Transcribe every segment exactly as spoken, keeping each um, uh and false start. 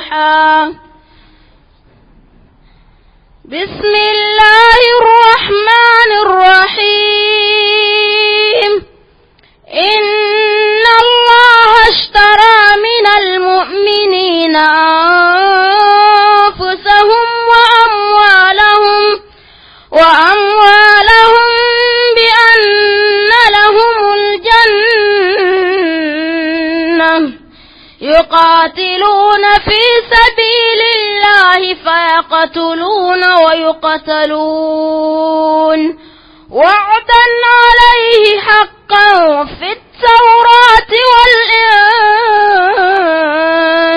الفاتحة. بسم الله الرحمن الرحيم. إن الله اشترى من المؤمنين أنفسهم وأموالهم وأموالهم بأن لهم الجنة يقاتلون في سبيل الله فيقتلون ويقتلون وعدا عليه حقا في التوراة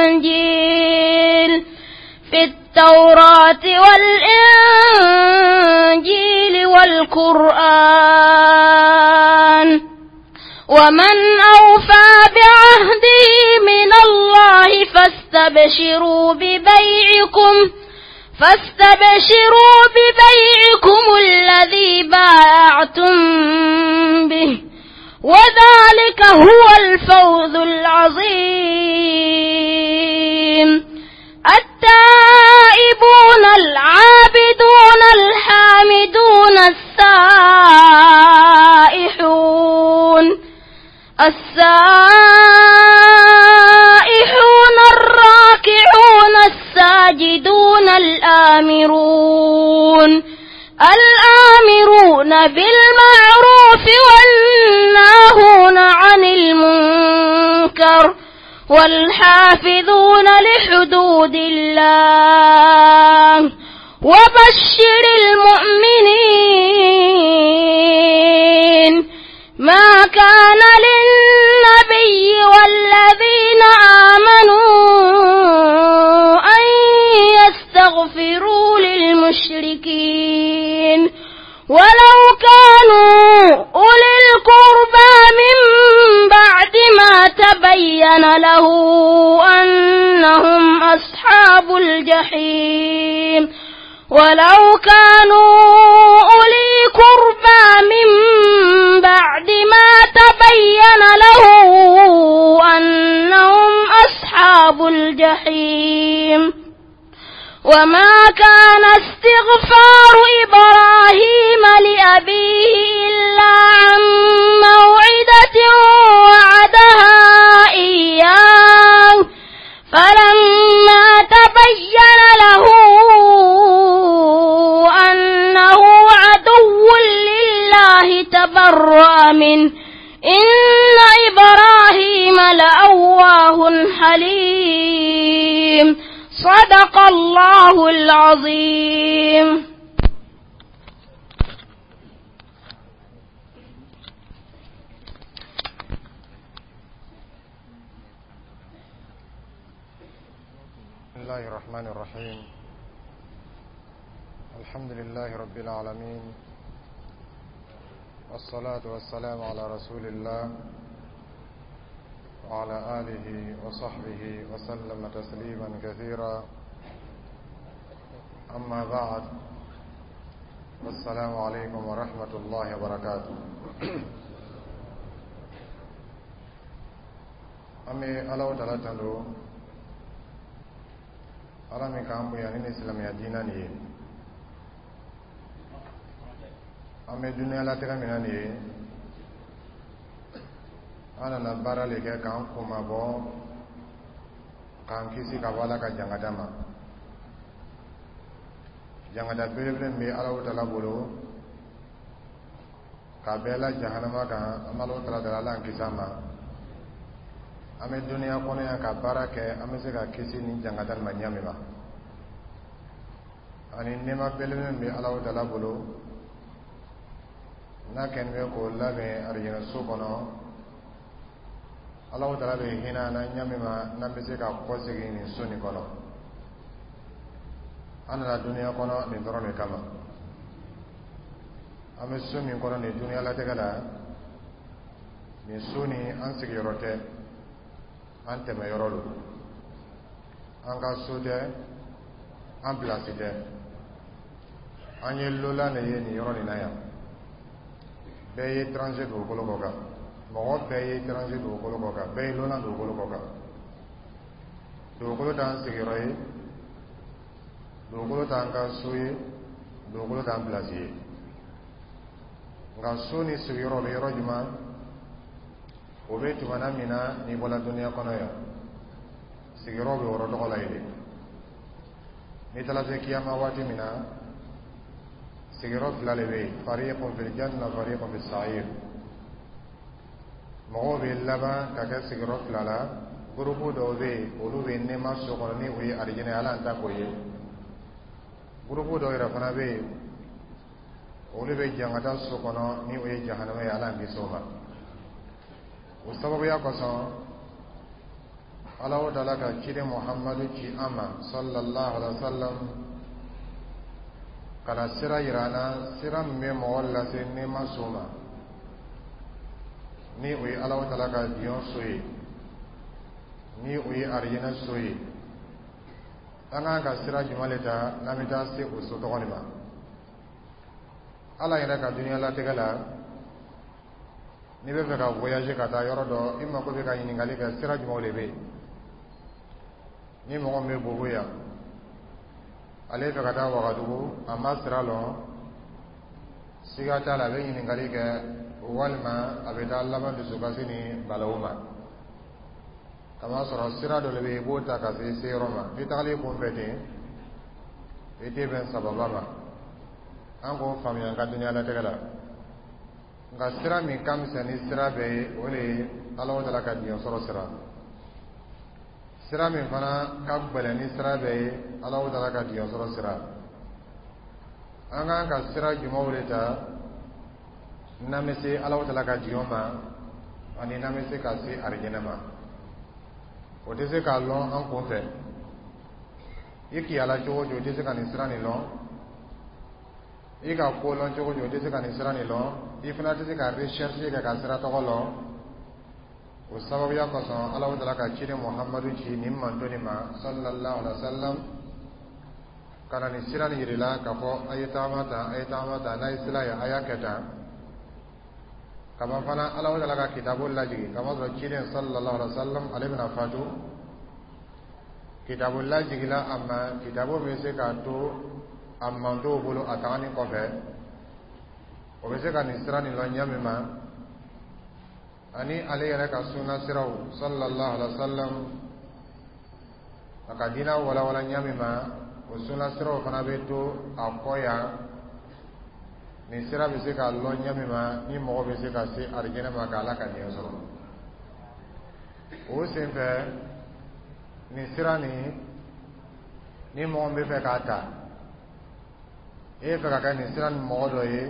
والإنجيل في التوراة والإنجيل والقرآن ومن أوفى بعهده من الله فاستبشروا ببيعكم فاستبشروا ببيعكم الذي بايعتم به وذلك هو الفوز العظيم. التائبون العابدون الحامدون السائحون السائحون الراكعون الساجدون الآمرون الآمرون بالمعروف والناهون عن المنكر والحافظون لحدود الله وبشر المؤمنين. ما كان للنبي والذين آمنوا أن يستغفروا للمشركين ولو كانوا أولي القربى من بعد ما تبين له أنهم أصحاب الجحيم ولو كانوا أولي قربى من بعد ما تبين له أنهم أصحاب الجحيم. وما كان استغفار إبراهيم لأبيه إلا عن موعدة وعدها إياه فلما تبين له أنه عدو لله تبرأ منه إن إبراهيم لأواه حليم. صدق الله العظيم. بسم الله الرحمن الرحيم. الحمد لله رب العالمين، والصلاة والسلام على رسول الله وعلى آله وصحبه وسلم تسليما كثيرا. أما بعد، والسلام عليكم ورحمة الله وبركاته. أمي ألو تلاتلو ala min k'an bonya ni silamɛya diinɛ nin ye, an bɛ duniyalatigɛ min na nin ye, an nana baara le kɛ k'an kunmabɔ, k'an kisi ka bɔ Ala ka jangada ma. Jangada belebele min bɛ Alahu taala bolo k'a bɛɛ la jahanama kan, an bɛ Alahu taala deli Ala k'an kisi a ma. An bɛ duniya kɔnɔ yan ka baara kɛ, an bɛ se ka kisi nin jangada nin ma ɲɛ min ma, ani nɛɛma belebele min bɛ Alahu taala bolo n'a kɛlen bɛ k'o labɛn arijinɛso kɔnɔ. Alahu taala bɛ hinɛ an na ɲɛ min ma, n'an bɛ se ka kɔsegin nin so nin kɔnɔ. An nana duniya kɔnɔ nin dɔrɔn de kama. An bɛ so min kɔnɔ nin duniyalatigɛ la, nin so nin an sigiyɔrɔ tɛ, an tɛmɛyɔrɔ don. An ka so tɛ, an pilasi tɛ, an ye lola de ye nin yɔrɔ nin na yan. Bɛɛ ye étranger dugukolo kɔ kan, mɔgɔ bɛɛ ye étranger dugukolo kɔ kan, bɛɛ ye lola dugukolo kɔ kan. Dugukolo t'an sigiyɔrɔ ye, dugukolo t'an ka so ye, dugukolo t'an pilasi ye. Nka so ni sigiyɔrɔ bɛ yɔrɔ jumɛn? O bɛ tumana min na n'i bɔra duniya kɔnɔ yan, sigiyɔrɔ bɛ yɔrɔ tɔgɔ la yen de. N'i taara se kiyama waati min na, sigiyɔrɔ fila de bɛ yen: fariqun fil janna, fariqun fis sa'ir. Mɔgɔw bɛ laban ka kɛ sigiyɔrɔ fila la. Gurupu dɔw bɛ yen, olu bɛ nɛɛma so kɔnɔ, ni o ye arijinɛ ye, Ala y'an ta k'o ye. Gurupu dɔw yɛrɛ fana bɛ yen, olu bɛ jangata so kɔnɔ, ni o ye jahanama ye, Ala y'an kisi o ma. O sababuya kosɔn, Ala taala ka ciden Muhamadu ci an ma, sallallahu alaihi wa sallam, ka na sira yira an na, sira min bɛ mɔgɔ lase nɛɛma so ma, ni o ye Ala taala ka diɲɛ so ye, ni o ye arijinɛ so ye. An k'an ka sira jumɛn de ta n'an bɛ taa se o so tɔgɔ nin ma? Ala yɛrɛ ka dunuya latigɛ la, n'i bɛ fɛ ka voyager ka taa yɔrɔ dɔ, i mako bɛ ka ɲininkali kɛ sira jumɛnw de bɛ yen. Ni mɔgɔ min bɛ Bobo yan, ale fɛ ka taa Wagadugu, a ma sira lɔn, siga t'a la, a bɛ ɲininkali kɛ, walima a bɛ taa laban dusukasi ni balawu ma. Kamasɔrɔ sira dɔ de bɛ yen, i b'o ta ka se se yɔrɔ ma. N'i tagali i kun fɛ ten, i tɛ bɛn sababa ma. An k'o faamuya an ka dunuya latigɛ la. Nka sira min ka misɛn ni sira bɛɛ ye, o de ye Ala taala ka diɲɛ sɔrɔ sira. Sira min fana ka gɛlɛn ni sira bɛɛ ye, Ala taala ka diɲɛ sɔrɔ sira. An k'an ka sira jumɛnw de ta n'an bɛ se Ala taala ka diɲɛ ma, ani n'an bɛ se ka se arijinɛ ma? O tɛ se k'a lɔn an kun fɛ. I kiyala cogo o cogo, i tɛ se ka nin sira nin lɔn. I ka ko lɔn cogo o cogo, i tɛ se ka nin sira nin lɔn. I fana tɛ se ka recherche kɛ ka sira tɔgɔ lɔn. O sababuya kosɔn, Ala taala ka ciden Muhamadu ci nin manto nin ma, sallallahu alaihi wa sallam, ka na nin sira nin yir'i la k'a fɔ a ye tagama tan, a ye tagama tan, n'a ye sira ye, a y'a kɛ tan. Kaban fana, Ala taala ka kitabu lajigin, kamasɔrɔ ciden sallallahu alaihi wa sallam, ale bɛna fatu, kitabu lajigila a ma. Kitabu bɛ se k'a to a mantow bolo a tagani kɔfɛ, o bɛ se ka nin sira nin lɔn ɲɛ min ma, ani ale yɛrɛ ka sunna siraw, sallallahu alaihi wa sallam, a ka diinɛ walawala ɲɛ min ma, o sunna siraw fana bɛ to a kɔ yan. Nin sira bɛ se ka lɔn ɲɛ min ma, ni mɔgɔ bɛ se ka se arijinɛ ma, k'Ala ka diɲɛ sɔrɔ. O senfɛ, nin sira nin, ni mɔgɔ min bɛ fɛ k'a ta, e bɛ fɛ ka kɛ nin sira nin mɔgɔ dɔ ye,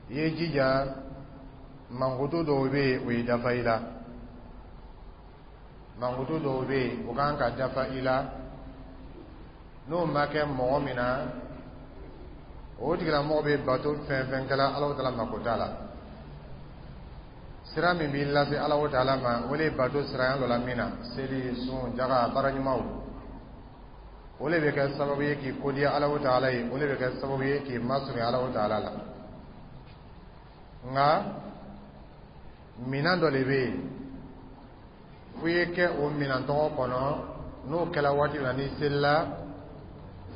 i ye jija, mankutu dɔw bɛ yen, o ye dafa i la. Mankutu dɔw bɛ yen, o kan ka dafa i la. N'o ma kɛ mɔgɔ min na, o tigilamɔgɔ bɛ bato fɛn fɛn kɛla, Alahu taala mako t'a la. Sira min b'i lase Alahu taala ma, o de ye bato sira y'an dɔ la min na, seli, sun, jaga, baara ɲumanw, o de bɛ kɛ sababu ye k'i kodiya Alahu taala ye, o de bɛ kɛ sababu ye k'i masurunya Alahu taala la. Nka minan dɔ de bɛ yen, fo i ye kɛ o minan tɔgɔ kɔnɔ. N'o kɛla waati min na, n'i selila,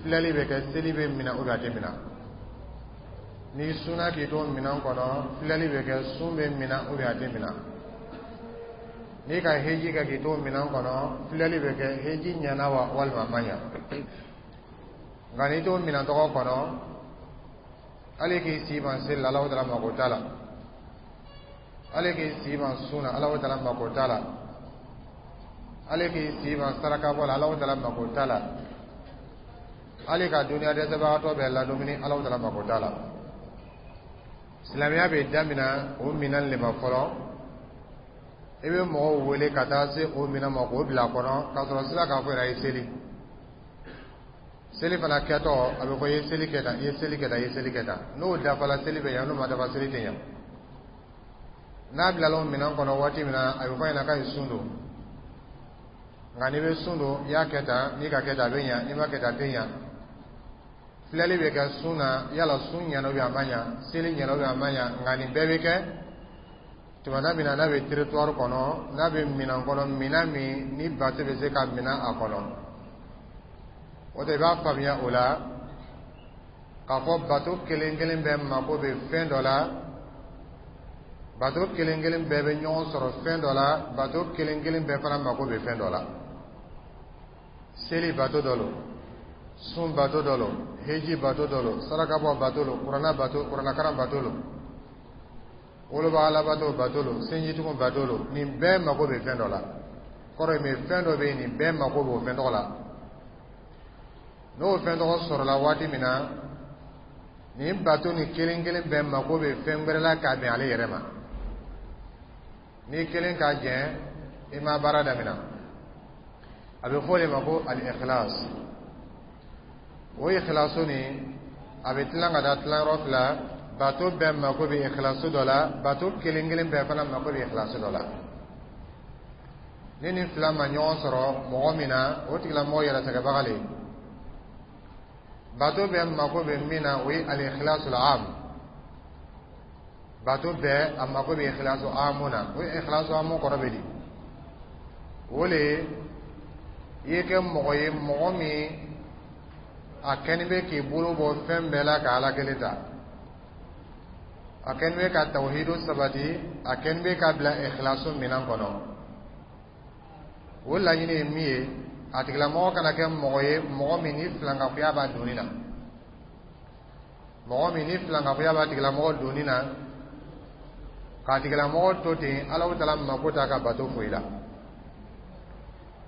filɛli bɛ kɛ, seli bɛ minɛ o a tɛ minɛ. N'i sunna k'i to minɛn kɔnɔ, filɛli bɛ kɛ, sun bɛ minɛ o a tɛ minɛ. N'i ka heji kɛ k'i to minɛn kɔnɔ, filɛli bɛ kɛ, heji ɲɛna wa walima a ma ɲa. Nka n'i to minɛn tɔgɔ kɔnɔ, hali k'i si ban seli la, Alahu taala mako t'a la. Hali k'i si ban sun na, Alahu taala mako t'a la. Hali k'i si ban saraka bɔ la, Alahu taala mako t'a la. Hali ka duniya dɛsɛbagatɔ bɛɛ ladumuni, Alahu taala mako t'a la. Silamɛya bɛ daminɛ o minɛn de ma fɔlɔ. I bɛ mɔgɔw wele ka taa se o minɛn ma k'o bila a kɔnɔ, k'a sɔrɔ sira k'a fɔ yɛrɛ, a ye seli. Seli fana kɛtɔ, a bɛ fɔ i ye seli kɛ tan, i ye seli kɛ tan, i ye seli kɛ tan. N'o dafala, seli bɛ ɲɛ. N'o ma dafa, seli tɛ ɲɛ. N'a bilala o minɛn kɔnɔ waati min na, a bɛ fɔ a ɲɛna k'a ye sun don. Nka n'i bɛ sun don, i y'a kɛ tan, n'i ka kɛ tan, a bɛ ɲɛ. N'i ma kɛ tan, a tɛ ɲɛ. Filɛli bɛ kɛ sun na, yala sun ɲɛna ou bien a ma ɲa, seli ɲɛna ou bien a ma ɲa. Nka nin bɛɛ bɛ kɛ Tumana min na n'a bɛ territoire kɔnɔ, n'a bɛ minɛn kɔnɔ, minɛn min ni bato bɛ se ka minɛ a kɔnɔ, o de i b'a faamuya o la k'a fɔ bato kelen kelen bɛɛ mako bɛ fɛn dɔ la, bato kelen kelen bɛɛ bɛ ɲɔgɔn sɔrɔ fɛn dɔ la, bato kelen kelen bɛɛ fana mako bɛ fɛn dɔ la. Seli bato dɔ lo, sun bato dɔ lo, heji bato dɔ lo, sarakabɔ bato lo, kuranna bato, kurannakaran bato lo, woloba alabato bato lo, sinjitugu bato lo. Nin bɛɛ mako bɛ fɛn dɔ la. Kɔrɔ ye min, fɛn dɔ bɛ yen, nin bɛɛ mako b'o fɛn tɔgɔ la. N'o fɛn tɔgɔ sɔrɔla waati min na, nin bato nin kelen kelen bɛɛ mako bɛ fɛn wɛrɛ la k'a bɛn ale yɛrɛ ma. N'i kelen ka jɛn, i ma baara daminɛ. A bɛ fɔ o de ma ko al-ikhlas. O ikhlasu nin, a bɛ tilan ka taa tilayɔrɔ fila. Bato bɛɛ mako bɛ ikhlasu dɔ la, bato kelen kelen bɛɛ fana mako bɛ ikhlasu dɔ la. Ni nin fila ma ɲɔgɔn sɔrɔ mɔgɔ min na, o tigilamɔgɔ yɛrɛ sɛgɛbaga le. Bato bɛɛ mako bɛ min na, o ye al-ikhlasul am. Bato bɛɛ a mako bɛ ikhlasu amu na. O ye ikhlasu amu kɔrɔ bɛ di? O le i ye kɛ mɔgɔ ye, mɔgɔ min a kɛni bɛ k'i bolo bɔ fɛn bɛɛ la ka Ala kelen ta, a kɛni bɛ ka tawhidu sabati, a kɛni bɛ ka bila ikhlasu minɛn kɔnɔ. O laɲini ye min ye, a tigilamɔgɔ kana kɛ mɔgɔ ye, mɔgɔ min ni filankafoya b'a doni na, mɔgɔ min ni filankafoya b'a tigilamɔgɔ doni na, k'a tigilamɔgɔ to ten, Alahu taala mako t'a ka bato foyi la.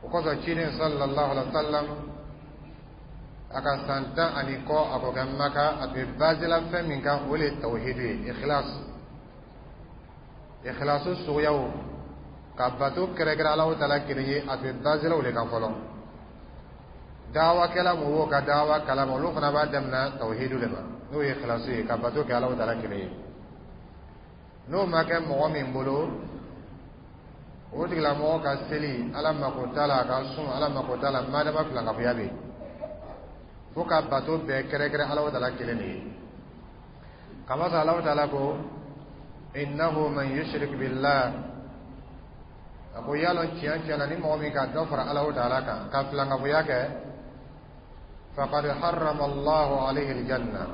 O kosɔn ciden sallallahu alaihi wa sallam, a ka san tan ani kɔ a k'o kɛ Maka, a tun bɛ basé la fɛn min kan, o de ye tawhidu ye, ikhlas. Ikhlasu suguyaw, ka bato kɛrɛkɛrɛ Alahu taala kelen ye, a tun bɛ basé la o de kan fɔlɔ. Dawakɛla mɔgɔw ka dawa kalama, olu fana b'a daminɛ tawhidu de ma, n'o ye ikhlasu ye, ka bato kɛ Alahu taala kelen ye. N'o ma kɛ mɔgɔ min bolo, o tigilamɔgɔ ka seli, Ala mako t'a la, a ka sun, Ala mako t'a la, madama filankafoya bɛ yen. Fo ka bato bɛɛ kɛrɛkɛrɛ Alahu taala kelen de ye. Kamasɔrɔ Alahu taala ko innahu man yushrik billah, a ko y'a lɔn tiɲɛ tiɲɛ na, ni mɔgɔ min ka dɔ fara Alahu taala kan ka filankafoya kɛ, faqad harrama Allahu alayhi aljanna,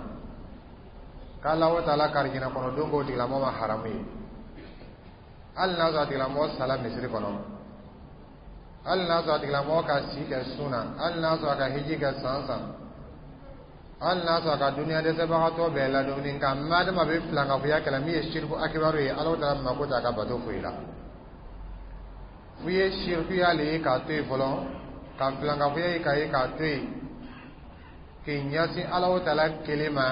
k'Alahu taala ka arijinɛ kɔnɔ don k'o tigilamɔgɔ ma haramu ye. Hali n'a sɔrɔ a tigilamɔgɔ sala misiri kɔnɔ, hali n'a sɔrɔ a tigilamɔgɔ ka si kɛ sun na, hali n'a sɔrɔ a ka hiji kɛ san san, hali n'a sɔrɔ a ka duniya dɛsɛbagatɔ bɛɛ ladumuni, nka madama bɛ filankafoya kɛlɛ min ye siriku akibaru ye, Alahu taala mako t'a ka bato foyi la. F'u ye sirikuya le ye k'a to yen fɔlɔ, ka filankafoya ye k'a ye k'a to yen, k'i ɲɛsin Alahu taala kelen ma.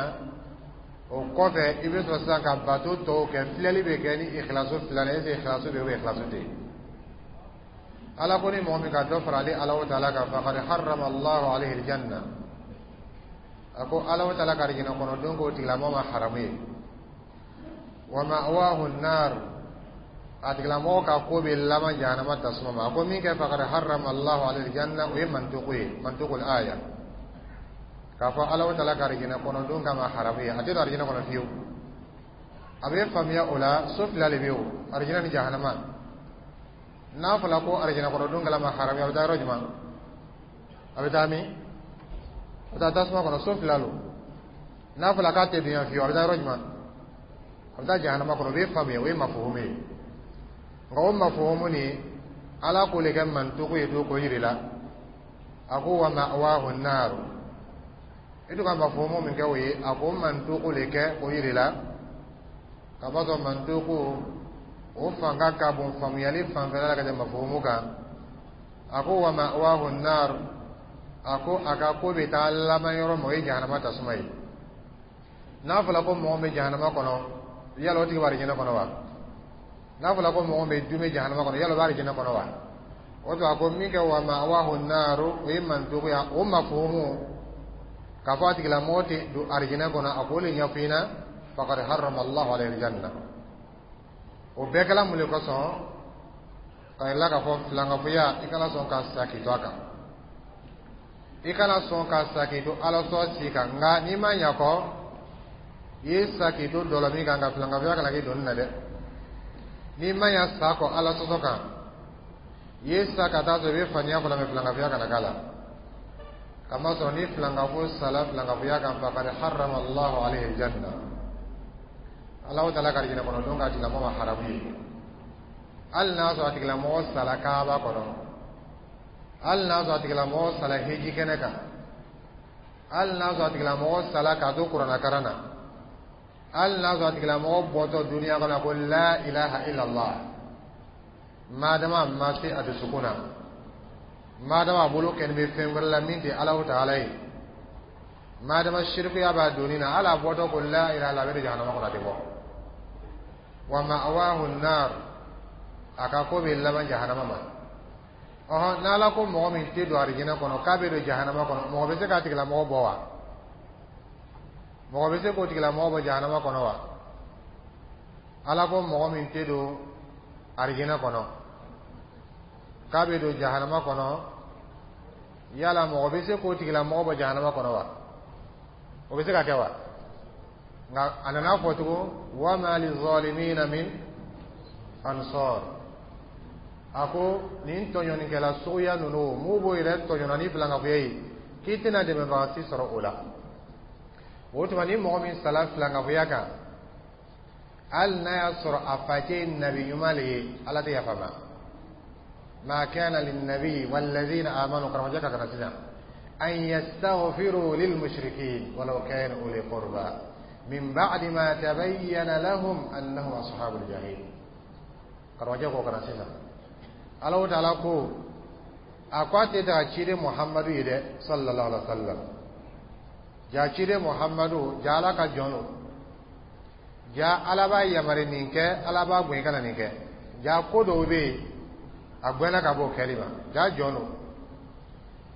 O kɔfɛ, i bɛ sɔrɔ sisan ka bato tɔw kɛ. Filɛli bɛ kɛ ni ikhlasu fila la, est ce que ikhlasu bɛ yen ou bien ikhlasu tɛ yen? Ala ko ni mɔgɔ min ka dɔ fara ale Alahu taala kan, faqad harrama Allahu alayhi aljanna, a ko Alahu taala ka arijinɛ kɔnɔ don k'o tigilamɔgɔ ma haramu ye. Wa ma'wahu an-nar, a tigilamɔgɔ ka ko bɛ laban jahanama tasuma ma. A ko min kɛ faqad harrama Allahu alayhi aljanna, o ye mantuku ye, mantukul aya, k'a fɔ Alahu taala ka arijinɛ kɔnɔ don kama haramu ye, a tɛ don arijinɛ kɔnɔ fiyewu. A bɛ faamuya o la, so fila de bɛ yen o, arijinɛ ni jahanama. N'a fɔra ko arijinɛ kɔnɔ don kɛla ma haramu ye, a bɛ taa yɔrɔ jumɛn? A bɛ taa min? A bɛ taa tasuma kɔnɔ. So fila lo. N'a fɔra k'a tɛ don yan fiyewu, a bɛ taa yɔrɔ jumɛn? A bɛ taa jahanama kɔnɔ. O bɛ faamuya, o ye mafuhumu ye. Nka o mafuhumu nin, Ala k'o de kɛ mantuku ye to k'o yir'i la. A ko wa ma'wahu an-nar, i to ka mafuhumu min kɛ o ye, a ko mantuku de kɛ k'o yir'i la, ka b'a sɔrɔ mantuku o fanga ka bon faamuyali fanfɛla la ka tɛmɛ mafuhumu kan. A ko wa ma'wahu an-nar, a ko a ka ko bɛ taa laban yɔrɔ min, o ye jahanama tasuma ye. N'a fɔra ko mɔgɔ bɛ jahanama kɔnɔ, yala o tigi bɛ arijinɛ kɔnɔ wa? N'a fɔra ko mɔgɔ bɛ dume jahanama kɔnɔ, yala o bɛ arijinɛ kɔnɔ wa? O to a ko min kɛ wa ma'wahu an-nar, o ye mantuku ye. O mafuhumu k'a fɔ a tigilamɔgɔ tɛ don arijinɛ kɔnɔ, a k'o de ɲɛfɔ i ɲɛna, faqad harrama Allahu alayhi al-janna. O bɛɛ kɛla mun de kosɔn? Ka yira k'a fɔ filankafoya, i kana sɔn ka sa k'i to a kan, i kana sɔn ka sa k'i to Ala sɔn si kan. Nka n'i ma ɲa kɔ, i ye sa k'i to dɔlɔ min kan, ka filankafoya kana k'i doni na dɛ. N'i ma ɲa sa kɔ Ala sɔsɔ kan, i ye sa ka taa sɔrɔ i bɛ faniya fɔlɔ mɛ filankafoya kana k'a la, kamasɔrɔ ni filankafo sala filankafoya kan, faqad harrama Allahu alayhi aljanna, Alahu taala ka arijinɛ kɔnɔ don k'a tigilamɔgɔ ma haramu ye. Hali n'a sɔrɔ a tigilamɔgɔ sala Kaaba kɔnɔ, hali n'a sɔrɔ a tigilamɔgɔ sala heji kɛnɛ kan, hali n'a sɔrɔ a tigilamɔgɔ sala k'a to kuranna karan na, hali n'a sɔrɔ a tigilamɔgɔ bɔtɔ duniya kɔnɔ ko la ilaha illallah, madama a ma se a dusukun na, madama a bolo kɛni bɛ fɛn wɛrɛ la min tɛ Alahu taala ye, madama sirikuya b'a doni na, hali a bɔtɔ ko la ilaha illallah, a bɛ don jahanama kɔnɔ, a tɛ bɔ. Wa ma'awahu nar, a ka ko bɛ laban jahanama ma. Ɔhɔn, n'Ala ko mɔgɔ min tɛ don arijinɛ kɔnɔ k'a bɛ don jahanama kɔnɔ, mɔgɔ bɛ se k'a tigilamɔgɔ bɔ wa? Mɔgɔ bɛ se k'o tigilamɔgɔ bɔ jahanama kɔnɔ wa? Ala ko mɔgɔ min tɛ don arijinɛ kɔnɔ k'a bɛ don jahanama kɔnɔ, yala mɔgɔ bɛ se k'o tigilamɔgɔ bɔ jahanama kɔnɔ wa? O bɛ se ka kɛ wa? Nka a nana fɔ tugun, wa ma lizalimina min ansar. A ko nin tɔɲɔnikɛla suguya ninnu, m'u b'o yɛrɛ tɔɲɔna ni filankafoya ye, k'i tɛna dɛmɛbaga si sɔrɔ o la. O tuma, ni mɔgɔ min sala filankafoya kan, hali n'a y'a sɔrɔ a facɛ ye nabi ɲuman le ye, Ala tɛ yafa ma. Ma kana linnabi wallazina amanu, karamɔgɔcɛ ka kana sisan, an yastaghfiru lilmushrikin walau kanu uli qurba min ba'di ma tabayyana lahum annahum ashabul jahim. Karamɔgɔcɛ ko kana sisan, Alahu taala ko a ko a tɛ daga ciden Muhamadu ye dɛ, sallallahu alaihi wa sallam. Ja ciden Muhamadu, ja Ala ka jɔn don, ja Ala b'a yamari nin kɛ, Ala b'a bonya kana nin kɛ. Ja ko dɔw bɛ yen, a gbɛnna ka bɔ o kɛli ma. Ja jɔn don,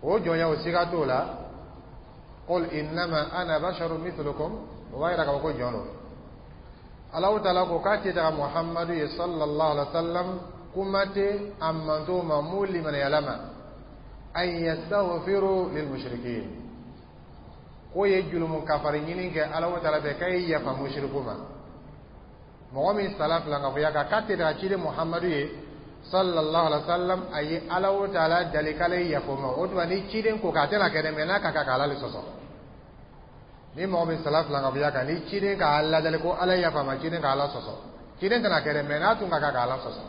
o jɔnya, o siga t'o la. Qul innama ana basharun mithlukum, o b'a yira k'a fɔ ko jɔn don. Alahu taala ko k'a tɛ daga Muhamadu ye, sallallahu alaihi wa sallam, kuma tɛ a mantow ma mun limaniyala ma, an yastaghfiru lil mushrikin, k'o ye julumu kafari ɲini kɛ Alahu taala fɛ k'a ye yafa mushriku ma. Mɔgɔ min sala filankafoya kan, k'a tɛ daga ciden Muhamadu ye, sallallahu alaihi wa sallam, a ye Alahu taala dali k'ale ye yafa o ma. O tuma, ni ciden ko k'a tɛna kɛ dɛ, mɛ n'a ka kan k'Ala le sɔsɔ. Ni mɔgɔ min sala filankafoya kan, ni ciden k'a ladali ko Ala ye yafa ma, ciden k'Ala sɔsɔ. Ciden tɛna kɛ dɛ, mɛ n'a tun ka kan k'Ala sɔsɔ,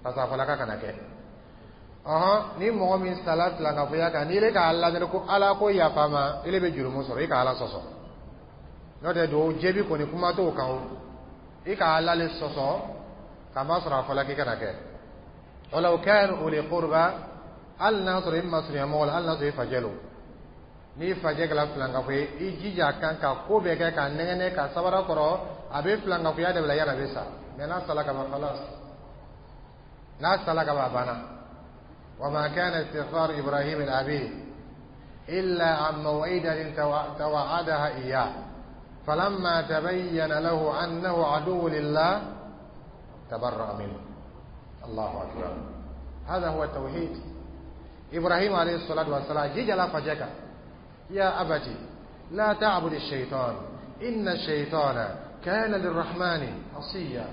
parce que a fɔla k'a kana kɛ. Ɔhɔn, ni mɔgɔ min sala filankafoya kan, n'i k'a ladali ko Ala ko yafa ma, ile bɛ jurumu sɔrɔ, i ka Ala sɔsɔ. N'o tɛ, dugawu jaabi kɔni, kuma t'o kan o, i ka Ala le sɔsɔ, k'a ma sɔrɔ a fɔla k'i kana kɛ. Walaw kanu uli qurba, hali n'a sɔrɔ i masurunya mɔgɔ la, hali n'a sɔrɔ i facɛ lo. N'i facɛ kɛra filankafo ye, i jija a kan ka ko bɛɛ kɛ k'a nɛgɛnɛ ka sabara kɔrɔ, a bɛ filankafoya dabila yanni a bɛ sa. Mɛ n'a sala ka ban, khalas, n'a sala ka ban, a banna. Wa ma kana istighfar Ibrahim li abihi illa an maw'idatin tawa'adaha iyyah falamma tabayyana lahu annahu aduwwun lillah tabarra'a minhu. Allahu akbar, هذا هو التوحيد. إبراهيم عليه الصلاة والسلام جيجا فجك يا أبتي لا تعبد الشيطان إن الشيطان كان للرحمن عصيا.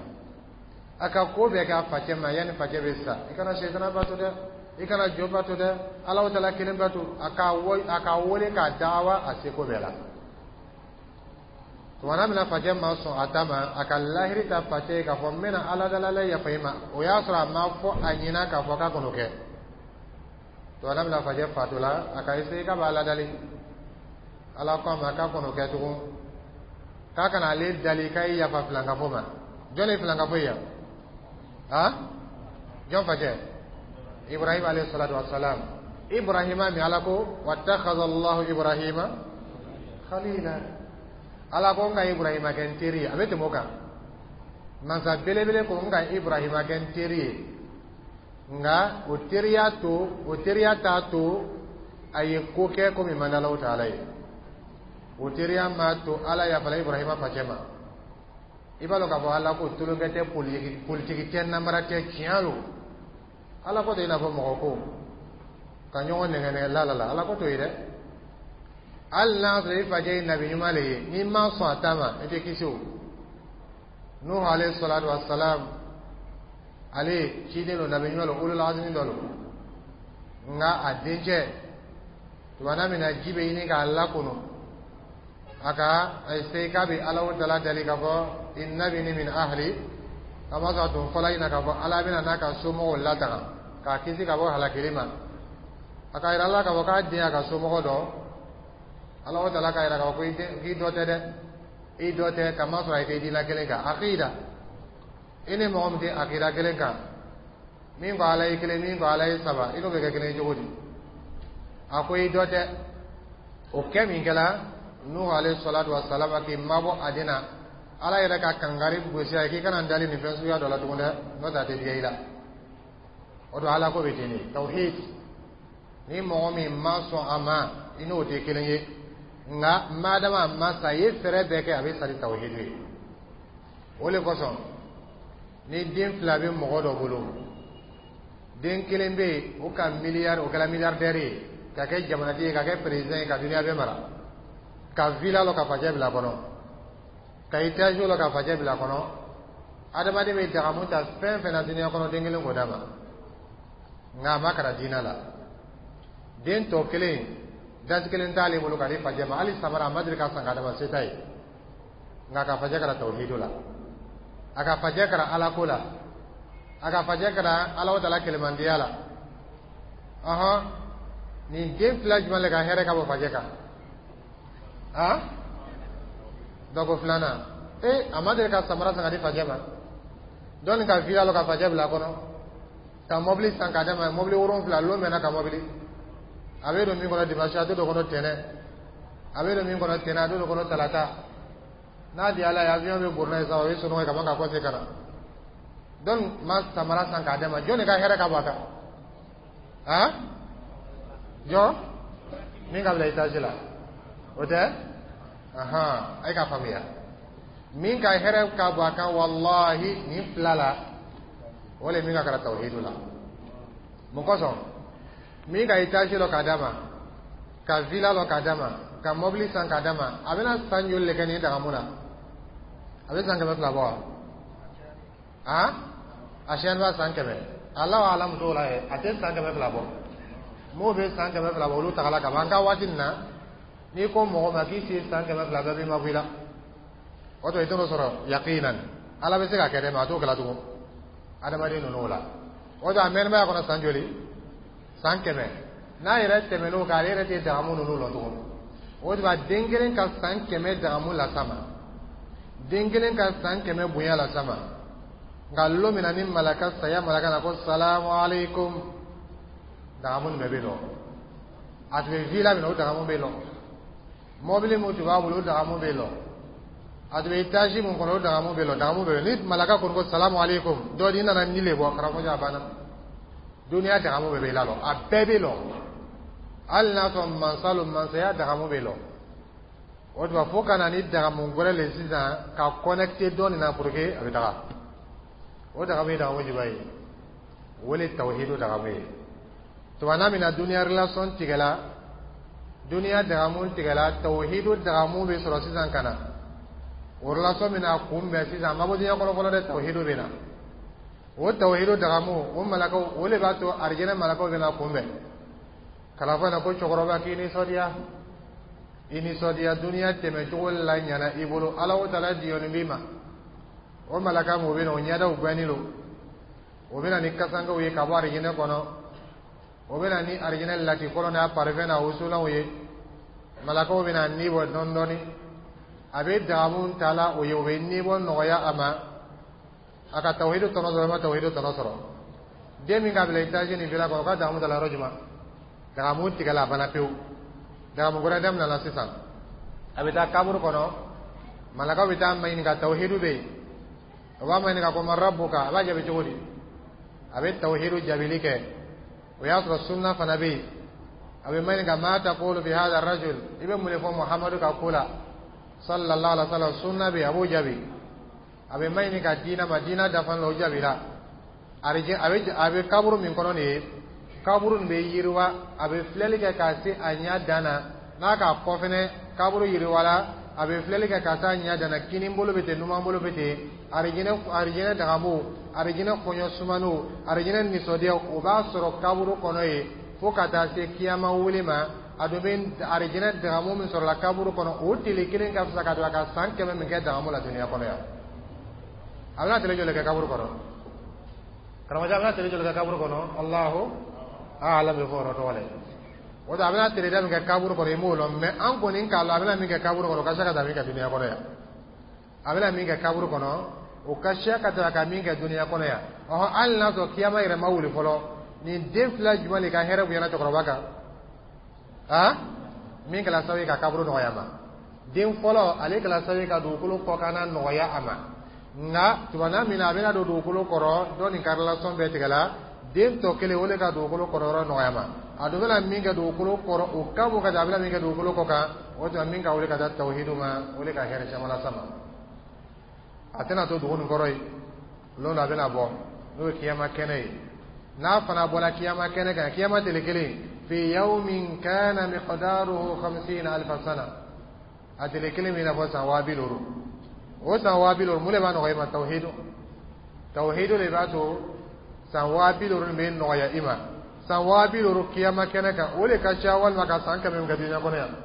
A ka ko bɛɛ k'a facɛ ma yanni facɛ bɛ sa: i kana sɛtana bato dɛ, i kana jo bato dɛ, Alahu taala kelen bato. A ka a ka wele k'a dawa a seko bɛɛ la. Tumana min na facɛ ma sɔn a ta ma, a ka lahiri ta facɛ ye k'a fɔ n bɛna Ala dalala yafa i ma. O y'a sɔrɔ a ma fɔ a ɲɛna k'a fɔ k'a kɔnɔ kɛ. Tumana min na facɛ fatula, a ka essayer k'a b'a ladali, Ala ko a ma k'a kɔnɔ kɛ tugun, k'a kana ale dali k'a ye yafa filankafo ma. Jɔn ye filankafo ye yan? Ha, jɔn facɛ? Ibrahim alayhi salatu wassalam. Ibrahima min Ala ko wattakhadha Allahu Ibrahima khalila, Ala ko n ka Ibrahima kɛ n teri ye. A bɛ tɛmɛ o kan, mansa belebele ko n ka Ibrahima kɛ n teri ye. Nka o teriya to, o teriya t'a to a ye ko kɛ ko min man di Alahu taala ye. O teriya m'a to Ala yafala Ibrahima facɛ ma. I b'a dɔn k'a fɔ Ala ko tulonkɛ tɛ, politiki tɛ, namara tɛ, tiɲɛ don. Ala ko tɛ i n'a fɔ mɔgɔ ko ka ɲɔgɔn nɛgɛ nɛgɛ la la la. Ala ko t'o ye dɛ. Hali n'a sɔrɔ i facɛ ye nabi ɲuman le ye, n'i ma sɔn a ta ma, i tɛ kisi o. Nuhu alayhi salatu wa salam. Ale ciden lo, nabi ɲuman lo, ulul azmi dɔ lo. Nka a dencɛ, tumana min na ji bɛ ɲini k'a lakunu, a ka se k'a bɛ Ala tala dali k'a fɔ: inna bini min ahli. Kamasɔrɔ a tun fɔla ɲɛna k'a fɔ Ala bɛna n'a ka somɔgɔw latanga k'a kisi ka bɔ halakili ma. A ka yira ala k'a fɔ k'a den y'a ka somɔgɔ dɔ. Ala tala k'a yira k'a fɔ ko k'i dɔ tɛ dɛ, i dɔ tɛ, kamasɔrɔ a tɛ diinɛ kelen kan. Akida, i ni mɔgɔ min tɛ akida kelen kan, min ko Ala ye kelen, min ko Ala ye saba, i n'o bɛ kɛ kelen ye cogo di? A ko i dɔ tɛ. O kɛ min kɛla, Nuhu alayhi salatu wa salam k'i mabɔ a den na, Ala yɛrɛ ka kangari gosi a ye k'i kana n dali nin fɛn suguya dɔ la tugun dɛ, n'o tɛ a tɛ diya i la. O don, Ala ko bɛ ten de. Tawhid, ni mɔgɔ min ma sɔn a ma, i n'o tɛ kelen ye. Nka madama a ma sa, a ye fɛɛrɛ bɛɛ kɛ, a bɛ sa ni tawhidu ye. O de kosɔn, ni den fila bɛ mɔgɔ dɔ bolo, den kelen bɛ yen, o ka miliyari, o kɛra milliardaire ye, ka kɛ jamanatigi ye, ka kɛ président ye, ka duniya bɛɛ mara, ka villa lɔ ka facɛ bila kɔnɔ, ka étage lɔ ka facɛ bila kɔnɔ. Adamaden bɛ dagamu ta fɛn fɛn na duniya kɔnɔ, den kelen k'o d'a ma, nka a ma kalan diinɛ la. Den tɔ kelen, dasi kelen t'ale bolo ka di facɛ ma, hali samara a ma deli ka san k'a d'a ma, se t'a ye. Nka ka facɛ kalan tawhidu la, a ka facɛ kalan Ala ko la, a ka facɛ kalan Ala tala kɛlɛmandiya la. Ɔhɔn, nin den fila jumɛn le ka hɛrɛ ka bɔ facɛ kan? Han, dɔ ko filanan. Ee, a ma deli ka samara san ka di facɛ ma, dɔɔni ka villa lɔ ka facɛ bila a kɔnɔ, ka mɔbili san k'a d'a ma, mɔbili wolonfila lon mɛnna ka mɔbili. A bɛ don min kɔnɔ dimanche, a tɛ don kɔnɔ tɛnɛ, a bɛ don min kɔnɔ tɛnɛ, a tɛ don kɔnɔ talata. N'a di Ala ye, avion bɛ bori n'a ye sa, o ye sunɔgɔ ye ka ban ka kɔse ka na. Donc ma samara san k'a d'a ma. Jɔn de ka hɛrɛ ka bɔ a kan? Han, jɔn min ka bila étage la, o tɛ? Ahan, a ye ka faamuya, min ka hɛrɛ ka bɔ a kan walahi nin fila la, o le min ka kalan tawhidu la. Mun kosɔn? Min ka étage lɔ k'a d'a ma, ka villa lɔ k'a d'a ma, ka mɔbili san k'a d'a ma, a bɛna san joli le kɛ nin dagamu na? A bɛ san kɛmɛ fila bɔ wa? Han, a siyɛn b'a san kɛmɛ, Alahu alamu t'o la yɛ, a tɛ san kɛmɛ fila bɔ. M'o bɛ san kɛmɛ fila bɔ, olu tagala ka ban. An ka waati nin na, n'i ko mɔgɔ ma k'i si san kɛmɛ fila, bɛɛ b'i ma bɔ i la. O tɔ i t'o sɔrɔ yaqinan. Ala bɛ se ka kɛ dɛ, mɛ a t'o kɛla tugun adamaden ninnu la. O tɔ a mɛnɛmaya kɔnɔ san joli? San kɛmɛ. N'a yɛrɛ tɛmɛn'o kan, ale yɛrɛ tɛ dagamu ninnu lɔ tugun. O tuma, den kelen ka san kɛmɛ dagamu las'a ma, den kelen ka san kɛmɛ bonya las'a ma. Nka lon min na ni malaka saya malaka na ko salamu aleykum, dagamu nin bɛɛ bɛ lɔ. A tun bɛ villa min na, o dagamu bɛ lɔ. Mɔbili min tun b'a bolo, o dagamu bɛ lɔ. A tun bɛ étage min kɔnɔ, o dagamu bɛ lɔ, dagamu bɛ lɔ. Ni malaka kɔni ko salamu aleykum, dɔ di nana ni le bɔ karamɔgɔ, a banna. Duniya dagamu bɛɛ bɛ lalɔ, a bɛɛ bɛ lɔ. Hali n'a sɔrɔ mansa lo, mansaya dagamu bɛ lɔ. O tuma, fo ka na ni dagamu wɛrɛ le sisan ka connecté dɔ nin na pour que a bɛ taga. O dagamu ye dagamu jumɛn ye? O le tawhidu dagamu ye. Tuma n'a mina duniya relation tigɛla, duniya dagamu tigɛla, tawhidu dagamu bɛ sɔrɔ sisan ka na o relation bɛna kunbɛn sisan. A ma bɔ diɲɛ kɔnɔ fɔlɔ dɛ, tawhidu bɛ na. O tawhidu dagamu, o malakaw, o de b'a to arijinɛ malakaw bɛna kunbɛn kala fɔ na ko cɛkɔrɔba, k'i nisɔndiya, i nisɔndiya, duniya tɛmɛcogo la ɲana i bolo, Ala o tala diyɔni b'i ma. O malaka mun bɛ na, o ɲɛdaw gɛnni lo, o bɛ na ni kasankew ye ka bɔ arijinɛ kɔnɔ, o bɛ na ni arijinɛ latikɔlɔ n'a parfum n'a wusulanw ye. Malakaw bɛ na ni bɔ dɔɔni dɔɔni, a bɛ dagamu ta la o ye, o bɛ ni bɔ nɔgɔya a ma. A ka tawhidu tɔnɔ sɔrɔ, ma tawhidu tɔnɔ sɔrɔ. Den min ka bila étage ni villa kɔnɔ, o ka dagamu ta la yɔrɔ jumɛn? Dagamu tigɛla, a banna pewu. Dagamu wɛrɛ daminɛna sisan. A bɛ taa kaburu kɔnɔ, malakaw bɛ taa maɲininka, tawhidu bɛ yen. O b'a maɲininka ko man rabbuka? A b'a jaabi cogo di? A bɛ tawhidu jaabili kɛ. O y'a sɔrɔ sunna fana bɛ yen. A bɛ maɲininka ma taqulu fi hadha rajul? I bɛ mun de fɔ Muhamadu ka ko la, sallallahu alaihi wa sallam? Sunna bɛ yen, a b'o jaabi. A bɛ maɲininka diinɛ ma, diinɛ dafalen la, o jaabira. Arijɛ, a bɛ a bɛ kaburu min kɔnɔ nin ye, kaburu nin bɛ yiriwa, a bɛ filɛli kɛ k'a se a ɲɛ dan na, n'a k'a kɔ fɛnɛ kaburu yiriwala. A bɛ filɛli kɛ ka taa ɲɛ dana, kinin bolo bɛ ten, numan bolo bɛ ten. Arijinɛ, arijinɛ dagamu, arijinɛ kɔɲɔ sumaniw, arijinɛ nisɔndiya, o b'a sɔrɔ kaburu kɔnɔ yen fo ka taa se kiyama wuli ma. A dun bɛ arijinɛ dagamu min sɔrɔla kaburu kɔnɔ, o tile kelen ka fisa ka don a ka san kɛmɛ min kɛ dagamu la duniya kɔnɔ yan. A bɛna tile joli kɛ kaburu kɔnɔ, karamɔgɔcɛ? A bɛna tile joli kɛ kaburu kɔnɔ? Alahu alam, bɛ fɔ o yɔrɔ tɔgɔ la. O a bɛna tile da min kɛ kaburu kɔnɔ, i m'o lɔn. Mɛ an kɔni k'a lɔn, a bɛna min kɛ kaburu kɔnɔ, o ka se ka taa min kɛ duniya kɔnɔ yan. A bɛna min kɛ kaburu kɔnɔ, o ka siya ka taa ka min kɛ duniya kɔnɔ yan. Ɔhɔn, hali n'a sɔrɔ kiyama yɛrɛ ma wuli fɔlɔ, nin den fila jumɛn de ka hɛrɛ bonyana cɛkɔrɔba kan? Han, min kɛra sababu ye ka kaburu nɔgɔya ma, den fɔlɔ, ale kɛra sababu ye ka dugukolo kɔkanna nɔgɔya a ma. Nka tumana min na a bɛna don dugukolo kɔrɔ, dɔ nin ka relation bɛɛ tigɛla. Den tɔ kelen, o de ka dugukolo kɔrɔ yɔrɔ nɔgɔya ma. A dun bɛna min kɛ dugukolo kɔrɔ, o ka bon ka taa a bɛna min kɛ dugukolo kɔ kan. O tuma, min ka wuli ka taa tawhidu ma, o de ka hɛrɛ caman las'a ma. A tɛna to dugu nin kɔrɔ yen. Lon dɔ a bɛna bɔ, n'o ye kiyama kɛnɛ ye. N'a fana bɔra kiyama kɛnɛ kan, kiyama tele kelen, fi yawmin kana miqdaruhu khamsina alfa sana, a tele kelen bɛ i n'a fɔ san waa bi duuru. O san waa bi duuru, mun de b'a nɔgɔya i ma? Tawhidu, tawhidu de b'a to san waa bi duuru nin bɛ nɔgɔya i ma. San waa bi duuru kiyama kɛnɛ kan, o de ka ca walima ka san kɛmɛ min kɛ duniya kɔnɔ yan,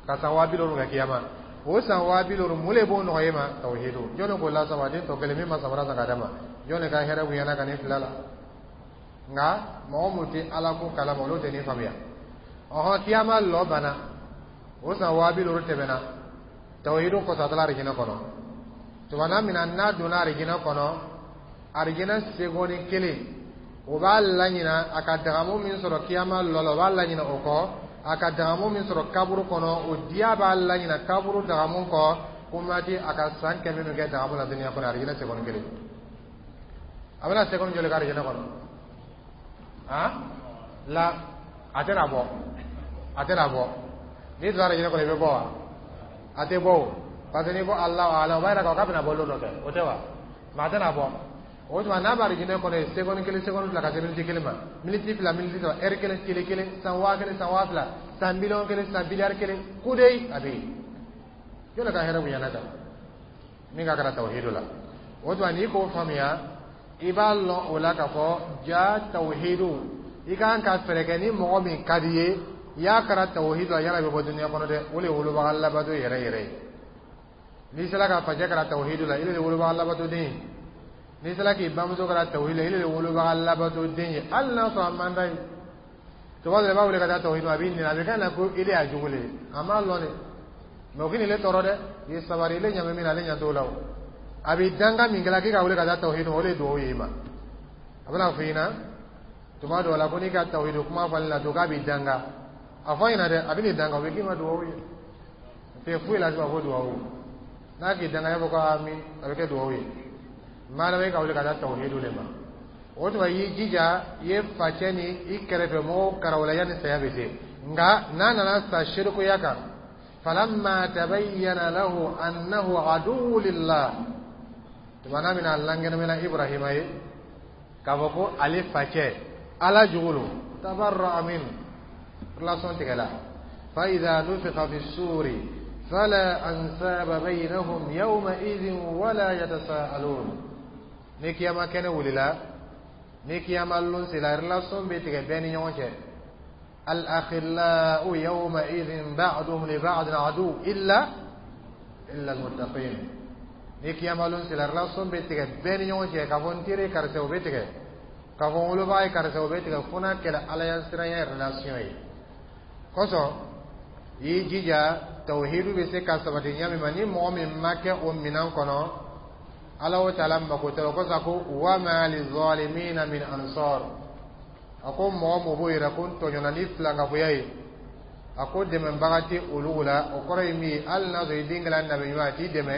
ka san waa bi duuru kɛ kiyama. O san waa bi duuru, mun de b'o nɔgɔya i ma? Tawhidu. Jɔnni k'o lasama? Den tɔ kelen min ma samara san ka d'a ma, jɔnni ka hɛrɛ bonyana ka nin fila la? Nka mɔgɔ mun tɛ Ala ko kalama, olu tɛ nin faamuya. Ɔhɔn, kiyama lɔ banna, o san waa bi duuru tɛmɛna, tawhidu kɔsɔ, a taara arijinɛ kɔnɔ. Tumana min na n'a donna arijinɛ kɔnɔ, arijinɛ segɔni kelen, o b'a laɲina a ka dagamu min sɔrɔ kiyama lɔ la, o b'a laɲina o kɔ. A ka dagamu min sɔrɔ kaburu kɔnɔ, o diya b'a laɲina kaburu dagamu kɔ. Ko mati a ka san kɛmɛ min kɛ dagamu la duniya kɔnɔ, arijinɛ segɔni kelen, a bɛna segɔni joli kɛ arijinɛ kɔnɔ? Han, la a tɛna bɔ, a tɛna bɔ. N'i donna arijinɛ kɔnɔ, i bɛ bɔ wa? A tɛ bɔ o, parce que n'i ko Alahu alam, o b'a yira k'a fɔ k'a bɛna bɔ lon dɔ kɛ, o tɛ wa? Mɛ a tɛna bɔ. O tuma, n'a bɛ arijinɛ kɔnɔ yen, segɔni kelen, segɔni fila, ka se miniti kelen ma, miniti fila, miniti saba, ɛri kelen, tile kelen, san waa kelen, san waa fila, san miliyɔn kelen, san biliyari kelen, kudeyi a bɛ yen. Jɔn ka hɛrɛ bonyana kan min ka kɛra tawhidu la? O tuma, n'i k'o faamuya, i b'a lɔn o la k'a fɔ ja tawhidu, i kan ka fɛɛrɛ kɛ ni mɔgɔ min ka di ye, i y'a kɛra tawhidu la, yala bɛ bɔ duniya kɔnɔ dɛ. O de ye wolobaga labato yɛrɛ yɛrɛ ye. N'i sera ka facɛ kɛra tawhidu la, i de ye wolobaga labato den ye. N'i sera k'i bamuso kɛra tawhidu la, i de ye wolobaga labato den ye. Hali n'a sɔrɔ a man d'a ye, tuma dɔ la, i b'a wele ka taa tawhidu, a b'i nɛni, a bɛ kɛ na ko i de y'a jugu le ye. A m'a lɔn dɛ, mɛ o k'i le tɔɔrɔ dɛ. I ye sabari, ile ɲa bɛ min na, ale ɲɛ t'o la. O a bɛ danga min kɛla k'i ka wele ka taa tawhidu, o de ye duwawu ye i ma. A bɛna fɔ i ɲɛna tuma dɔw la ko n'i ka tawhidu kuma fɔli la to, k'a b'i danga. A fɔ ɲɛna dɛ, a bɛ n'i danga, o bɛ k'i ma duwawu ye. Tɛ foyi la ko duwawu, n'a k'i danga, i b'a fɔ ko ami, a bɛ kɛ duwawu ye. Maa e ka wele ka taa tawhidu de ma. O tuma, i y'i jija, i ye facɛ ni i kɛrɛfɛ mɔgɔw karawala yanni saya bɛ se. Nka n'a nana sa sirikuya kan, falamma tabayyana lahu annahu aduwwu lillah, tumana min na a lankɛnɛmɛna Ibrahima ye k'a fɔ ko ale facɛ Ala jugu lo, tabarra'a min, relation tigɛla. Fa idha nufikha fi suri fala ansaba baynahum yawma idhin wala yatasaalun. Ni kiyama kɛnɛ wulila, ni kiyama lon sela, relation bɛ tigɛ bɛɛ ni ɲɔgɔn cɛ. الأخلاء يومئذ بعضهم لبعض عدو إلا إلا المتقين. Ni kiyama lon sela, relation bɛ tigɛ bɛɛ ni ɲɔgɔn cɛ, k'a fɔ n teri ye karisa, o bɛ tigɛ, k'a fɔ n wolobaga ye karisa, o bɛ tigɛ, fo n'a kɛra Ala ya siranya relation ye. Kosɔn, i y'i jija, tawhidu bɛ se ka sabati ɲa min ma, ni mɔgɔ min ma kɛ o minɛn kɔnɔ, Ala o taala mako tɛ o kosɔn. A ko wama lizalimina min ansar. A ko mɔgɔ mɔgɔ b'o yɛrɛ ko n tɔɲɔna ni filankafoya ye, a ko dɛmɛbaga tɛ olu la. O kɔrɔ ye min ye, hali n'a sɔrɔ i den kɛra nabi ɲuman, a t'i dɛmɛ,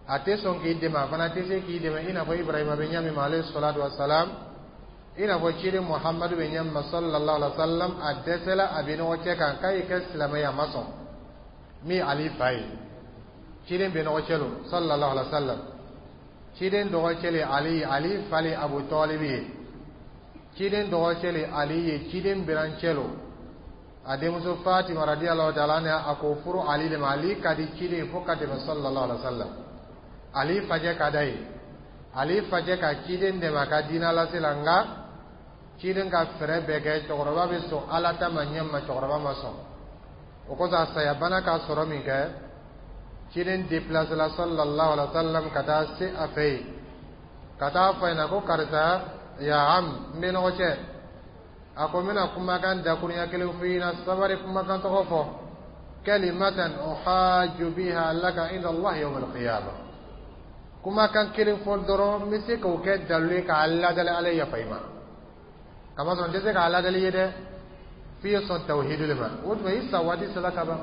a tɛ sɔn k'i dɛmɛ, a fana tɛ se k'i dɛmɛ, i n'a fɔ Ibrahima bɛ ɲa min ma, alayhi salatu wa salam, i n'a fɔ ciden Muhamadu bɛ ɲa min ma, sallallahu alaihi wa sallam. A dɛsɛla a bɛ ɲɔgɔn cɛ kan k'a y'i kɛ silamɛ ye, a ma sɔn. Min Ali fa ye, ciden bɛ ɲɔgɔn cɛ lo, sallallahu alaihi wa sallam. Ciden dɔgɔcɛ le Ali, Ali fa le Abu Talibi ye. Ciden dɔgɔcɛ le Ali ye, ciden birancɛ lo. A denmuso Fatima radiyallahu ta'ala anha, a k'o furu Ali de ma. Ali ka di ciden fo ka tɛmɛ, sallallahu alaihi wa sallam. Ali facɛ ka d'a ye, Ali facɛ ka ciden dɛmɛ a ka diinɛ lase la. Nka ciden ka fɛɛrɛ bɛɛ kɛ cɛkɔrɔba bɛ sɔn Ala ta ma ɲɛ ma, cɛkɔrɔba ma sɔn. O kosɔn, a sayabana ka sɔrɔ min kɛ, ciden déplacé la, sallallahu alaihi wa sallam, ka taa se a fɛ yen, ka taa fɔ a ɲɛna ko: "Karisa, ya am, n bɛ nɔgɔ cɛ." A ko: "N bɛna kumakan dakurunya kelen f'i ɲɛna, sabari, kumakan tɔgɔ fɔ, kalimatan uhajju biha laka inda Allah yawm al-qiyamah. Kumakan kelen fɔ dɔrɔn, n bɛ se k'o kɛ dalilu ye k'a ladali Ala ye yafa i ma. Kamasɔrɔ n tɛ se k'a ladali ye dɛ, f'i ye sɔn tawhidu de ma. O tuma i sa waati sera ka ban.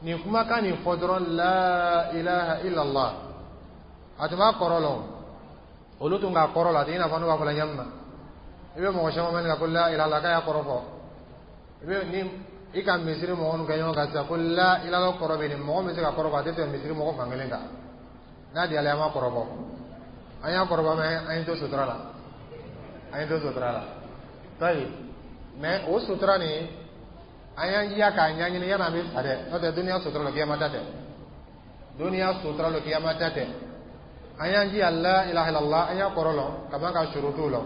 Nin kumakan nin fɔ dɔrɔn, la ilaha illallah." A tun b'a kɔrɔ lɔn, olu tun k'a kɔrɔ la. A tɛ i n'a fɔ n'u b'a fɔ la ɲɛ min na, i bɛ mɔgɔ caman mɛn ko la ilaha illallah, k'a y'a kɔrɔ fɔ. I bɛ ni i ka misiri mɔgɔ minnu kɛ ɲɔgɔn kan sisan ko la ilaha kɔrɔ bɛ nin, mɔgɔ min bɛ se ka kɔrɔ fɔ, a tɛ tɛmɛ misiri mɔgɔ fan kelen kan. N'a diyara, an b'a kɔrɔ bɔ, an y'a kɔrɔ bɔ, mɛ an ye to sutura la, an ye to sutura la tayi. Mɛ o sutura nin, an y'an jija k'a ɲɛɲini yanni an bɛ sa dɛ. N'o tɛ, duniya sutura la, kiyama ta tɛ. Duniya sutura la, kiyama ta tɛ. An y'an jija, la ilaha illallah, an y'a kɔrɔ lɔn ka ban ka surutu lɔn.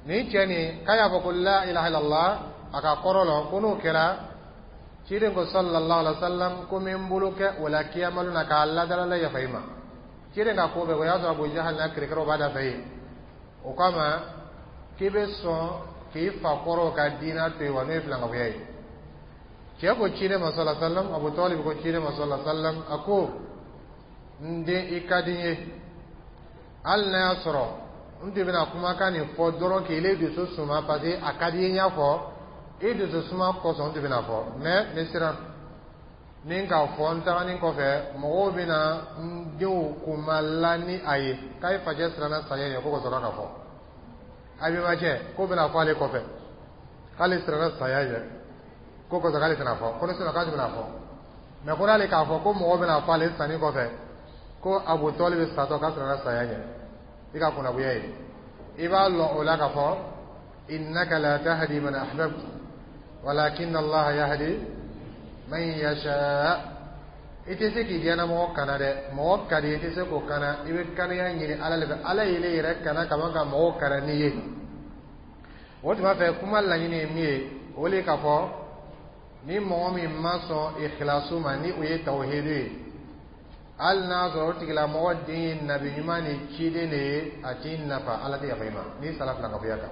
Nin cɛ nin k'a y'a fɔ ko la ilaha illallah, a ka kɔrɔ lɔn, ko n'o kɛra, ciden ko, sallallahu alaihi wa sallam, ko n bɛ n bolo kɛ o la kiyamalu na k'a ladala la yafa i ma. Ciden ka ko bɛɛ, o y'a sɔrɔ Abu Jahal n'a kirikiraw b'a da fɛ yen. O kama k'i bɛ sɔn k'i fa kɔrɔw ka diinɛ to yen wa? N'o ye filankafoya ye. Cɛ ko ciden ma, sallallahu alaihi wa sallam, Abu Talib ko ciden ma, sallallahu alaihi wa sallam, a ko: "N den, i ka di n ye. Hali n'a y'a sɔrɔ n tun bɛna kumakan nin fɔ dɔrɔn k'ile dusu suma, parce que a ka di i ye, n y'a fɔ i dusu suma kosɔn n tun bɛna fɔ. Mais n bɛ siran ni k'a fɔ n taganin kɔfɛ, mɔgɔw bɛna n denw kunma ni a ye k'a ye facɛ siranna saya ɲɛ, ko ka sɔrɔ ka fɔ a bɛnbacɛ k'o bɛna fɔ ale kɔfɛ k'ale siranna saya ɲɛ, ko kosɔn k'ale tɛna fɔ, ko ne siran k'ale bɛna fɔ. Mais ko n'ale k'a fɔ ko mɔgɔw bɛna fɔ ale sanni kɔfɛ ko Abu Talib satɔ k'a siranna saya ɲɛ, i ka kunnagoya ye." I b'a lɔn o la k'a fɔ innaka la tahdi man ahbabta walakin Allah yahdi man yasha. I tɛ se k'i diɲɛna kana dɛ. Mɔgɔ ka di, i tɛ se k'o kana. I bɛ kaniya ɲini Ala de fɛ. Ala y'ile yɛrɛ kana kaban ka mɔgɔw kana n'i ye. O tuma fɛ, kuma laɲini ye min ye, o de k'a fɔ ni mɔgɔ min ma sɔn ikhlasu ma, ni o ye tawhidu ye, hali n'a sɔrɔ o tigilamɔgɔ den ye nabi ɲuman ni ciden de ye, a t'i nafa, Ala tɛ yafa i ma n'i sara filankafoya kan.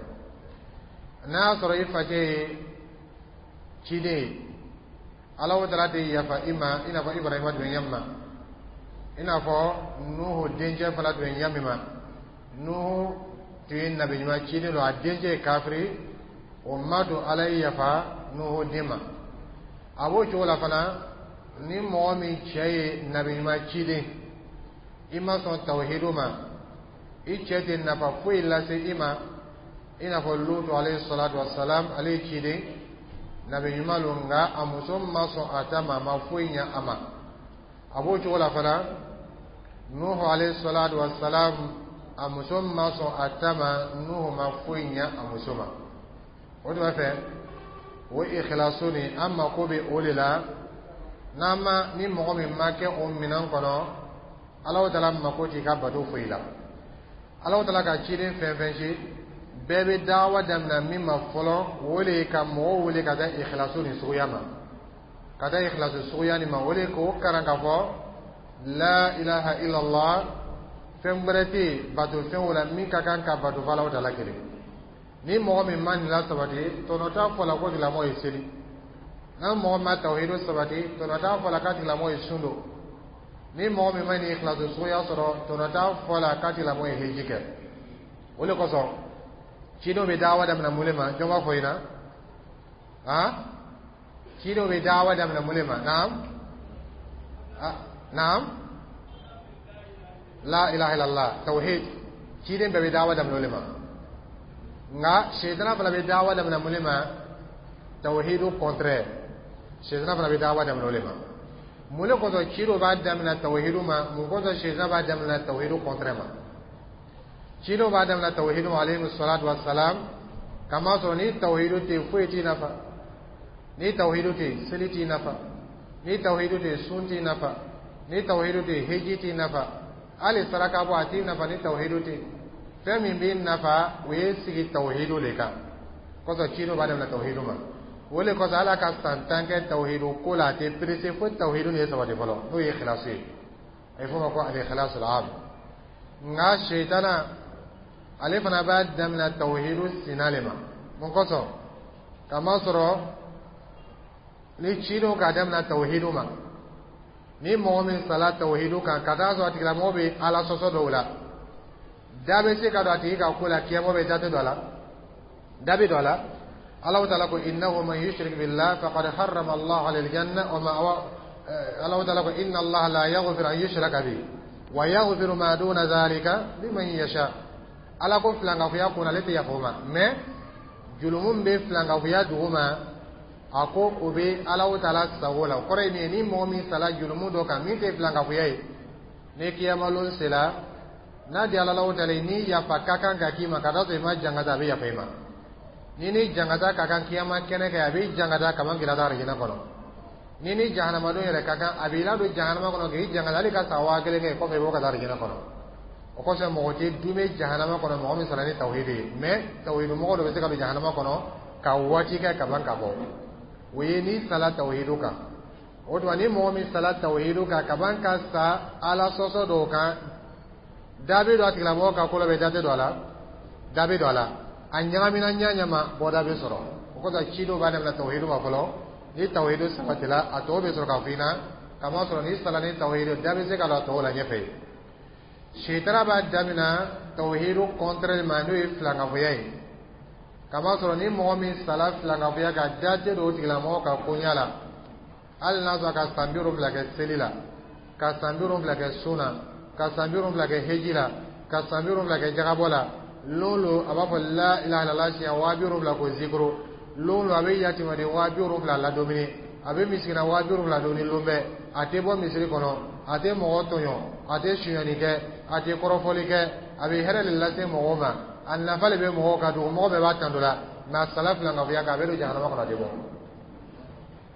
N'a y'a sɔrɔ i facɛ ye ciden ye, Ala o taala tɛ yafa i ma, i n'a fɔ Ibrahima tun bɛ ɲɛ min ma, i n'a fɔ Nuhu dencɛ fana tun bɛ ɲɛ min ma. Nuhu tun ye nabi ɲuman ciden don, a dencɛ ye kafiri, o ma to Ala ye yafa Nuhu den ma. A b'o cogo la fana, ni mɔgɔ min cɛ ye nabi ɲuman ciden, i ma sɔn tawhidu ma, i cɛ tɛ nafa foyi lase i ma. I n'a fɔ Lutu alayhi salatu wa salam, ale ye ciden nabi ɲuman don, nka a muso ma sɔn a ta ma, a ma foyi ɲɛ a ma. A b'o cogo la fana, Nuhu alayhi salatu wa salam, a muso ma sɔn a ta ma, Nuhu ma foyi ɲɛ a muso ma. O tuma fɛ, o ikhlasu nin, an mako bɛ o de la. N'an ma ni mɔgɔ min ma kɛ o minɛn kɔnɔ, Alahu taala mako t'i ka bato foyi la. Alahu taala ka ciden fɛn fɛn ci, bɛɛ bɛ dawa daminɛ min ma fɔlɔ, o de ye ka mɔgɔw wele ka taa ikhlasu nin suguya ma, ka taa ikhlasu suguya nin ma. O de k'o karan k'a fɔ la ilaha illallah, fɛn wɛrɛ tɛ yen bato fɛn o la min ka kan ka bato fɔ Alahu taala kelen. Ni mɔgɔ min ma nin lasabati, tɔnɔ t'a fɔ la ko tigilamɔgɔ ye seli. N'a mɔgɔ ma tawhidu sabati, tɔnɔ t'a fɔ la k'a tigilamɔgɔ ye sun don. Ni mɔgɔ min ma nin ikhlasu suguya sɔrɔ, tɔnɔ t'a fɔ la k'a tigilamɔgɔ ye heji kɛ. O de kosɔn, cidenw bɛ dawa daminɛ mun de ma? Jɔn b'a fɔ ɲɛna? Han, cidenw bɛ dawa daminɛ mun de ma? Naam, naam, la ilaha illallah, tawhid. Ciden bɛɛ bɛ dawa daminɛ o de ma. Nka sɛtana fana bɛ dawa daminɛ mun de ma? Tawhidu contraire. Sɛtana fana bɛ dawa daminɛ o de ma. Mun de kosɔn cidenw b'a daminɛ tawhidu ma? Mun kosɔn sɛtana b'a daminɛ tawhidu contraire ma? Cidenw b'a daminɛ tawhidu ma, alayhi salatu wa salam, kamasɔrɔ ni tawhidu tɛ, foyi t'i nafa. Ni tawhidu tɛ yen, seli t'i nafa. Ni tawhidu tɛ yen, sun t'i nafa. Ni tawhidu tɛ yen, heji t'i nafa. Hali saraka bɔ, a t'i nafa ni tawhidu tɛ yen. Fɛn min b'i nafa, o ye sigi tawhidu le kan. Kosɔn ci dɔ b'a daminɛ tawhidu ma. O le kosɔn Ala ka san tan kɛ tawhidu ko la, a tɛ perese fo tawhidu nin ye sabati fɔlɔ, n'o ye ikhlasu ye. A bɛ f'o ma ko al-ikhlasu al-am. Nka sitana, ale fana b'a daminɛ tawhidu sina le ma. Mun kosɔn? Kamasɔrɔ ni cidenw k'a daminɛ tawhidu ma, ni mɔgɔ min sala tawhidu kan, ka taa sɔrɔ a tigilamɔgɔ bɛ Ala sɔsɔ dɔw la, da bɛ se ka don a tigi ka ko la. Kiyama bɛ, da tɛ don a la, da bɛ don a la. Allahu taala ko: innahu man yushrik billah faqad harrama Allah alayhi aljanna wa ma. Allahu taala ko: inna Allah la yaghfiru an yushraka bihi wa yaghfiru ma duna dhalika liman yasha. Ala ko filankafoya kunna, ale tɛ yafa o ma, mais julumu bɛ filankafoya dugu ma, a ko o bɛ Allahu taala sago la. O kɔrɔ ye min ye, ni mɔgɔ min sala julumu dɔ kan min tɛ filankafoya ye, ni kiyamalon sera, n'a di Allahu taala ye, ni yafa ka kan ka k'i ma, ka taa sɔrɔ i ma jangata, a bɛ yafa i ma. Ni ni jangata ka kan kiyama kɛnɛ kɛ, a bɛ jangata kaban k'i lada arijinɛ kɔnɔ. Ni ni jahanamadenw yɛrɛ ka kan, a b'i ladon jahanama kɔnɔ k'i jangata, hali ka san waa kelen kɛ kɔfɛ, i b'o ka taa arijinɛ kɔnɔ. O kosɔn mɔgɔ tɛ dume jahanama kɔnɔ, mɔgɔ min sara ni tawhidi ye. Mais tawhidu mɔgɔ dɔ bɛ se ka don jahanama kɔnɔ ka waati kɛ ka ban ka bɔ. O ye n'i sala tawhidu kan. O tuma, ni mɔgɔ min sala tawhidu kan ka ban ka sa Ala sɔsɔ dɔw kan, da bɛ don a tigilamɔgɔ ka ko la bɛ, da tɛ don a la, da bɛ don a la. A ɲagamina ɲa ɲama, bɔda bɛ sɔrɔ. O kosɔn ci dɔw b'a daminɛ tawhidu ma fɔlɔ. Ni tawhidu sabatila, a tɔw bɛ sɔrɔ ka fɔ i ɲɛna. Kamasɔrɔ n'i sala ni tawhidu, da bɛ se ka don a tɔw la ɲɛfɛ. Sitana b'a daminɛ tawhidu contraire ma, n'o ye filankafoya ye. Kamasɔrɔ ni mɔgɔ min sala filankafoya kan, da tɛ don o tigilamɔgɔ ka koɲa la, hali n'a sɔrɔ ka san bi wolonwula kɛ seli la, ka san bi wolonwula kɛ sun na, ka san bi wolonwula kɛ heji la, ka san bi wolonwula kɛ jagabɔ la. Lon lo, a b'a fɔ la ilaha illallah siɲɛ waa bi wolonwula ko zikiro. Lon lo, a bɛ yatimaden waa bi wolonwula ladumuni, a bɛ misikina waa bi wolonwula dumuni lon bɛɛ. A tɛ bɔ misiri kɔnɔ, a tɛ mɔgɔ tɔɲɔ, a tɛ sonyani kɛ, a tɛ kɔrɔfɔli kɛ, a bɛ hɛrɛ de lase mɔgɔw ma, a nafa de bɛ mɔgɔw kan, dugu mɔgɔ bɛɛ b'a tando la. Mais a sala filankafoya kan, a bɛ don jahanama kɔnɔ, a tɛ bɔ.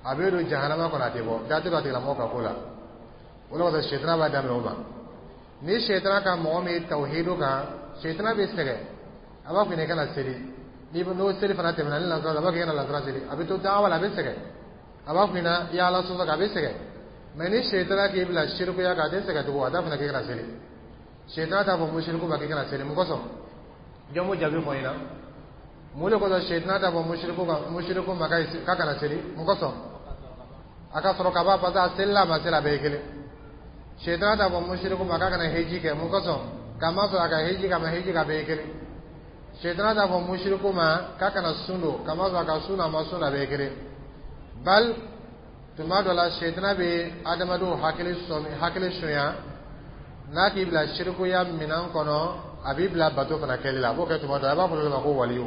A bɛ don jahanama kɔnɔ, a tɛ bɔ. Da tɛ don a tigilamɔgɔ ka ko la. O de kosɔn sitana b'a daminɛ o ma. Ni sitana ka mɔgɔ min tawhidu kan, sitana bɛ sɛgɛn. A b'a fɔ i kana seli. Ni n'o seli fana tɛmɛna ni lansara, a b'a fɔ i kana lansara seli. A bɛ to dawa la, a bɛ sɛgɛn. A b'a fɔ i ɲɛna i ye Ala sɔsɔ kan, a bɛ sɛgɛn. Mais ni sitana k'i bila sirikuya kan, a tɛ sɛgɛn tugun. A t'a fana k'i kana seli. Sitana t'a fɔ musiriku ma k'i kana seli. Mun kosɔn? Jɔn b'o jaabi fɔ n ɲɛna? Mun de kosɔn sitana t'a fɔ musiriku kan musiriku ma k'a kana seli? Mun kosɔn? A ka sɔrɔ ka ban, parce que a selila, a ma seli, a bɛɛ ye kelen. Sitana t'a fɔ musiriku ma k'a kana heji kɛ. Mun kosɔn? K'a ma sɔrɔ a ka heji kɛ, a ma heji kɛ, a bɛɛ ye kelen. Sitana t'a fɔ musiriku ma k'a kana sun don. K'a ma sɔrɔ a ka sun don, a ma sun don, a bɛɛ ye kelen. Bal tuma dɔ la, sitana bɛ adamadenw hakili sɔmi, hakili sonya. N'a k'i bila sirikuya minɛn kɔnɔ, a b'i bila bato fana kɛli la. A b'o kɛ tuma dɔ la. A b'a fɔ olu ma ko waliyu.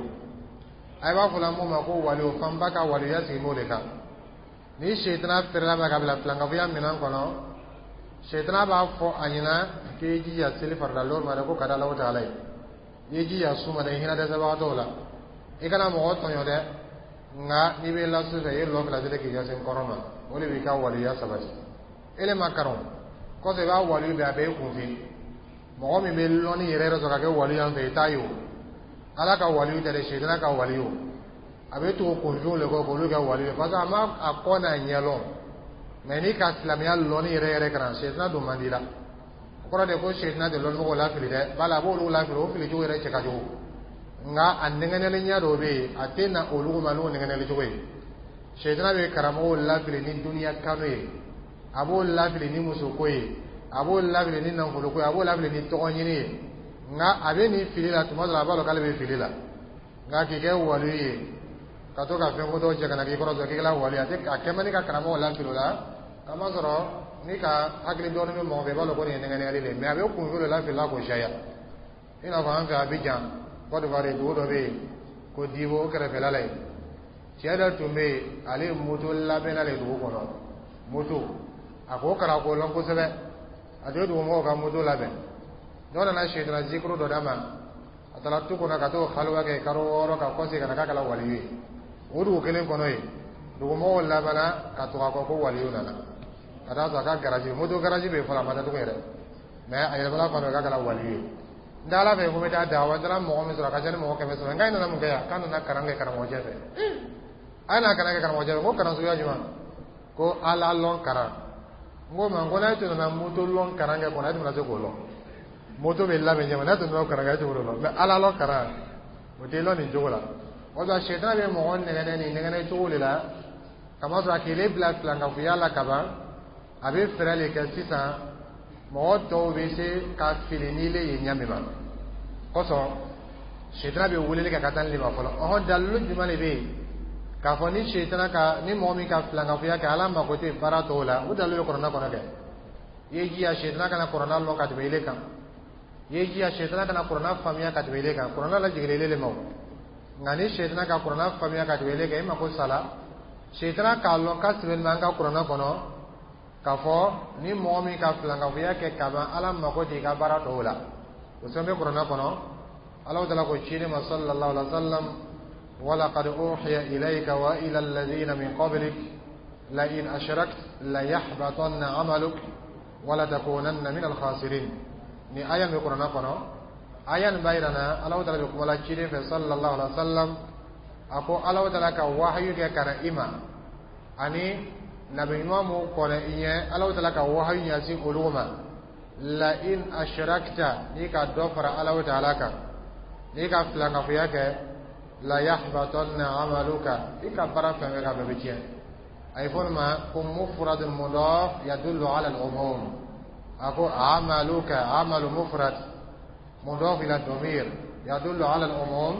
A b'a fɔ mun ma ko waliyu? Fanba ka waliyuya sigi b'o de kan. Ni sitana feerela ma ka bila filankafoya minɛn kɔnɔ, sitana b'a fɔ a ɲɛna k'i jija seli farida lɔri ma dɛ, ko ka di Alahu taala ye. I ye jija sun ma dɛ, i hinɛ dɛsɛbagatɔw la, i kana mɔgɔ tɔɲɔ dɛ. Nka n'i bɛ lasu fɛ, i ye lɔ fila seli k'i ɲɛsin kɔrɔ ma, o de b'i ka waliyuya sabati. E le ma kalan kɔfɛ, i b'a waliyu bɛɛ, a bɛɛ ye kunfin. Mɔgɔ min bɛ lɔnni yɛrɛ yɛrɛ sɔrɔ ka kɛ waliyu yan fɛ, i t'a ye. O Ala ka waliyu tɛ dɛ, sitana ka waliyu. A bɛ tugu kunfinw de kɔ k'olu kɛ waliyu ye, parce que a ma a kɔ n'a ɲɛ lɔn. Mais n'i ka silamɛya lɔnni yɛrɛ yɛrɛ kalan, sitana don man di la. O kɔrɔ de ko sitana tɛ lɔnnimɔgɔw lafili dɛ, bala a b'olu lafili, o fili cogo yɛrɛ cɛ ka jugu. Nka a nɛgɛnɛli ɲɛ dɔw bɛ yen, a tɛ na olu ma n'o nɛgɛnɛli cogo ye. Sitana bɛ karamɔgɔw lafili ni duniya kanu ye, a b'o lafili ni musoko ye, a b'o lafili ni nafoloko ye, a b'o lafili ni tɔgɔ ɲini ye. Nka a bɛ nin fili la, tuma dɔ la a b'a dɔn k'ale bɛ fili la. Nka k'i kɛ waliyu ye ka to ka fɛn kotɔ cɛ ka na k'i kɔrɔ sɔrɔ k'i kɛla waliyu, a tɛ a kɛ man di ka karamɔgɔ lafili o la. Kamasɔrɔ ni ka hakili dɔɔnin bɛ mɔgɔ fɛ, i b'a dɔn ko nin ye nɛgɛnɛli de ye. Mais a bɛ kunfin de lafili la k'o caya. I n'a fɔ an fɛ Abidjan, Côte d'Ivoire, dugu dɔ bɛ yen ko Dibo, o kɛrɛfɛla la yen, cɛ dɔ tun bɛ yen, ale ye moto labɛnna de dugu kɔnɔ. Moto, a k'o kalan k'o lɔn kosɛbɛ. A tun ye dugumɔgɔw ka moto labɛn. Dɔw nana sitana zikuru dɔ d'a ma. A taara tu kɔnɔ ka t'o haliwa kɛ karo wɔɔrɔ, ka kɔsegin ka na k'a kɛla waliyu ye o dugu kelen kɔnɔ yen. Dugumɔgɔw labanna ka tugu a kɔ ko waliyu nana ka taa sɔrɔ a ka garaji, moto garaji bɛ yen fɔlɔ, a ma datugu yɛrɛ, mais a yɛlɛmana fan dɔ k'a kɛra waliyu ye. N tɛ Ala fɛ ko n bɛ taa dawa, n taara mɔgɔ min sɔrɔ, a ka ca ni mɔgɔ kɛmɛ saba. N k'a nana mun kɛ yan? K'a nana kalan kɛ karamɔgɔcɛ fɛ. A ye na kalan kɛ karamɔgɔcɛ fɛ. Ko kalan suguya jumɛn? Ko Ala lɔn kalan. N ko ma, n ko n'a tun nana moto lɔn kalan kɛ kɔnɔ, e tun bɛna se k'o lɔn. Moto bɛ labɛn ɲɛma, n'a tun nana o kalan kɛ, e tun b'o lɔn, mais Ala lɔn kalan, o tɛ lɔn nin cogo la. O la, sɛtana bɛ mɔgɔ nɛgɛnɛ nin nɛgɛnɛ cogo de la, kamasɔrɔ a k'ile bila filankafoya la kaban, a bɛ fɛɛrɛ de kɛ sisan mɔgɔ tɔw bɛ se ka fili n'ile ye ɲɛ min ma kosɔn. Sɛtana bɛ weleli kɛ ka taa nin de ma fɔlɔ. Ɔhɔn, dalilu jumɛn de bɛ yen k'a fɔ ni sɛtana ka ni mɔgɔ min ka filankafoya kɛ, Ala mako tɛ baara tɔw la? O dalilu bɛ kuranɛ kɔnɔ kɛ. I ye jija, sɛtana kana kuranɛ lɔn ka tɛmɛ ile kan. I ye jija, sɛtana kana kuranɛ faamuya ka tɛmɛ ile kan. Kuranɛ lajiginna ile de ma o. Nka ni sɛtana ka kuranɛ faamuya ka tɛmɛ ile kan, e mako sala. Sɛtana k'a lɔn k'a sɛbɛnni bɛ an ka kuranɛ kɔnɔ k'a fɔ ni mɔgɔ min ka filankafoya kɛ kaban, Ala mako tɛ i ka baara tɔw la. O sɛbɛn bɛ kuranɛ kɔnɔ. Ala taala ko ciden ma sallallahu alaihi wa sallam: ولقد أوحي إليك وإلى الذين من قبلك لئن أشركت ليحبطن عملك ولتكونن من الخاسرين. Ni aya min kuranɛ kɔnɔ, aya nin b'a yira na Ala taala bɛ kuma la ciden fɛ sallallahu alaihi wa sallam. A ko Ala taala ka wahayu kɛ ka na i ma ani nabi ɲuman mun kɔnɛ i ɲɛ, Ala taala ka wahayu ɲɛsin olu ma: la in ashrakta, n'i ka dɔ fara Ala taala kan, n'i ka filankafoya kɛ, la yahbatanna amaluka, i ka baara fɛn fɛn ka bɛɛ bɛ tiɲɛ. A ye fɔ nin ma ko mufradun mudaf yadullu ala al-umum. A ko amaluka, amalu mufrad mudaf ila domir yadullu ala al-umum,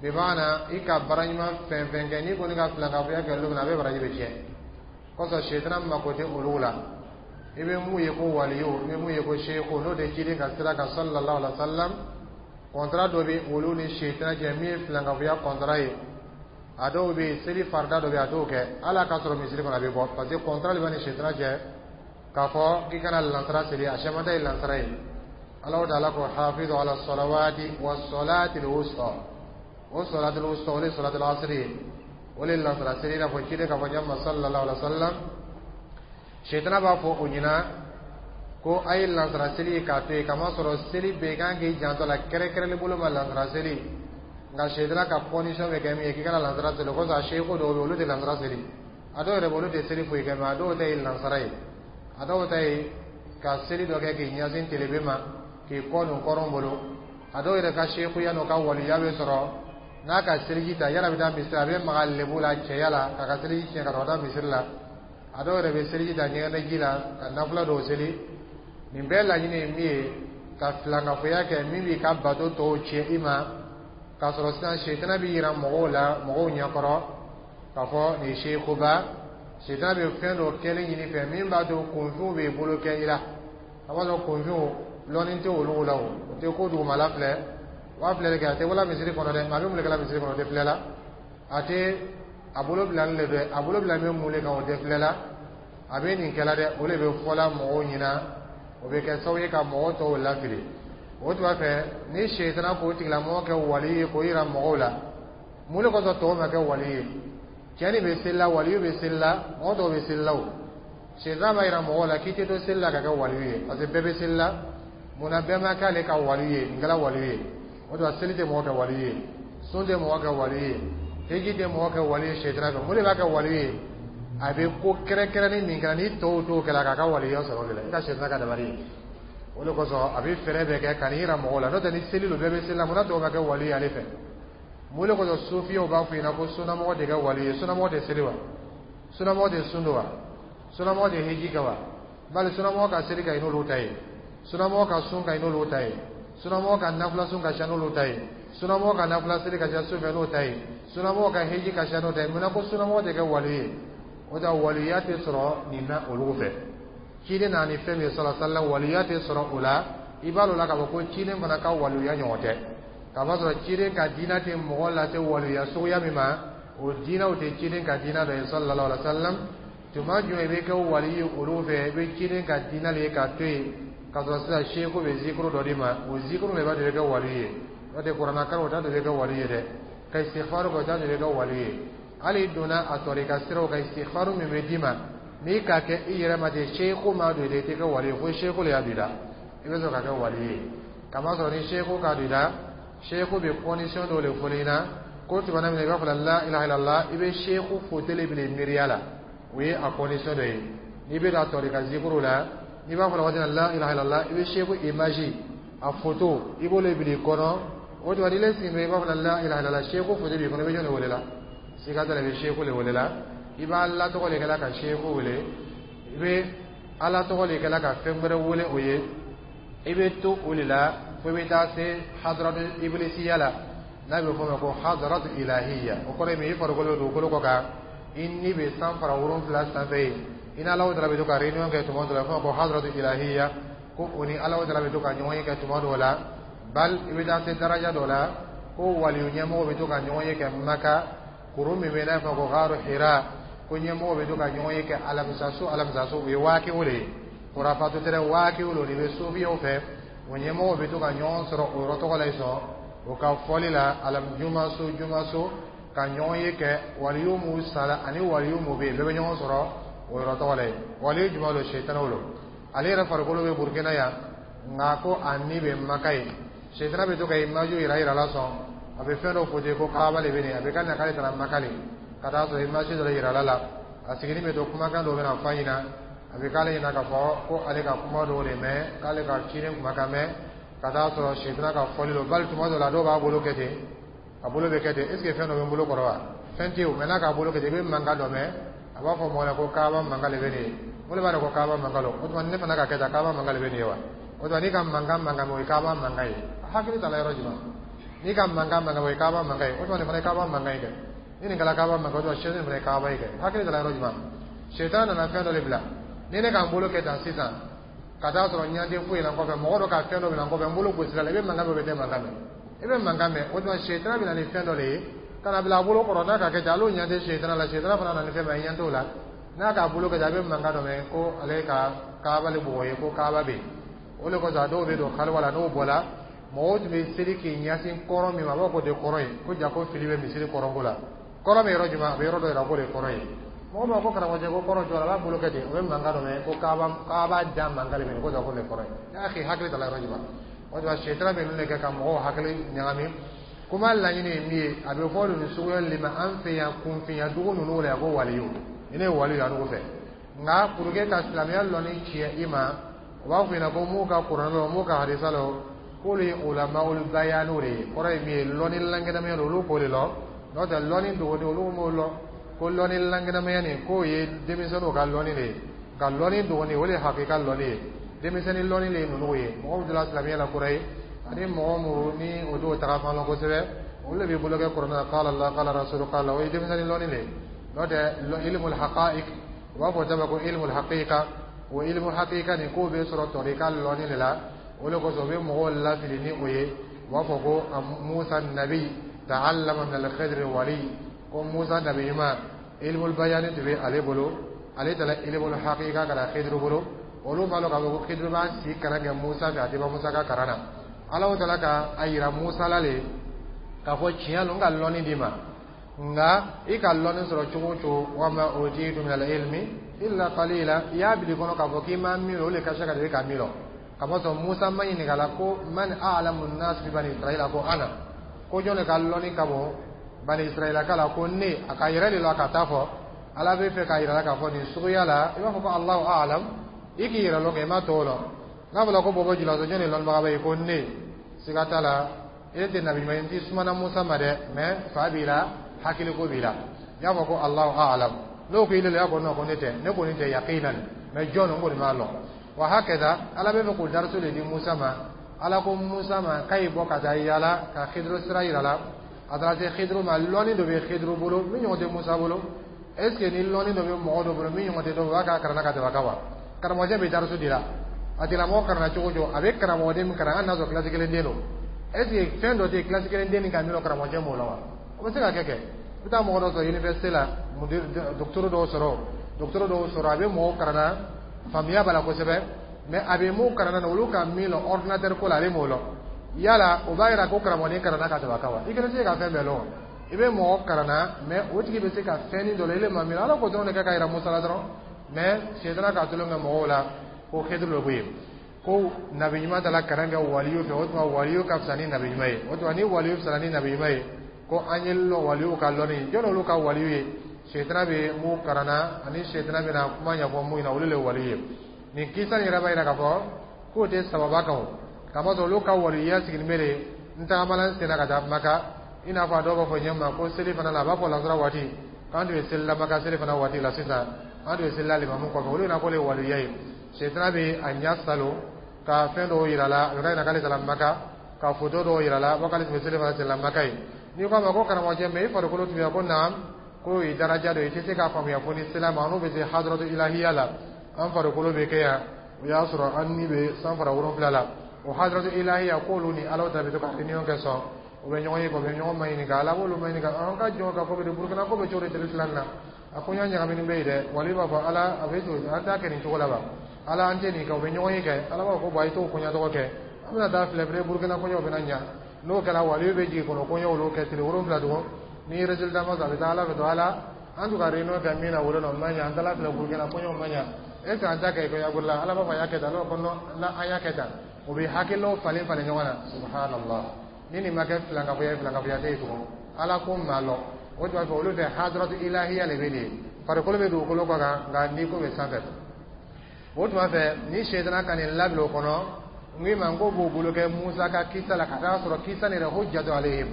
bimana i ka baara ɲuman fɛn fɛn kɛ, n'i kɔni ka filankafoya kɛ don min na, a bɛ baraji bɛ tiɲɛ. Kɔsɔn sɛtana mako tɛ olu la. I bɛ mun ye ko waliyu, i bɛ mun ye ko seku, n'o tɛ ciden ka sira kan sallallahu alaihi wa sallam, contrat dɔ bɛ olu ni sɛtana cɛ min ye filankafoya contrat ye. A dɔw bɛ yen, seli farida dɔ bɛ yen, a t'o kɛ hali a ka sɔrɔ misiri kɔnɔ, a bɛ bɔ, parce que contrat de b'a ni sɛtana cɛ k'a fɔ k'i kana lansara seli. A caman ta ye lansara ye. Ala taala ko hafizu ala salawati wa salati al-wusta. O salati al-wusta, o de ye salati al-asri ye, o de ye lansara seli, i n'a fɔ ciden k'a fɔ ɲɛ ma sallallahu alaihi wa sallam. Sɛtana b'a fɔ o ɲɛna ko a ye lansara seli ye k'a to yen, kamasɔrɔ seli bɛɛ kan k'i janto a la, kɛrɛnkɛrɛnni bolo ma lansara seli. Nka sɛtana ka condition bɛ kɛ min ye k'i kana lansara seli, o kosɔn a seeko dɔw bɛ yen, olu tɛ lansara seli. A dɔw yɛrɛ bɛ, olu tɛ seli foyi kɛ, mais a dɔw ta ye lansara ye. A dɔw ta ye ka seli dɔ kɛ k'i ɲɛsin telebe ma, k'i kɔ don kɔrɔn bolo. A dɔw yɛrɛ ka seekuya n'o ka waliya bɛ sɔrɔ n'a ka seliji ta, yala bɛ taa misiri, a bɛ maga lebu la cɛya la k'a ka seliji tiɲɛ ka sɔrɔ ka taa misiri la. A dɔw yɛrɛ bɛ seliji ta ɲɛgɛnɛji la ka nafila dɔw seli. Nin bɛɛ laɲini ye min ye, ka filankafoya kɛ min b'i ka bato tɔw tiɲɛ i ma, k'a sɔrɔ sisan sɛtana bɛ yira mɔgɔw la, mɔgɔw ɲɛkɔrɔ, k'a fɔ nin ye sekuba. Sɛtana bɛ fɛn dɔ kɛlen ɲini fɛ min b'a to kunfinw b'i bolo kɛ i la. A b'a sɔrɔ kunfinw lɔnni tɛ olu la, o o tɛ ko dugumala filɛ, o b'a filɛ kɛ, a tɛ wala misiri kɔnɔ dɛ, maa bɛ mun de kɛla misiri kɔnɔ, o tɛ filɛ la. A tɛ a bolo bilalen de dɛ, a bolo bilalen bɛ mun de kan, o tɛ filɛ la. A bɛ nin kɛla dɛ, o de bɛ fɔla mɔgɔw ɲɛna, o bɛ kɛ sababu ye ka mɔgɔw tɔw lafili. O tuma fɛ, ni sɛtana k'o tigilamɔgɔ kɛ wali ye k'o yira mɔgɔw la, mun de kosɔn tɔw ma kɛ wali ye? Cɛ nin bɛ seli la, waliyu bɛ seli la, mɔgɔ tɔw bɛ seli la. O sɛtana b'a yira mɔgɔw la k'i tɛ to seli la ka kɛ waliyu ye, parce que bɛɛ bɛ seli la. Munna bɛɛ ma k'ale ka waliyu ye? Nin kɛra waliyu ye. O tuma seli tɛ mɔgɔ kɛ waliyu ye, sun tɛ mɔgɔ kɛ waliyu ye, heji tɛ mɔgɔ kɛ waliyu ye sɛtana fɛ. Mun de b'a kɛ waliyu ye? A bɛ ko kɛrɛnkɛrɛnnin min kɛ, ni tɔw t'o kɛ la, k'a ka waliya sɔrɔ o de la. I ka sɛtana ka dabali ye o de kosɔn, a bɛ fɛɛrɛ bɛɛ kɛ ka n'i yira mɔgɔw la. N'o tɛ, ni seli don, bɛɛ bɛ seli la, munna tɔw ma kɛ wali ye ale fɛ? Mun de kosɔn sofiyaw b'a fɔ ɲɛna ko sunnamɔgɔ tɛ kɛ wali ye? Sunnamɔgɔ tɛ seli wa? Sunnamɔgɔ tɛ sun don wa? Sunnamɔgɔ tɛ heji kɛ wa? Bali sunnamɔgɔ ka seli ka ɲi n'olu ta ye, sunnamɔgɔ ka sun ka ɲi n'olu ta ye, sunnamɔgɔ ka nafila sun ka ca n'olu ta ye, sunnamɔgɔ ka nafila seli ka ca su fɛ n'o ta ye, sunnamɔgɔ ka heji ka ca n'o ta ye. Munna ko sunnamɔgɔ tɛ kɛ wali ye? O tɛ waliya tɛ sɔrɔ nin na olu fɛ. Ciden nana ni fɛn min ye sɔlɔ sala, waliya tɛ sɔrɔ o la. I b'a dɔn la k'a fɔ ko ciden fana ka waliya ɲɔgɔn tɛ, k'a sɔrɔ ciden ka diinɛ tɛ mɔgɔ lase waliya suguya min ma, o diinɛw tɛ ciden ka diinɛ dɔ ye sallallahu alaihi wa sallam. Tuma jumɛn i bɛ kɛ wali ye olu fɛ? I bɛ ciden ka diinɛ de ye k'a to yen, k'a sɔrɔ sisan seku bɛ zikuru dɔ d'i ma, o zikuru de b'a to i bɛ kɛ wali ye. N'o tɛ, kuranna kalan o t'a to i bɛ kɛ wali ye dɛ, ka istighfar kɛ o t'a to i bɛ kɛ wali ye. Hali donna a tɔrika siraw kan, istighfaru min bɛ d'i ma, n'i k'a kɛ i yɛrɛ ma ten, seku ma don i la, i tɛ kɛ wali ye, fo seku le y'a don i la, i bɛ sɔrɔ ka kɛ wali ye. Kamasɔrɔ ni seku k'a don i la, seku bɛ condition dɔw de fɔ i ɲɛna ko tuma min na i b'a fɔ la ilaha illallah, i bɛ seku foto le bila i miiriya la, o ye a condition dɔ ye. N'i bɛ don a tɔrika zikuru la, n'i b'a fɔ la waati min na la ilaha illallah, i bɛ seku image, a photo, i b'o le bila i kɔnɔ. O tuma n'i le sigilen bɛ, i b'a fɔ la ilaha illallah, seku photo b'i kɔnɔ, i bɛ jɔn de wele la? Siga t'a la, i bɛ seku le wele la. I b'a Ala tɔgɔ de kɛla ka seku wele, i bɛ Ala tɔgɔ de kɛla ka fɛn wɛrɛ wele o ye. I bɛ to o de la fo i bɛ taa se hadaratu ibilisiya la, n'a bɛ fɔ o ma ko hadaratu ilahiya. O kɔrɔ ye min ye? I farikolo bɛ dugukolo kɔ kan, i ni bɛ san fara wolonfila sanfɛ yen, i ni Alahu taala bɛ to ka réunion kɛ tuma dɔ la, fɔ ma ko hadaratu ilahiya, ko o ni Alahu taala bɛ to ka ɲɔgɔn ye kɛ tuma dɔw la. Bal i bɛ taa se daraja dɔ la ko waliyu ɲɛmɔgɔ bɛ to ka ɲɔgɔn ye kɛ Maka kuru min bɛ n'a fɔ ko gaaru Hira, ko ɲɛmɔgɔ bɛ to ka ɲɔgɔn ye kɛ alamisa su alamisa su. O ye waakiw de ye, kurafatu tɛ dɛ, waakiw lo de bɛ sofiyaw fɛ. O ɲɛmɔgɔ bɛ to ka ɲɔgɔn sɔrɔ o yɔrɔ tɔgɔ la yen sɔn o ka fɔli la, alamijuma so juma so, ka ɲɔgɔn ye kɛ. Waliyu m'u sala ani waliyu m'u bɛ yen, bɛɛ bɛ ɲɔgɔn sɔrɔ o yɔrɔ tɔgɔ la yen. Waliyu jumɛn don? Sɛtanaw don. Ale yɛrɛ farikolo bɛ Burukina yan, nka ko a ni bɛ Maka yen. Sɛtana bɛ to ka image yira yira la sɔn, a bɛ fɛn dɔ fɔ ko Kaaba de bɛ nin, a bɛ ka na k'ale taara Maka le, ka taa sɔrɔ image dɔ yira la la. A sigilen bɛ to, kumakan dɔ bɛna fɔ a ɲɛna, a bɛ k'ale ɲɛna k'a fɔ ko ale ka kuma dɔw de mɛn, k'ale ka ciden kumakan mɛn, ka taa sɔrɔ sɛtana ka fɔli don. Bali tuma dɔ la, dɔw b'a bolo kɛ ten, a bolo bɛ kɛ ten, est ce que fɛn dɔ bɛ n bolo kɔrɔ wa? Fɛn tɛ yen o. Mɛ n'a k'a bolo kɛ ten, i bɛ mankan dɔ mɛn, a b'a fɔ mɔgɔ la ko Kaaba mankan de bɛ nin ye. O de b'a dɔn ko Kaaba mankan don. O tuma ne fana ka kɛ tan, Kaaba mankan de bɛ nin ye wa? O tuma n'i ka mankan mankan mɛn, o ye Kaaba mankan ye. Hakili t'a la yɔrɔ jumɛn? N'i ka mankan mankan mɛn, o ye Kaaba mankan ye. O tuma nin fana ye Kaaba mankan ye kɛ. Ni nin kɛra Kaaba mankan, o tuma sɛden fana ye Kaaba ye kɛ. Hakili t'a la yɔrɔ jumɛn? Sɛtan nana fɛn dɔ de bila. Ni ne ka n bolo kɛ tan sisan, ka taa sɔrɔ ɲanden foyi la n kɔfɛ, mɔgɔ dɔ ka fɛn dɔ bila n kɔfɛ, n bolo gosira la, i bɛ mankan mɛn, o bɛ tɛ mankan mɛn, i bɛ mankan mɛn. O tuma sɛtan bɛ na ni fɛn dɔ de ye ka na bila a bolo kɔrɔ. N'a ka kɛ ten, ale ɲɛ tɛ sɛtana la, sɛtana fana nana ni fɛn min ye, ɲɛ t'o la. N'a k'a bolo kɛ ten, a bɛ mankan dɔ mɛn ko ale ka Kaaba le bugɔ ye, ko Kaaba bɛ yen. O de kosɔn a dɔw bɛ don kaliwa la, n'o bɔra, mɔgɔw tun bɛ seli k'i ɲɛsin kɔrɔ min ma, a b'a fɔ k'o tɛ kɔrɔ ye, ko ja ko fili bɛ misiri kɔrɔnko la. Kɔrɔ bɛ yɔrɔ jumɛn? A bɛ yɔrɔ dɔ yira k'o de kɔrɔ ye. Mɔgɔ b'a fɔ karamɔgɔcɛ ko kɔrɔ jɔ, a b'a bolo kɛ ten, o bɛ mankan dɔ mɛn ko Kaaba Kaaba da mankan de bɛ ko ja ko de kɔrɔ ye. Y'a k'i hakili ta la yɔrɔ jumɛn? O tuma sɛtana bɛ ninnu de kɛ ka mɔgɔw hakili ɲagami. Kuma laɲini ye min ye, a bɛ fɔ nin suguya de ma an fɛ yan, kunfinya dugu ninnu la yan, ko waliyu. Ni ne ye waliyu ye an fɛ, nka pour que ka silamɛya lɔnni tiɲɛ i ma, u b'a fɔ ɲɛna ko m'u ka kuranɛ lɔ, m'u ka hadisa lɔ, k'olu ye ulama'ul bayanu de ye. Kɔrɔ ye min ye? Lɔnni lankɛnɛmaya don, olu k'o de lɔ. N'o tɛ, lɔnni dogoni, olu m'o lɔ. Ko lɔnni lankɛnɛmaya nin, k'o ye denmisɛnninw ka lɔnni de ye, nka lɔnni dogoni, o de ye hakika lɔnni ye. Denmisɛnnin lɔnni de ye ninnu ye. Mɔgɔ min donna silamɛya la kura ye, ani mɔgɔ minnu ni o t'o taga fan lɔn kosɛbɛ, olu de bɛ bolo kɛ kuranɛ na, qala Allah, qala rasulu, qala, o ye denmisɛnnin lɔnni de ye. N'o tɛ, ilmul haqa'iq, u b'a fɔ dama ko ilmul haqiqa, o ilmu haqiqa nin, k'o bɛ sɔrɔ tɔrika lɔnni de la. O de kosɔn u bɛ mɔgɔw lafili ni o ye. U b'a fɔ ko Musa nabi ta'allama min al-khidr wali, ko Musa nabi ɲuman, ilmul bayani tun bɛ ale bolo, ale taara ilmul haqiqa ka na Khidr bolo. Olu b'a dɔn k'a fɔ ko Khidr b'a si kalan kɛ Musa fɛ, a tɛ ban Musa ka kalan na. Ala taala ka a yira Musa la le k'a fɔ tiɲɛ don, n ka lɔnni d'i ma, nka i ka lɔnni sɔrɔ cogo o cogo, wa ma utitu min al-ilmi illa qalila. I y'a bila i kɔnɔ k'a fɔ k'i ma min lɔn, o de ka se ka i ka min lɔn. Kamasɔrɔ Musa ma ɲininka la ko man a'lamu an-nas bi bani Israila, ko ana, ko jɔn de ka lɔnni ka bon bani Israila ka la? Ko ne. A ka yɛrɛ de la ka taa fɔ Ala bɛ fɛ k'a yira la k'a fɔ nin suguya la, i b'a fɔ ko Allahu a'lam, i k'i yɛrɛ lɔn kɛ, i ma tɔw lɔn. N'a fɔra ko bɔbɔ julaso, jɔn de lɔnnibaga bɛ yen? Ko ne. Siga t'a la, e tɛ nabi ɲuman ye, n t'i sumana Musa ma dɛ, mɛ fa b'i la, hakiliko b'i la, i y'a fɔ ko Allahu a'lam. N'o ko i le la, i b'a fɔ non, ko ne tɛ, ne kɔni tɛ yaqinan, mɛ jɔn n kɔni m'a lɔn. Wa hakɛda Ala bɛ fɛ k'o dariso de di Musa ma. Ala ko Musa ma k'a y'i bɔ ka taa yaala ka Khidru sira yira la. A taara se Khidru ma, lɔnni dɔ bɛ Khidru bolo min ɲɔgɔn tɛ Musa bolo. Est ce que ni lɔnni dɔ bɛ mɔgɔ dɔ bolo min ɲɔgɔn tɛ dɔ bolo, o b'a k'a kalanna ka tɛmɛ a kan wa? Karamɔgɔcɛ bɛ dariso di la, a tigilamɔgɔ kalanna cogo o cogo, a bɛ karamɔgɔden min kalan, hali n'a sɔrɔ kilasi kelen den don, est ce que fɛn dɔ tɛ yen kilasi kelen den nin ka min lɔn, karamɔgɔcɛ m'o la wa? O bɛ se ka kɛ kɛ. I bɛ taa mɔgɔ dɔ sɔrɔ université la, docteur dɔw sɔrɔ docteur dɔw sɔrɔ, a bɛ mɔgɔw kalanna, faamuya b'a la kosɛbɛ, mais a bɛ mun kalanna na, olu ka min lɔn ordinateur ko la, ale m'o lɔn. Yala o b'a yira ko karamɔgɔden kalanna ka tɛmɛ a kan wa? I kelen tɛ se ka fɛn bɛɛ lɔn. I bɛ mɔgɔ karanna, mais o tigi bɛ se ka fɛnnin dɔ la ile ma min. Ala ko dɔrɔn de kɛ ka yira Musa la dɔrɔn, mais sɛtana ka tulon kɛ mɔgɔw la ko Hidru le ko ye ko nabi ɲuman taara kalan kɛ waliyu fɛ. O tuma, waliyu ka fisa ni nabi ɲuman ye. O tuma, ni waliyu fisara ni nabi ɲuman ye, ko an ye lɔ waliyu ka lɔnni jɔn olu ka waliyu ye. Sɛtana bɛ mun karanna ani sɛtana bɛna kuma ɲɛfɔ mun ɲɛna, olu le ye waliyu ye. Nin kisa nin yɛrɛ b'a yira k'a fɔ k'o tɛ sababa kan o, kamasɔrɔ olu ka waliyuya sigilen bɛ de n tagamana n senna ka taa Maka. I n'a fɔ a dɔw b'a fɔ ɲɛ ma ko seli fana la, a b'a fɔ lansara waati k'an tun bɛ seli la Maka, seli fana waati la sisan an tun bɛ seli la limamu kɔfɛ. Olu ɲɛna k'o le ye waliyuya ye. Sɛtana bɛ a ɲɛ salo ka fɛn dɔw yira la, a bɛ k'a ɲɛna k'ale taara Maka, ka foto dɔw yira la, k'ale tun bɛ seli fana seli la Maka ye. N'i ko a ma ko karamɔgɔcɛ, mɛ i farikolo tun bɛ ko naam, k'o ye daraja dɔ ye, i tɛ se k'a faamuya fo ni sela ma. N'o bɛ se hadaratu ilahiya la, an farikolo bɛ kɛ yan, o y'a sɔrɔ an ni bɛ san fara wolonfila la. O hadaratu ilahiya, k'olu ni Ala ta bɛ to ka réunion kɛ sɔn, u bɛ ɲɔgɔn ye, u bɛ ɲɔgɔn maɲininka, Ala b'olu maɲininka: an ka jɔn ka ko bɛ di? Burukina ko bɛ cogo di tile fila nin na? A ko ɲa ɲagaminen bɛ yen dɛ. Wali b'a fɔ Ala a bɛ to an t'a kɛ nin cogo la wa? Ala, an tɛ nin kɛ. U bɛ ɲɔgɔn ye kɛ. Ala b'a fɔ ko bon, a ye t'o koɲa tɔgɔ kɛ, an bɛna taa filɛ filɛ Burukina kɔɲɔ bɛna ɲa. N'o kɛra, wali bɛ jigin kɔnɔ, kɔɲɔ olu kɛ tile wolonfila tugun, ni résultat ma sɔrɔ, a bɛ taa Ala fɛ to: Ala, an tun ka réunion kɛ min na wolo nɔ ma ɲa, an taara filɛ, Burukina kɔɲɔ ma ɲa, est ce que an t'a kɛ kɔɲɔ la? Ala b'a fɔ a y'a kɛ tan. Ala b'a fɔ non, an y'a kɛ tan. O bɛ hakililaw falen falen ɲɔgɔn na. Subhanallah, ni nin ma kɛ filankafoya ye, filankafoya tɛ yen tugun. Ala ko maa lɔ o tuma fɛ, olu fɛ hadaratu ilahiya de bɛ nin ye, farikolo bɛ dugukolo kɔ kan, nka n'i ko bɛ sanfɛ. O tuma fɛ, ni sɛtana ka nin labila o kɔnɔ, n k'i ma n ko b'o bolo kɛ Musa ka kisa la, ka taa sɔrɔ kisa nin yɛrɛ hujjatu alayhim.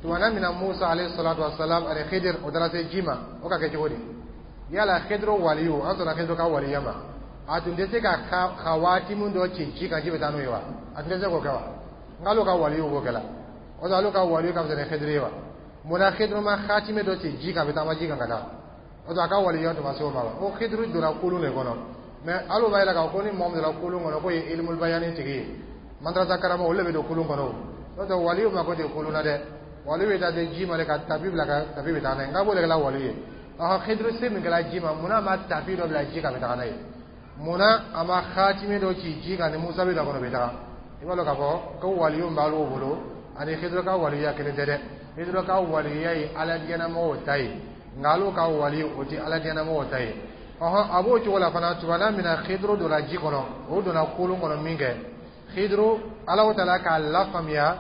Tumana min na Musa alayhi salatu wa salam ani Khidir o taara se ji ma, o ka kɛ cogo di? Yala Khidir waliyu, an sɔnna Khidir ka waliya ma, a tun tɛ se ka khawatimu dɔ ci ji kan, ji bɛ taa n'o ye wa? A tun tɛ se k'o kɛ wa? N k'ale ka waliyu b'o kɛ la. O ale ka waliyu ka fisa ni Khidir ye wa? Munna Khidir ma khatime dɔ ci ji kan, a bɛ taama ji kan ka taa? O a ka waliya tun ma se o ma wa? Ko Khidir donna kulun de kɔnɔ, mais hali o b'a yira k'a fɔ ko ni mɔgɔ min donna kulun kɔnɔ, k'o ye ilimul bayani tigi ye, madrasa karamɔgɔ, olu de bɛ don kulun kɔnɔ. O n'o tɛ, waliyu ma ko ten kulun na dɛ. Waliyu bɛ taa se ji ma de ka tapi bila, ka tapi bɛ taa n'a ye. Nka b'o de kɛla waliyu ye. Ɔhɔn, Khidir se min kɛra ji ma, munna a ma tapi dɔ bila ji kan, a bɛ taga n'a ye? Munna a ma khatime dɔ ci ji kan, ni Musa bɛ don a kɔnɔ, bɛ taga? I b'a dɔn k'a fɔ ko waliyu b'ale bolo ani Khidir ka waliyuya kelen tɛ dɛ. Khidir ka waliyuya ye Ala diɲɛnamɔgɔw ta ye, nka olu ka wali o tɛ Ala diɲɛnamɔgɔw ta ye. Ɔhɔn, a b'o cogo la fana. Tumana min na Khidir donna ji kɔnɔ, o donna kolon kɔnɔ min kɛ, Khidir, Ala taala k'a lafaamuya,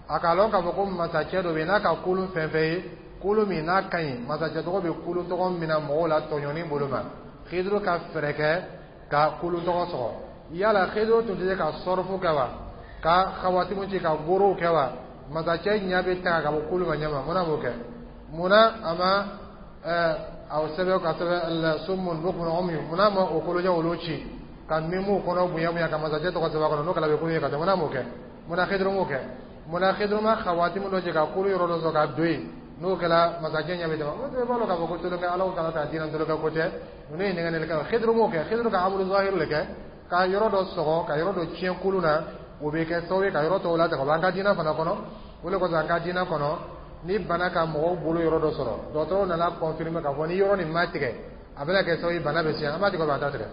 a k'a lɔn k'a fɔ ko masacɛ dɔ bɛ yen n'a ka kolon fɛn fɛn ye, kolon min n'a ka ɲi, masacɛ tɔgɔ bɛ kolon tɔgɔ min na mɔgɔw la tɔɲɔni bolo ma. Khidir ka fɛɛrɛ kɛ ka kolon tɔgɔ sɔrɔ. Yala Khidir tun tɛ se ka sɔrɔfu kɛ wa, ka xawatimu ci, ka gorow kɛ wa? Masacɛ ɲɛ bɛ taga ka bɔ kolon ma ɲɛ ma, munna b'o kɛ? Munna a ma ɛɛ a sɛbɛn ka sɛbɛn summun bukmun umyun? Munna ma o kolojɛ olu ci ka mimu kɔnɔ bonya bonya, ka masacɛ tɔgɔ sɛbɛn a kɔnɔ? N'o kɛra, a bɛ kolon ye ka taa. Munna m'o kɛ? Munna Khidir m'o kɛ? Munna Khidir ma xawatimu dɔ ci ka kolo yɔrɔ dɔ sɔrɔ ka don yen? N'o kɛra, masacɛ ɲɛ bɛ tɛmɛ. O tɛ b'a dɔn k'a fɔ ko tolokɛ Ala kana taa diinɛ tolokɛ ko tɛ. Ninnu ye nɛgɛ nɛgɛ. Khidir m'o kɛ. Khidir ka amuru zahir le kɛ ka yɔrɔ dɔ sɔgɔ, ka yɔrɔ dɔ tiɲɛ kolon na, o bɛ kɛ sababu ye ka yɔrɔ tɔw latigɛ. O b'an ka diinɛ fana kɔnɔ. O de kosɔn, an ka diinɛ kɔnɔ, ni bana ka mɔgɔw bolo yɔrɔ dɔ sɔrɔ, dɔgɔtɔrɔw nana confirmer k'a fɔ ni yɔrɔ nin ma tigɛ, a bɛna kɛ sababu ye bana bɛ siɲɛ, an b'a tigɛ ou an t'a tigɛ?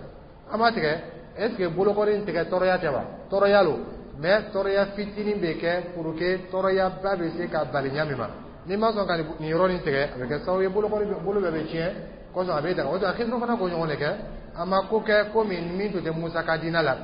An b'a tigɛ. Est ce que bolokɔni in tigɛ tɔɔrɔya tɛ wa? Tɔɔrɔya lo, mais tɔɔrɔya fitinin bɛ kɛ pour que tɔɔrɔyaba bɛ se ka bali ɲa min ma. N'i ma sɔn ka nin yɔrɔ nin tigɛ, a bɛ kɛ sababu ye bolokɔni bolo bɛɛ bɛ tiɲɛ kɔsɔn, a bɛ daga. O tuma, Khidir fana k'o ɲɔgɔn de kɛ. A ma ko kɛ komi min tun tɛ Musa ka diinɛ la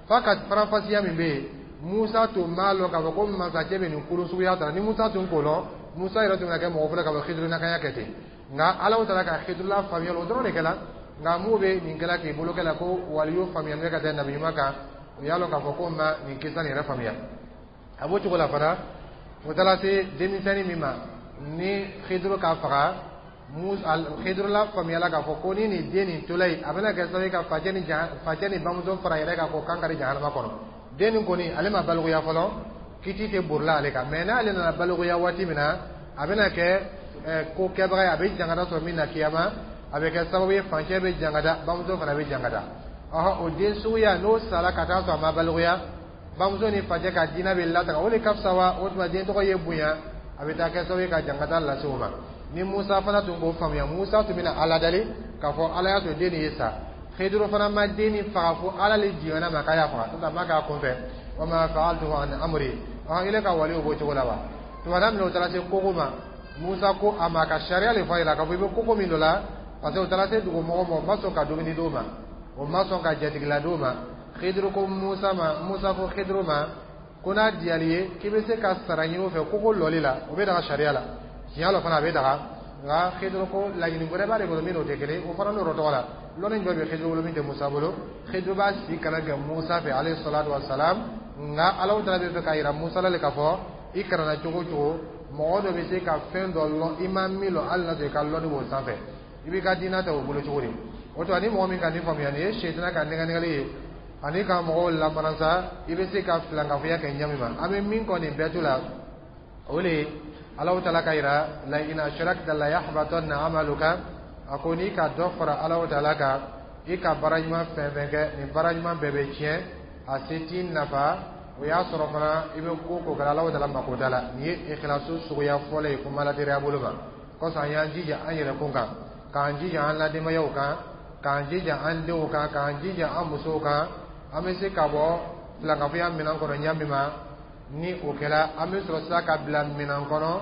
f'a ka faranfasiya min bɛ yen. Musa tun b'a lɔn k'a fɔ ko masakɛ bɛ nin kolon suguya ta. Ni Musa tun k'o lɔn, Musa yɛrɛ tun bɛna kɛ mɔgɔ fɔlɔ ka fɔ Khidir na kan kɛ ten. Nka Ala taara ka Khidir la faamuya, o dɔrɔn de kɛla. Nka mun bɛ nin kɛla k'i bolo kɛla ko waliyu faamuya bɛ ka tɛ nabi ɲuman kan, o y'a lɔn k'a fɔ ko ma nin kisa nin yɛrɛ faamuya. A b'o cogo la fana, o taara se denmisɛnnin min ma ni Khidir ka faga, Khidir la faamuyala k'a fɔ ko ni nin den nin tola yen, a bɛna kɛ sababu ye ka facɛ ni facɛ ni bamuso fara yɛrɛ kan k'o kan kari jahanama kɔnɔ. Den nin kɔni, ale ma balikuya fɔlɔ, kiti tɛ borila ale kan, mais n'ale nana balikuya waati min na, a bɛna kɛ ko kɛbaga ye, a bɛ jangata sɔrɔ min na kiyama, a bɛ kɛ sababu ye facɛ bɛ jangata, bamuso fana bɛ jangata. Ɔhɔn, o den suguya, n'o sara ka taa sɔrɔ a ma balikuya, bamuso ni facɛ ka diinɛ bɛ lataga, o de ka fisa wa? O tuma, den tɔgɔ ye bonya, a bɛ taa kɛ sababu ye ka jangata lase o ma. Ni Musa fana tun k'o faamuya, Musa tun bɛna Ala dali k'a fɔ Ala y'a to den nin ye sa. Khidir fana ma den nin faga fo Ala le jiginna ma k'a y'a faga, n'o tɛ a ma k'a kunfɛ. Wa ma fa'altuhu an amri. Ɔhɔn, ile ka waliw b'o cogo la wa? Tuma min na o taara se kogo ma. Musa ko a ma ka sariya le fɔ a ɲɛna k'a fɔ i bɛ koko min dɔ la, parce que o taara se dugu mɔgɔ ma, o ma sɔn ka dumuni d'o ma, o ma sɔn ka jatigila d'o ma. Khidiru ko Musa ma, Musa ko Khidiru ma ko n'a diyali ye k'i bɛ se ka sara ɲini o fɛ koko lɔli la, o bɛ daga sariya la. Tiɲɛ la fana, a bɛ daga. Nka Khidiru ko laɲini wɛrɛ b'ale bolo min n'o tɛ kelen, o fana n'o tɔgɔ la. Lɔnni jɔ bɛ Khidiru bolo min tɛ Musa bolo? Khidiru b'a si kalan kɛ Musa fɛ, alayhi salatu wa salam. Nka Alahu taala bɛ fɛ k'a yira Musa la le k'a fɔ i kalanna cogo o cogo, mɔgɔ dɔ bɛ se ka fɛn dɔ lɔn i ma min lɔn, hali n'a sɔrɔ i ka lɔnni b'o sanfɛ, i b'i ka diinɛ ta o bolo cogo di? O tuma, ni mɔgɔ min ka nin faamuya, nin ye sɛtana ka nɛgɛnɛgɛli ye ani ka mɔgɔw lamaransa, i bɛ se ka filankafoya kɛ ɲɛ min ma. An bɛ min kɔ nin bɛɛ to la, o de ye Alahu taala ka yira: la in ashrakta la yahbatanna amaluka. A ko n'i ka dɔ fara Alahu taala kan, i ka baara ɲuman fɛn fɛn kɛ, nin baara ɲuman bɛɛ bɛ tiɲɛ, a se t'i nafa. O y'a sɔrɔ fana i bɛ ko ko kɛra, Alahu taala mako t'a la. Nin ye ikhlasu suguya fɔlɔ ye kuma ladiriya bolo ma. Kɔsɔn an y'an jija an yɛrɛ kun kan, k'an jija an ladenbayaw kan, k'an jija an denw kan, k'an jija an musow kan, an bɛ se ka bɔ filankafoya minɛn kɔnɔ ɲa min ma. Ni o kɛra, an bɛ sɔrɔ sisan ka bila minɛn kɔnɔ,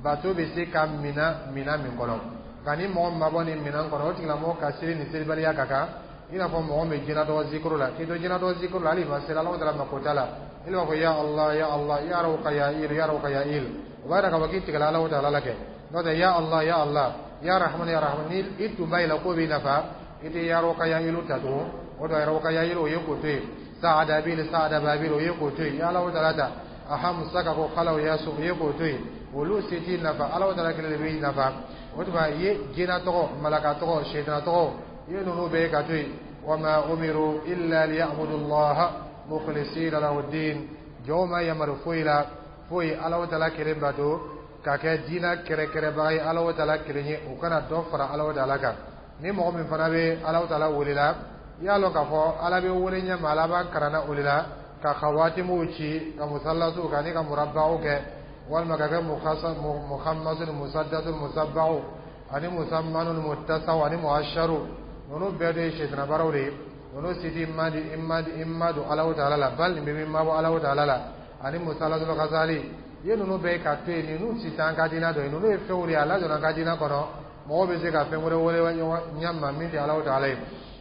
bato bɛ se ka mina minɛn min kɔnɔ. Nka ni mɔgɔ min ma bɔ nin minɛn kɔnɔ, o tigilamɔgɔ ka seli ni selibaliya ka kan, i n'a fɔ mɔgɔ min bɛ jinɛtɔgɔ zikuru la. K'i to jinɛtɔgɔ zikuru la, hali i ma seli, Alahu taala mako t'a la. I b'a fɔ: ya Allah, ya Allah, ya Rawka ya il, ya Rawka ya il. O b'a yira k'a fɔ k'i tigɛla Alahu taala la kɛ. N'o tɛ, ya Allah, ya Allah, ya Rahman, ya Rahman, ni i tun b'a yira k'o b'i nafa, i tɛ ya Rawka ya ilu ta tugun. O dɔ ya Rawka ya ilu, o ye k'o to yen. Saada bil, saada babil, o ye k'o to yen. Ya Alahu taala ta aham saka ko khalaw ya su, o ye k'o to yen. Olu se t'i nafa, Alahu taala kelen de b'i nafa. O tuma, i ye jinɛ tɔgɔ, malaka tɔgɔ, sɛtana tɔgɔ, i ye ninnu bɛɛ ka to yen. Wama umiru illa liya'budu allaha mukhlisina lahu din. Jɔnw ma yamaru foyi la foyi Alahu taala kelen bato, ka kɛ diinɛ kɛrɛkɛrɛbaga ye Alahu taala kelen ye, u kana dɔ fara Alahu taala kan. Ni mɔgɔ min fana bɛ Alahu taala wele la, i y'a lɔn k'a fɔ Ala bɛ wele ɲɛ ma, Ala b'an karanna o de la, ka khawatimuw ci, ka musallasuw kɛ ani ka murabbaw kɛ, walima ka kɛ muhammasu ni musaddasu, musabbaw ani musammanu ni muttasaw ani muasharu. Ninnu bɛɛ de ye sɛtana baaraw de ye. Ninnu si t'i ma di i ma di i ma don Alahu taala la, bali nin bɛ min mabɔ Alahu taala la ani musalatul ghazali. I ye ninnu bɛɛ ka to yen. Ninnu si t'an ka diinɛ dɔ ye. Ninnu ye fɛnw de ye, a lajɔra an ka diinɛ kɔnɔ. Mɔgɔw bɛ se ka fɛn wɛrɛ wele ɲɛ ma min tɛ Alahu taala ye.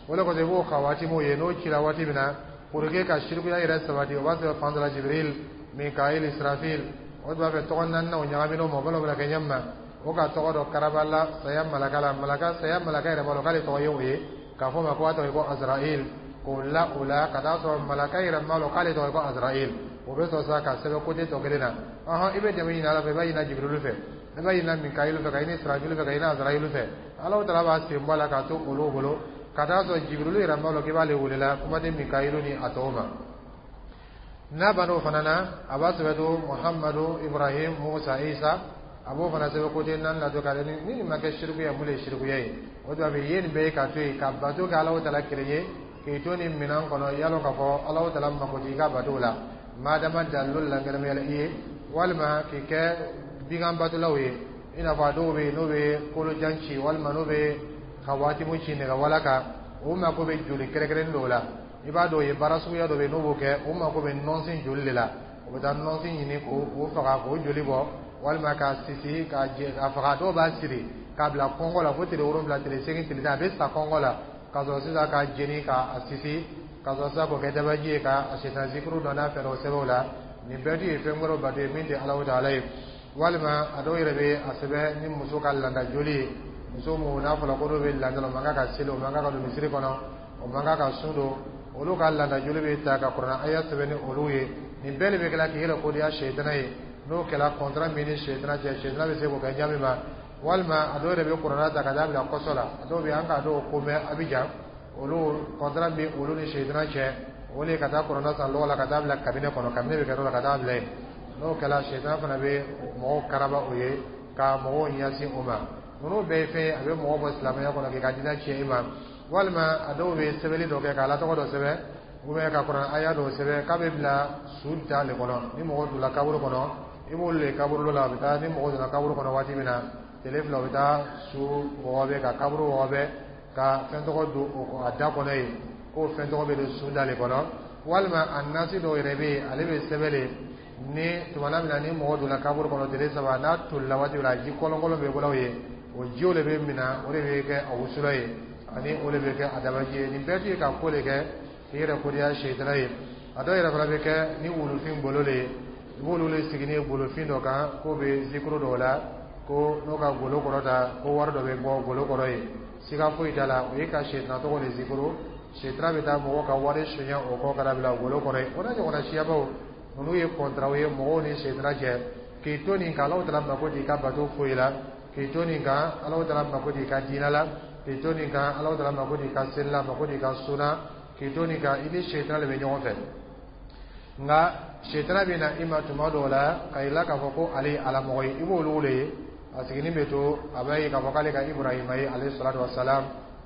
O de kosɔn, i b'o khawatimuw ye n'o cira waati min na pour que ka sirikuya yɛrɛ sabati, o b'a sɔrɔ fan dɔ la Jibril, Mikail, Israfil, o tun b'a fɛ tɔgɔ naaninan ɲagamina o ma, o b'a bɛna kɛ ɲɛ ma. O ka tɔgɔ dɔ karaba la saya malaka la, malaka saya malaka yɛrɛ b'a dɔn k'ale tɔgɔ ye o ye, k'a fɔ ma ko a tɔgɔ ye ko Azrail, k'o la o la ka taa sɔrɔ malaka yɛrɛ m'a dɔn k'ale tɔgɔ ye ko Azrail. O bɛ sɔrɔ sa ka sɛbɛn kote tɔ kelen na. Ɔhɔn, i bɛ dɛmɛ ɲini Ala fɛ, i b'a ɲini Jibril fɛ, i b'a ɲini Mikail fɛ, ka ɲini Israfil fɛ, ka ɲini Azrail fɛ. Alahu taala b'a sen bɔ a la k'a to olu bolo, ka taa sɔrɔ Jibril yɛrɛ m'a dɔn k'i b'ale wele la, kuma tɛ Mikail ni a tɔw ma. N'a banna o fana na, a b'a sɛbɛn to Muhammadu, Ibrahim, Musa, Isa. A b'o fana sɛbɛn kote naani na to k'ale. Ni nin ma kɛ sirikuya, mun de ye sirikuya ye? O tuma, i ye nin bɛɛ ye ka to yen, ka bato kɛ Alahu taala kelen ye, k'i to nin minɛn kɔnɔ, i y'a dɔn k'a fɔ Alahu taala mako t'i ka bato la, madama dalilu lankɛnɛmayala i ye, walima k'i kɛ bigan batolaw ye, i n'a fɔ a dɔw bɛ yen n'o bɛ kolojan ci, walima n'o bɛ ka waatimu ci nɛgɛwala kan, o mako bɛ joli kɛrɛnkɛrɛnnen dɔw la. I b'a dɔn o ye baara suguya dɔ bɛ yen n'o b'o kɛ, o mako bɛ nɔnsin joli de la. O bɛ taa nɔnsin ɲini k'o faga, k'o joli bɔ, walima k'a sisi k'a jɛ k'a faga. Dɔw b'a siri k'a bila kɔngɔ la fo tile wolonwula, tile seegin, tile tan, a bɛ sa kɔngɔ la, ka sɔrɔ sisan k'a jeni k'a sisi, ka sɔrɔ sisan k'o kɛ dabaji ye, ka sisan zikuru dɔ n'a fɛn dɔ sɛbɛn o la. Nin bɛɛ dun ye fɛn wɛrɛw bato ye min tɛ Alahu taala ye. Walima a dɔw yɛrɛ bɛ a sɛbɛn ni muso ka landa joli ye. Muso mun n'a fɔra ko n'o bɛ landa la, o man kan ka seli, o man kan ka don misiri kɔnɔ, o man kan ka sun don, olu ka landa joli bɛ ta ka kuranɛ aya sɛbɛn ni olu ye. Nin bɛɛ de bɛ kɛla k'i yɛrɛ kodiya sɛtana ye. N'o kɛra, kɔntara min ni sɛtana cɛ, sɛtana bɛ se k'o kɛ ɲa min ma. Walima a dɔw yɛrɛ bɛ kuranɛ ta ka taa bila kɔsɔ la. A dɔw bɛ an k'a dɔw ko mɛn Abijan, olu kɔntara bɛ olu ni sɛtana cɛ, o de ka taa kuranɛ san lɔgɔ la ka taa bila kabinɛ kɔnɔ, kabinɛ bɛ kɛ yɔrɔ la ka taa bila yen. N'o kɛra, sɛtana fana bɛ mɔgɔw karaba o ye, ka mɔgɔw ɲɛsin o ma. Ninnu bɛɛ ye fɛn ye a bɛ mɔgɔ bɔ silamɛya kɔnɔ, k'i ka diinɛ tiɲɛ i ma. Walima a dɔw bɛ sɛbɛnni dɔ kɛ, k'a la tɔgɔ dɔ sɛbɛn, ou bien ka kuranɛ aya dɔw sɛbɛn k'a bɛ bila su da le kɔnɔ. Ni mɔgɔ donna kaburu kɔnɔ, i b'olu le kaburu la, a bɛ taa. Ni mɔgɔ donna kaburu kɔnɔ waati min na, tile fila, u bɛ taa su wɔgɔbɛ, ka kaburu wɔgɔbɛ, ka fɛn tɔgɔ don a da kɔnɔ yen, k'o fɛn tɔgɔ bɛ don su da le kɔnɔ. Walima a nasi dɔw yɛrɛ bɛ yen, ale bɛ sɛbɛn de Ni tumana min na ni mɔgɔ donna kaburu kɔnɔ tile saba, n'a tolila waati min na, a ji kɔlɔnkɔlɔn bɛ bɔla o ye, o jiw de bɛ minɛ, o de bɛ kɛ a wusula ye, ani o de bɛ kɛ a dabaji ye. Nin bɛɛ tun ye ka ko de kɛ k'i yɛrɛ kodiya seyitana ye. A dɔw yɛrɛ fana bɛ kɛ ni wulufin golo de ye. I b'olu de sigi ni golofin dɔ kan k'o bɛ zikuru dɔw la, ko n'o ka golo kɔrɔ ta, ko wari dɔ bɛ bɔ golo kɔrɔ ye. Siga foyi t'a la, o ye ka seyitana tɔgɔ de zikuru. Seyitana bɛ taa mɔgɔw ka wari sonya o kɔ ka na bila golo kɔrɔ ye. O n'a ɲɔgɔnna siyabaw, ninnu ye kɔntaraw ye mɔgɔw ni seyitana cɛ. K'i to nin kan, Alahu Taala mako t'i ka bato foyi la. K'i to nin kan, Alahu Taala mako t'i ka diinɛ la. K'i to nin kan, Alahu Taala mako t'i ka seli la, mako t'i ka sun na. K'i to nin kan, i ni seyitana de bɛ ɲɔgɔn fɛ. Nka seyitana bɛ na i ma tuma dɔw la ka yira k'a fɔ ko ale ye alamɔgɔ ye. I b'olu le ye, a siginin bɛ to, a b'a ye k'a fɔ k'ale ka Iburahima ye alayhi salatu wa salam,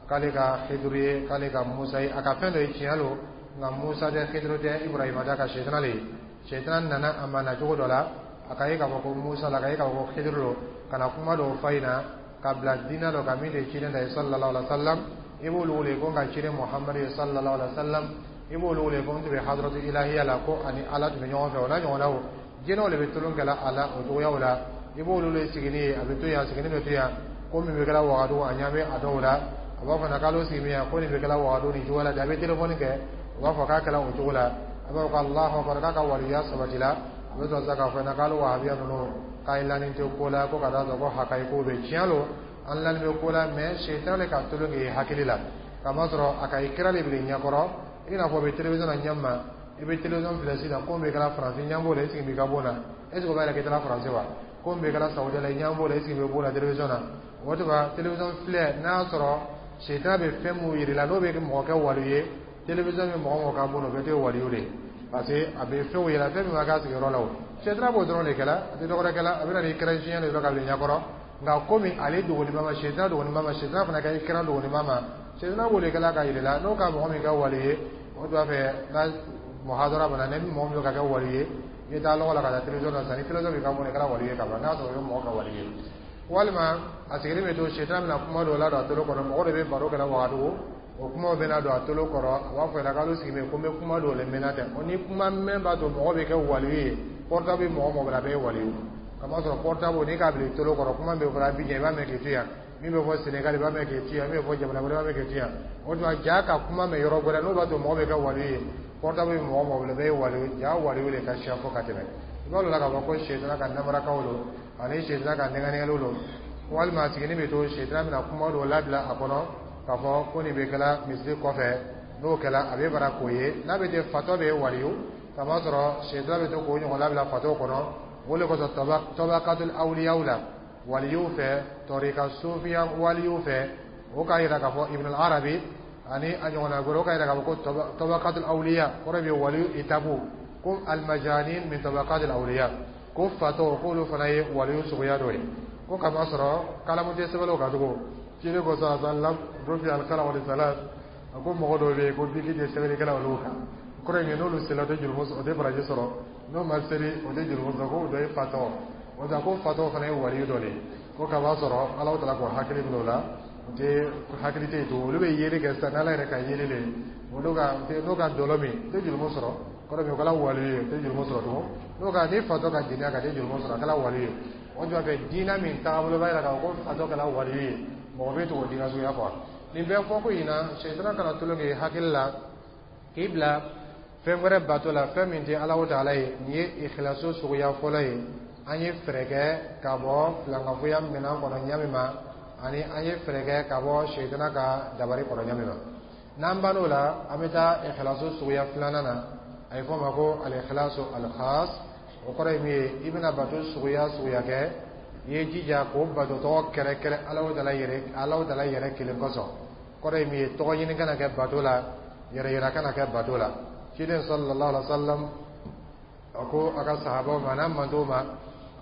k'ale ka Hiduru ye, k'ale ka Musa ye. A ka fɛn dɔ ye tiɲɛ lo, nka Musa tɛ, Hiduru tɛ, Iburahima tɛ, a ka seyitana le ye. Seyitana nana a ma na cogo dɔ la, a ka ye k'a fɔ ko Musa la, a ka ye k'a fɔ ko Hiduru lo, ka na kuma dɔw f'a ɲɛna ka bila diinɛ dɔ kan min tɛ ciden ta ye sallallahu alaihi wa sallam. I b'olu wele ko n ka ciden Muhamadu ye sallallahu alaihi wa sallam. I b'olu wele ko n tun bɛ hadaratu ilahiya la, ko ani Ala tun bɛ ɲɔgɔn fɛ. O n'a ɲɔgɔnnaw, jinɛw de bɛ tulon kɛla a la o cogoyaw la. I b'olu le sigini ye, a bɛ to yan, a sigini bɛ to yan, ko min bɛ kɛla Wagadugu, a ɲɛ bɛ a dɔw la. A b'a fɔ k'ale sigi min yan, ko nin bɛ kɛla Wagadugu nin cogo la ten. A bɛ telefɔni kɛ, o b'a fɔ k'a kɛla o cogo la. A b'a fɔ ko Alahu akbar, k'a ka waliya sabatila. A bɛ sɔrɔ sisan k'a fɔ k'ale wahabiya ninnu k'a lanin tɛ ko la, ko ka taa sɔrɔ ko hakayi ko bɛ tiɲɛ lo, an lanin bɛ ko la, mɛ seyitana de ka tolon k'i hakili la, kamasɔrɔ a ka i kira de bila ɲɛkɔrɔ. I n'a fɔ o bɛ télévision na ɲɛ ma, i bɛ télévision filɛ sisan, ko min bɛ kɛra Faransi, ɲɛ b'o la, i sigi b'i ka bon na, est ce que o b'a yira k'i taara Faransi wa? Ko min bɛ kɛra Sawudiya la, i ɲɛ b'o la, i sigi bɛ bon na télévision na. O tuma télévision filɛ, n'a y'a sɔrɔ seyitana bɛ fɛn mun yir'i la, n'o bɛ mɔgɔ kɛ wali ye, télévision bɛ mɔgɔ mɔgɔ ka bon na, o bɛɛ tɛ waliyu de ye, parce que a bɛ fɛnw yira, fɛn min ma k'a sigiyɔrɔ la. O seyitana b'o dɔrɔn de kɛla, a tɛ dɔwɛrɛ kɛla. A bɛ na ni écran géant de dɔ ka bila ɲɛkɔrɔ, nka komi ale dogolima ma, seyitana dogolima ma, seyitana fana ka écran dogolima ma, seyitana b'o de kɛla ka yir'i la. N'o ka mɔgɔ min kɛ wali ye, o tun b'a fɛ n'a muhadara bana, ni mɔgɔ min bɛ ka kɛ wali ye, i bɛ taa lɔgɔ la ka taa télévision na sisan, ni télévision b'i ka bon, i kɛra wali ye ka ban, n'a sɔrɔ o ye mɔgɔ ka wali ye. Walima a sigilen bɛ to, seyitana bɛna kuma dɔw ladon a tolo kɔrɔ. Mɔgɔ dɔ bɛ baro kɛla Wagadugu, o kumaw bɛna don a tolo kɔrɔ. A b'a fɔ k'ale sigi bɛ ko n bɛ kuma dɔw le mɛnna tɛ. O ni kuma mɛn b'a to mɔgɔ bɛ kɛ wali ye, portable bɛ mɔgɔ mɔgɔ la, a bɛɛ ye wali ye, kamasɔrɔ portable n'i k'a bila i tolo kɔrɔ, kuma bɛ fɔ Abidjan, i b'a mɛn k'i to yan, min bɛ fɔ Sénégal, i b'a mɛn k'i to yan, min bɛ fɔ jamana wɛrɛ, i b'a mɛn k'i to yan. O tuma ja ka kuma mɛn yɔrɔ wɛrɛ, n'o b'a to mɔgɔ bɛ kɛ wali ye, portable bɛ mɔgɔ mɔgɔ bolo, bɛɛ ye wali ye. Ja wali de ka siya fo ka tɛmɛ. I b'a dɔn la k'a fɔ ko seyitana ka namarakaw don, ani seyitana ka nɛgɛnɛgɛliw don. Walima a siginin bɛ to, seyitana bɛna kuma dɔw labila a kɔnɔ k'a fɔ ko nin bɛ kɛla misiri kɔfɛ. N'o kɛla, a bɛ bara k'o ye n'a bɛ ten, fatɔ bɛ waliyu, kamasɔrɔ seyitana bɛ to k'o ɲɔgɔn labila fatɔ kɔnɔ. O de kosɔn tɔbakatul awliyaw la, waliyu fɛ, tɔrika sufiya waliyu fɛ, o k'a yira k'a fɔ Ibn al-Arabi ani a ɲɔgɔnna wɛrɛ, o k'a yira k'a fɔ ko tɔbakatul awliya kɔrɔ bɛ waliyu etapu, ko almajanin min tabaqatil awliya, ko fatɔ, k'olu fana ye waliyu suguya dɔ ye, ko kamasɔrɔ kalamu tɛ sɛbɛnw kan tugun. Ciden ko sallallahu alaihi wasallam, rufi al-qalam wa salat, a ko mɔgɔ dɔw bɛ yen ko biki tɛ sɛbɛnnikɛla olu kan, kɔrɔ ye n'olu sela, o tɛ jurumu, o tɛ baraji sɔrɔ, n'o ma seli, o tɛ jurumu sɔrɔ, ko o dɔ ye fatɔ. O tɛ ko fatɔ fana ye waliyu dɔ de ye, ko kaba sɔrɔ Ala taala k'o hakili minɛ o la, o tɛ hakili tɛ yen tugun. Olu bɛ yeli kɛ sisan n'Ala yɛrɛ ka yeli le, olu ka n'o ka dɔlɔ min, o tɛ jurumu sɔrɔ, kɔrɔ min o kɛra waliyu ye, o tɛ jurumu sɔrɔ tugun. N'o ka ni fatɔ ka jɛnɛya ka tɛ jurumu sɔrɔ, a kɛra waliyu ye. O tuma fɛ diinɛ min taabolo b'a jira k'a fɔ ko fatɔ kɛra waliyu ye, mɔgɔ bɛ tugu diinɛ suguya fɔ. Nin bɛɛ fɔ ko in na, seyitana kana tulon kɛ hakili la k'i bila fɛn wɛrɛ bato la, fɛn min tɛ Alahu taala ye. Nin ye ikhlaso suguya fɔlɔ ye. An ye fɛɛrɛ kɛ ka bɔ filankafoya minɛn kɔnɔ ɲa min ma, ani an ye fɛɛrɛ kɛ ka bɔ seyitana ka dabari kɔrɔ ɲa min ma. N'an bann'o la, an bɛ taa ikhlaso suguya filanan na. A ye fɔ o ma ko al-ikhlasu al-khas. O kɔrɔ ye min ye, i bɛna bato suguya suguya kɛ, i ye jija k'o bato tɔgɔ kɛrɛkɛrɛ Alahu taala yɛrɛ, Alahu taala yɛrɛ kelen kosɔn. Kɔrɔ ye min ye, tɔgɔ ɲini kana kɛ bato la, yɛrɛ yira kana kɛ bato la. Ciden sallallahu alaihi wa sallam a ko a ka sahabaw ma n'a mantow ma: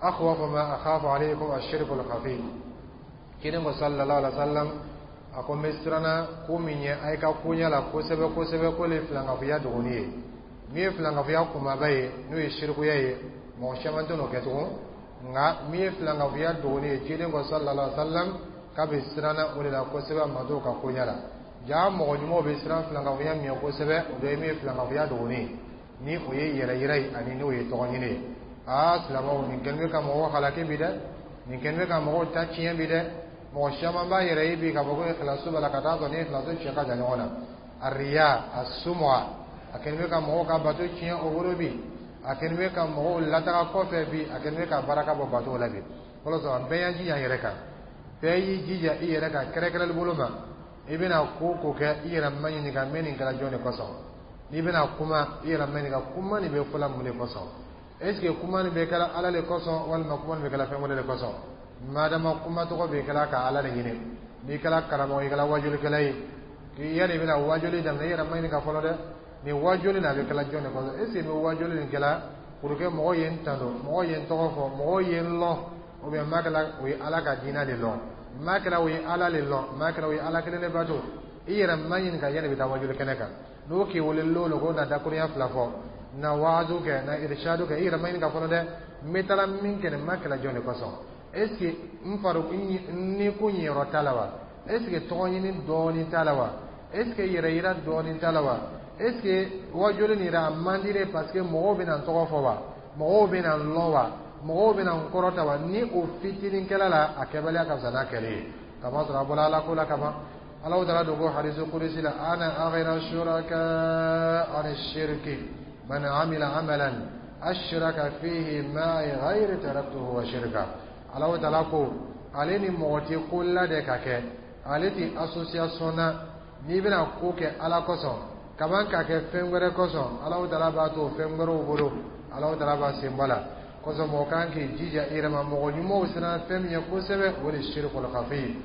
akhwafu ma akhafu alaykum ash-shirku al-khafi. Ciden ko sallallahu alaihi wa sallam, a ko n bɛ siranna ko min ɲɛ a ye ka koɲɛ la kosɛbɛ kosɛbɛ, ko le filankafoya dogoni ye. Min ye filankafoya kumaba ye, n'o ye sirikuya ye, mɔgɔ caman tɛ n'o kɛ tugun. Nka min ye filankafoya dogoni ye, ciden ko sallallahu alaihi wa sallam k'a bɛ siranna o de la kosɛbɛ a mantow ka koɲɛ la. Ja mɔgɔ ɲumanw bɛ siran filankafoya min ye kosɛbɛ, o dɔ ye min ye filankafoya dogoni ye, ni o ye yɛrɛ yira ye, ani n'o ye tɔgɔ ɲini ye. Aa, silamɛw, nin kɛlen bɛ ka mɔgɔw halaki bi dɛ, nin kɛlen bɛ ka mɔgɔw ta tiɲɛ bi dɛ. Mɔgɔ caman b'a yɛrɛ ye bi k'a fɔ ko ikhlasu b'a la, ka taa sɔrɔ ni ikhlasu cɛ ka jan ɲɔgɔn na. Arriya, asumua, a kɛlen bɛ ka mɔgɔw ka bato tiɲɛ o bolo bi, a kɛlen bɛ ka mɔgɔw lataga kɔfɛ bi, a kɛlen bɛ ka baraka bɔ bato la bi. Fɔlɔ sɔrɔ bɛɛ y'an jija an yɛrɛ kan, bɛɛ y'i jija i yɛrɛ kan kɛrɛnkɛrɛnli bolo ma. I bɛna ko ko kɛ, i yɛrɛ ma ɲininka n bɛ nin kɛra jɔn de kosɔn. N'i bɛna kuma, i yɛrɛ ma ɲininka kuma nin bɛ fɔla mun de kosɔn? Est ce que kuma nin bɛ kɛla Ala de kosɔn, walima kuma nin bɛ kɛla fɛn wɛrɛ de kosɔn? Madama kuma tɔgɔ bɛ kɛla ka Ala de ɲini. N'i kɛra karamɔgɔ, i kɛra wajulikɛla ye, k'i yanni i bɛna wajuli daminɛ, i yɛrɛ ma ɲininka fɔlɔ dɛ, nin wajuli nin a bɛ kɛla jɔn de kosɔn? Est ce que n bɛ wajuli nin kɛla pour que mɔgɔw ye n tando, mɔgɔw ye n tɔgɔ fɔ, mɔgɔw ye n lɔn, ou bien n b'a kɛla o ye Ala ka diinɛ de lɔn, n b'a kɛla o ye Ala de lɔn, n b'a kɛla o ye Ala kelen de bato? I yɛrɛ ma ɲininka yanni i bɛ taa wajuli kɛnɛ kan. N'o k'i wele lon ko na dakurunya fila fɔ, na waazu kɛ, na irishadu kɛ, i yɛrɛ ma ɲininka fɔlɔ dɛ, n bɛ taara min kɛ nin, n ma kɛlɛ jɔn de kosɔn? Est ce que n fari ni ko ɲɛyɔrɔ t'a la wa? Est ce que tɔgɔ ɲini dɔɔnin t'a la wa? Est ce que yɛrɛ yira dɔɔnin t'a la wa? Est ce que wajuli nin yɛrɛ a man di ne parce que mɔgɔw bɛna n tɔgɔ fɔ wa, mɔgɔw bɛna n lɔn wa, mɔgɔw bɛna n kɔrɔta wa? Ni o fitinin kɛla la, a kɛbaliya ka fisa n'a kɛlen ye, kamasɔrɔ a bɔra Ala ko la kaban. Ala taala dogo ko hadisu kudusi la: ana aghna shuraka an shirki, man amila amalan ashraka fihi ma'i ghayri taraktuhu wa shirka. Ala taala ko ale ni mɔgɔ tɛ ko la de ka kɛ, ale tɛ association na. N'i bɛna ko kɛ Ala kosɔn kaban ka kɛ fɛn wɛrɛ kosɔn, Ala taala b'a to fɛn wɛrɛw bolo, Ala taala b'a sen bɔ la kosɔn. Mɔgɔ kan k'i jija i yɛrɛ ma. Mɔgɔ ɲumanw siran fɛn min ye kosɛbɛ, o de ye shirikul khafi,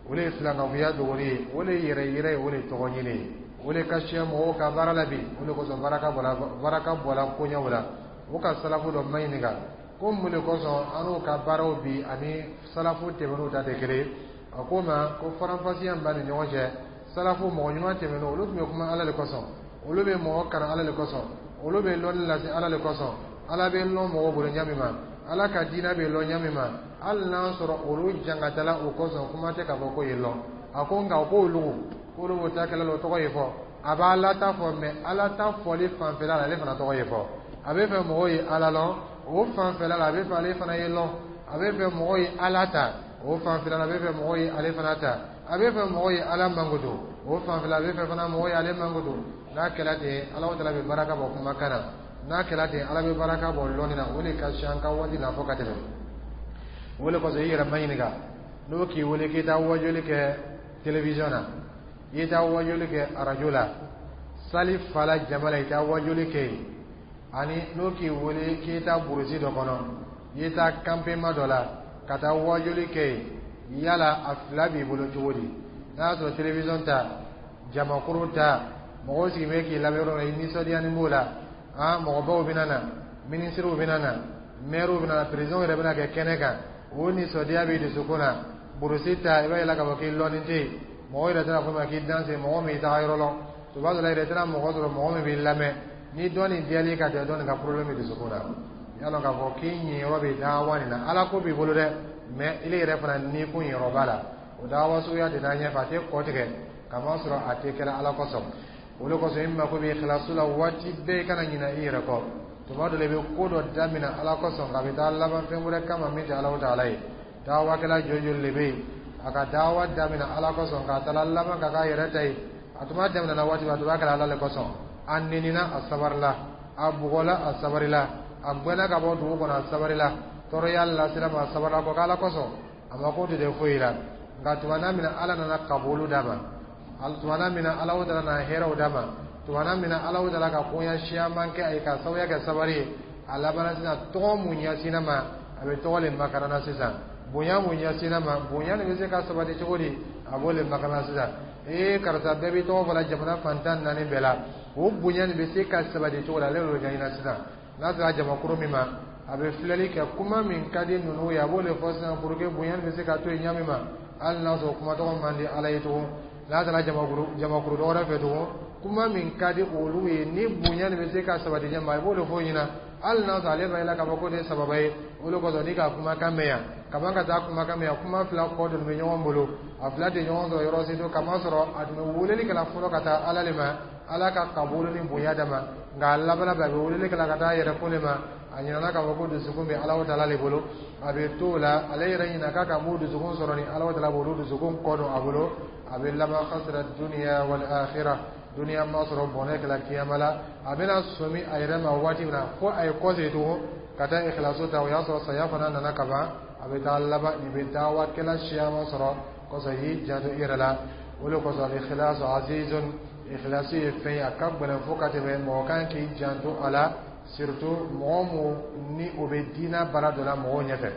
o de ye filankafoya dogoli ye, o de ye yɛrɛ yɛrɛ ye, o de ye tɔgɔ ɲini ye, o de ka siya mɔgɔw ka baara la bi. O de kosɔn baraka bɔra, baraka bɔra koɲɛw la. O ka salafu dɔ ma ɲininka ko mun de kosɔn an n'u ka baaraw bi ani salafu tɛmɛn'u ta tɛ kelen ye. A ko ma ko faranfasiya min b'a ni ɲɔgɔn cɛ, salafu mɔgɔ ɲuman tɛmɛn'u, olu tun bɛ kuma Ala de kosɔn, olu bɛ mɔgɔ kalan Ala de kosɔn, olu bɛ lɔnni lase Ala de kosɔn. Ala bɛ lɔn mɔgɔw bolo ɲa min ma, Ala ka diinɛ bɛ lɔn ɲa min ma, hali n'a sɔrɔ olu jangatala o kosɔn, kuma tɛ k'a fɔ ko ye lɔn. A ko nka ko olu k'olu b'o ta kɛlɛ la, o tɔgɔ ye fɔ, a b'a Ala ta fɔ, mɛ Ala ta fɔli fanfɛla la, ale fana tɔgɔ ye fɔ. A bɛ fɛ mɔgɔw ye Ala lɔn o fanfɛla la, a bɛ fɛ ale fana ye lɔn. A bɛ fɛ mɔgɔw ye Ala ta o fanfɛla la, a bɛ fɛ mɔgɔw ye ale fana ta. A bɛ fɛ mɔgɔw ye Ala mankutu o fanfɛla, a bɛ fɛ fana mɔgɔw ye ale mankutu. N'a kɛra ten, Ala taala bɛ baraka bɔ kumakan na. N'a kɛra ten, Ala bɛ baraka bɔ lɔnni na. O de ka si an ka waati la fo ka tɛmɛ. O de kosɔn i yɛrɛ ma ɲininka, n'o k'i wele k'i taa wajuli kɛ télévision na, i taa wajuli kɛ arajo la, sali fala jama la, i taa wajuli kɛ yen, ani n'o k'i wele k'i taa burusi dɔ kɔnɔ, i taa campement dɔ la ka taa wajuli kɛ yen, yala a fila b'i bolo cogo di? N'a y'a sɔrɔ télévision ta, jamakuru ta, mɔgɔw sigilen bɛ k'i lamɛn yɔrɔ la, i nisɔndiyani b'o la, ah mɔgɔbaw bɛna na, minisiriw bɛna na, maires bɛna na, président yɛrɛ bɛna kɛ kɛnɛ kan, o nisɔndiya b'i dusukun na. Burusi ta, i b'a yira k'a fɔ k'i lɔnni tɛ yen, mɔgɔw yɛrɛ tɛna fɔ ma k'i danse, mɔgɔ min taga yɔrɔ lɔn, tuma dɔ la yɛrɛ tɛna mɔgɔ sɔrɔ mɔgɔ min b'i lamɛn. Ni dɔ nin diyal'i ka tɛmɛ dɔ nin ka problème bɛ dusukun na, i y'a dɔn k'a fɔ k'i ɲiyɔrɔ bɛ dawa nin na. Ala ko b'i bolo dɛ, mɛ ile yɛrɛ fana ni kun yɔrɔ b'a la, o dawa suguya tɛ taa ɲɛfɛ, a tɛ kɔ tigɛ, kamasɔrɔ a tɛ kɛla Ala kosɔn. O de kosɔn i mako bɛ ikhlasu la waati bɛɛ, i kana ɲinɛ i yɛrɛ kɔ. Tuma dɔ la, i bɛ ko dɔ daminɛ Ala kosɔn, nka a bɛ taa laban fɛn wɛrɛ kama min tɛ Ala taala ye. Dawakɛla joli joli de bɛ yen, a ka dawa daminɛ Ala kosɔn, k'a taara laban ka k'a yɛrɛ ta ye? A tun b'a daminɛ waati min, a tun b'a kɛra Ala de kosɔn. A nenina, a sabarila, a bugɔla, a sabarila, a gbɛnna ka bɔ dugu kɔnɔ, a sabarila, tɔɔrɔya lasera ma, a sabarila kɔ k'Ala kosɔn, a ma ko tɛ foyi la. Nka tuma min na Ala nana kabulu d'a ma, tuma min na Ala taala nana hɛrɛw d'a ma, tuma min na Ala taala ka koɲa siyaman kɛ a ye ka sababuya kɛ sabari ye, a labanna sisan tɔgɔ mun ɲɛsinna ma, a bɛ tɔgɔ le makarana sisan. Bonya mun ɲɛsinna ma, bonya nin bɛ se ka sabati cogo di? A b'o le makarana sisan. Ee, karisa, bɛɛ b'i tɔgɔ fɔla jamana fantan naani bɛɛ la, o bonya nin bɛ se ka sabati cogo di? Ale y'o ɲɛɲini sisan. N'a sera jamakuru min ma, a bɛ filɛli kɛ, kuma min ka di ninnu ye, a b'o de fɔ sisan pour que bonya nin bɛ se ka to yen ɲa min ma, hali n'a sɔrɔ kuma tɔgɔ man di Ala ye tugun. N'a taara jamakuru jamakuru dɔ wɛrɛ fɛ tugun, kuma min ka di olu ye ni bonya nin bɛ se ka sabati ɲɛ ma, a b'o de fɔ ɲɛna, hali n'a sɔrɔ ale b'a yira k'a fɔ k'o de ye sababa ye. O de kosɔn n'i ka kumakan mɛn yan kaban ka taa kumakan mɛn yan, kuma fila kɔ dɔ bɛ ɲɔgɔn bolo, a fila tɛ ɲɔgɔn sɔrɔ yɔrɔ si to, kamasɔrɔ a tun bɛ weleli kɛla fɔlɔ ka taa Ala le ma, Ala ka kabulu ni bonya d'a ma, nka a laban bɛ a bɛ weleli kɛla ka taa yɛrɛ ko le ma. A ɲinana k'a fɔ ko dusukun bɛ Alahu taala le bolo. A bɛ t'o la, ale yɛrɛ ɲina k'a ka mun dusukun sɔrɔ ni Alahu taala b'olu dusukun kɔ don a bolo. A bɛ laban خسر الدنيا والآخرة, duniya ma sɔrɔ, bɔnɛ kɛla kiyama la. A bɛna sɔmi a yɛrɛ ma waati min na fo a ye kɔsegin tugun ka taa ikhlasu ta, o y'a sɔrɔ saya fana nana ka ban. A bɛ taa laban nin bɛ dawakɛla siyaman sɔrɔ kɔsɔn. I y'i janto i yɛrɛ la. O de kosɔn الإخلاص عزيز, ikhlasu ye fɛn ye, a ka gɛlɛn fo ka tɛmɛ. Mɔgɔ kan k'i janto a la, surtout mɔgɔ mun ni o bɛ diinɛ baara dɔ la mɔgɔw ɲɛfɛ.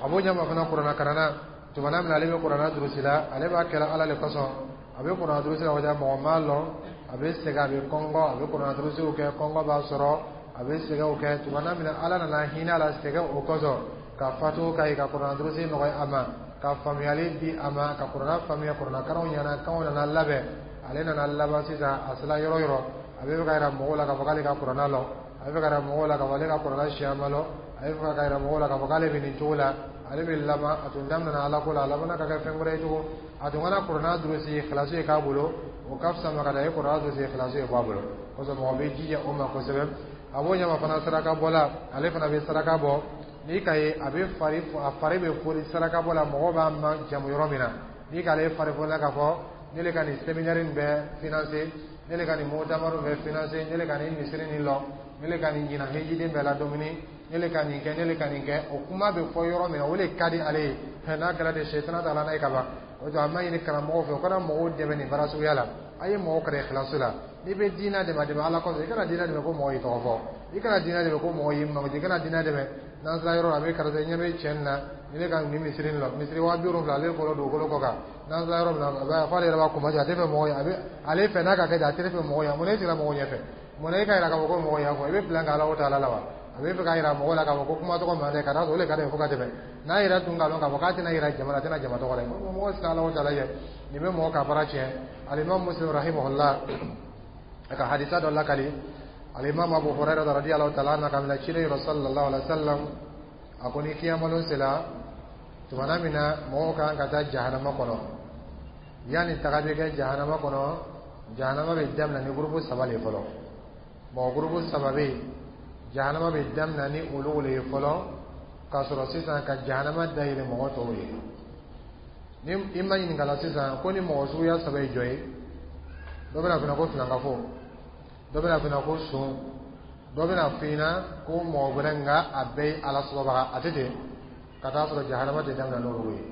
A b'o ɲɛma fana, kuranna karanna, tumana min na ale bɛ kuranna durusi la, ale b'a kɛla Ala le kosɔn. A bɛ kuranna durusi la, o mɔgɔ m'a lɔn. A bɛ sɛgɛn, a bɛ kɔngɔ, a bɛ kuranna durusiw kɛ, kɔngɔ b'a sɔrɔ, a bɛ sɛgɛnw kɛ. Tumana min na Ala nana hinɛ a la sɛgɛn o kosɔn, ka fatu ka ye, ka kuranna durusi nɔgɔya a ma, ka faamuyali di a ma, ka kuranna faamuya, kuranna karanw ɲɛna, kanw nana labɛn. Ale nana laban sisan, a sera yɔrɔ yɔrɔ, a bɛ fɛ ka yira mɔgɔw la k'a fɔ k'ale ka kuranna lɔn, a bɛ fɛ ka yira mɔgɔw la k'a fɔ ale ka kuranna siyama lɔn, a bɛ fɛ ka yira mɔgɔw la k'a fɔ k'ale bɛ nin cogo la. Ale bɛ laban, a tun daminɛna Ala ko la, a labanna ka kɛ fɛn wɛrɛ ye tugun. A tun kana kuranna durusi ikhlasu ye k'a bolo, o ka fisa ma ka da ye kuranna durusi ikhlasu ye bɔ a bolo kosɔn. Mɔgɔ bɛ jija o ma kosɛbɛ. A b'o ɲɛma fana, saraka bɔla, ale fana bɛ saraka bɔ. N'i ka ye a bɛ fari, a fari bɛ fori saraka bɔ la, mɔgɔw b'a ma jamu yɔrɔ min na, n'i k'ale fari fori k'a fɔ ne le ka nin séminaire in bɛɛ financer, ne le ka nin mutamaru bɛɛ financer, ne le ka nin misiri nin lɔ, ne le ka nin ɲinan hejiden bɛɛ la dumuni, ne le ka nin kɛ, ne le ka nin kɛ, o kuma bɛ fɔ yɔrɔ min na, o de ka di ale ye. N'a kɛra ten, sɛtana t'a la n'a ye ka ban. O to a ma ɲini karamɔgɔw fɛ, o kana mɔgɔw dɛmɛ nin baara suguya la. A ye mɔgɔw kalan ikhlasu la. N'i bɛ diinɛ dɛmɛ, a dɛmɛ Ala kosɔn. I kana diinɛ dɛmɛ ko mɔgɔ y'i tɔgɔ fɔ, i kana diinɛ dɛmɛ ko mɔgɔ y'i mankutu, i kana diinɛ dɛmɛ n'an sera yɔrɔ la, a bɛ karisa ɲɛ bɛ cɛ nin na, ni ne ka nin misiri nin lɔ, misiri waa bi wolonwula ale kɔrɔ dugukolo kɔ kan. N'an sera yɔrɔ min na, a b'a fɔ ale yɛrɛ b'a kunbɛ, a tɛ fɛ mɔgɔ ye, a bɛ ale fɛ n'a ka kɛ ten, a tɛ fɛ mɔgɔ ye. Mun na e sigira mɔgɔw ɲɛfɛ? Mun na e ka yira k'a fɔ ko mɔgɔ y'a fɔ i bɛ plan kɛ Ala taala la wa? A bɛ fɛ k'a yira mɔgɔw la k'a fɔ ko kuma tɔgɔ man dɛ, ka d'a kan o de ka d'a ye fo ka tɛmɛ. N'a yɛrɛ tun k'a dɔn k'a fɔ k'a tɛna yira jama la, a tɛna jama tɔgɔ la. Mɔgɔ siran Ala taala ɲɛ, nin bɛ mɔgɔ ka baara tiɲɛ. Alimami Muslim رحمه الله a ka hadisa dɔ lakali, alimami Abu Hurairah رضي الله تعالى عنه, ka minɛ ciden yɔrɔ صلى الله عليه وسلم, a ko ni kiyamalon sera, tumana min na mɔgɔw kan ka taa jahanama kɔnɔ, yanni taga bɛ kɛ jahanama kɔnɔ, jahanama bɛ daminɛ ni gurupu saba de fɔlɔ. Mɔgɔ gurupu saba bɛ yen, jahanama bɛ daminɛ ni olu le ye fɔlɔ, k'a sɔrɔ sisan ka jahanama dayɛlɛ mɔgɔ tɔw ye. Ni i ma ɲininka la sisan ko ni mɔgɔ suguya saba ye jɔ ye, dɔ bɛna fɔ ko filankafo, dɔ bɛna fɔ ko son, dɔ bɛna fɔ i ɲɛna ko mɔgɔ wɛrɛ, nka a bɛɛ ye Ala sɔsɔbaga. A tɛ ten ka taa sɔrɔ jahanama tɛ daminɛ n'olu ye.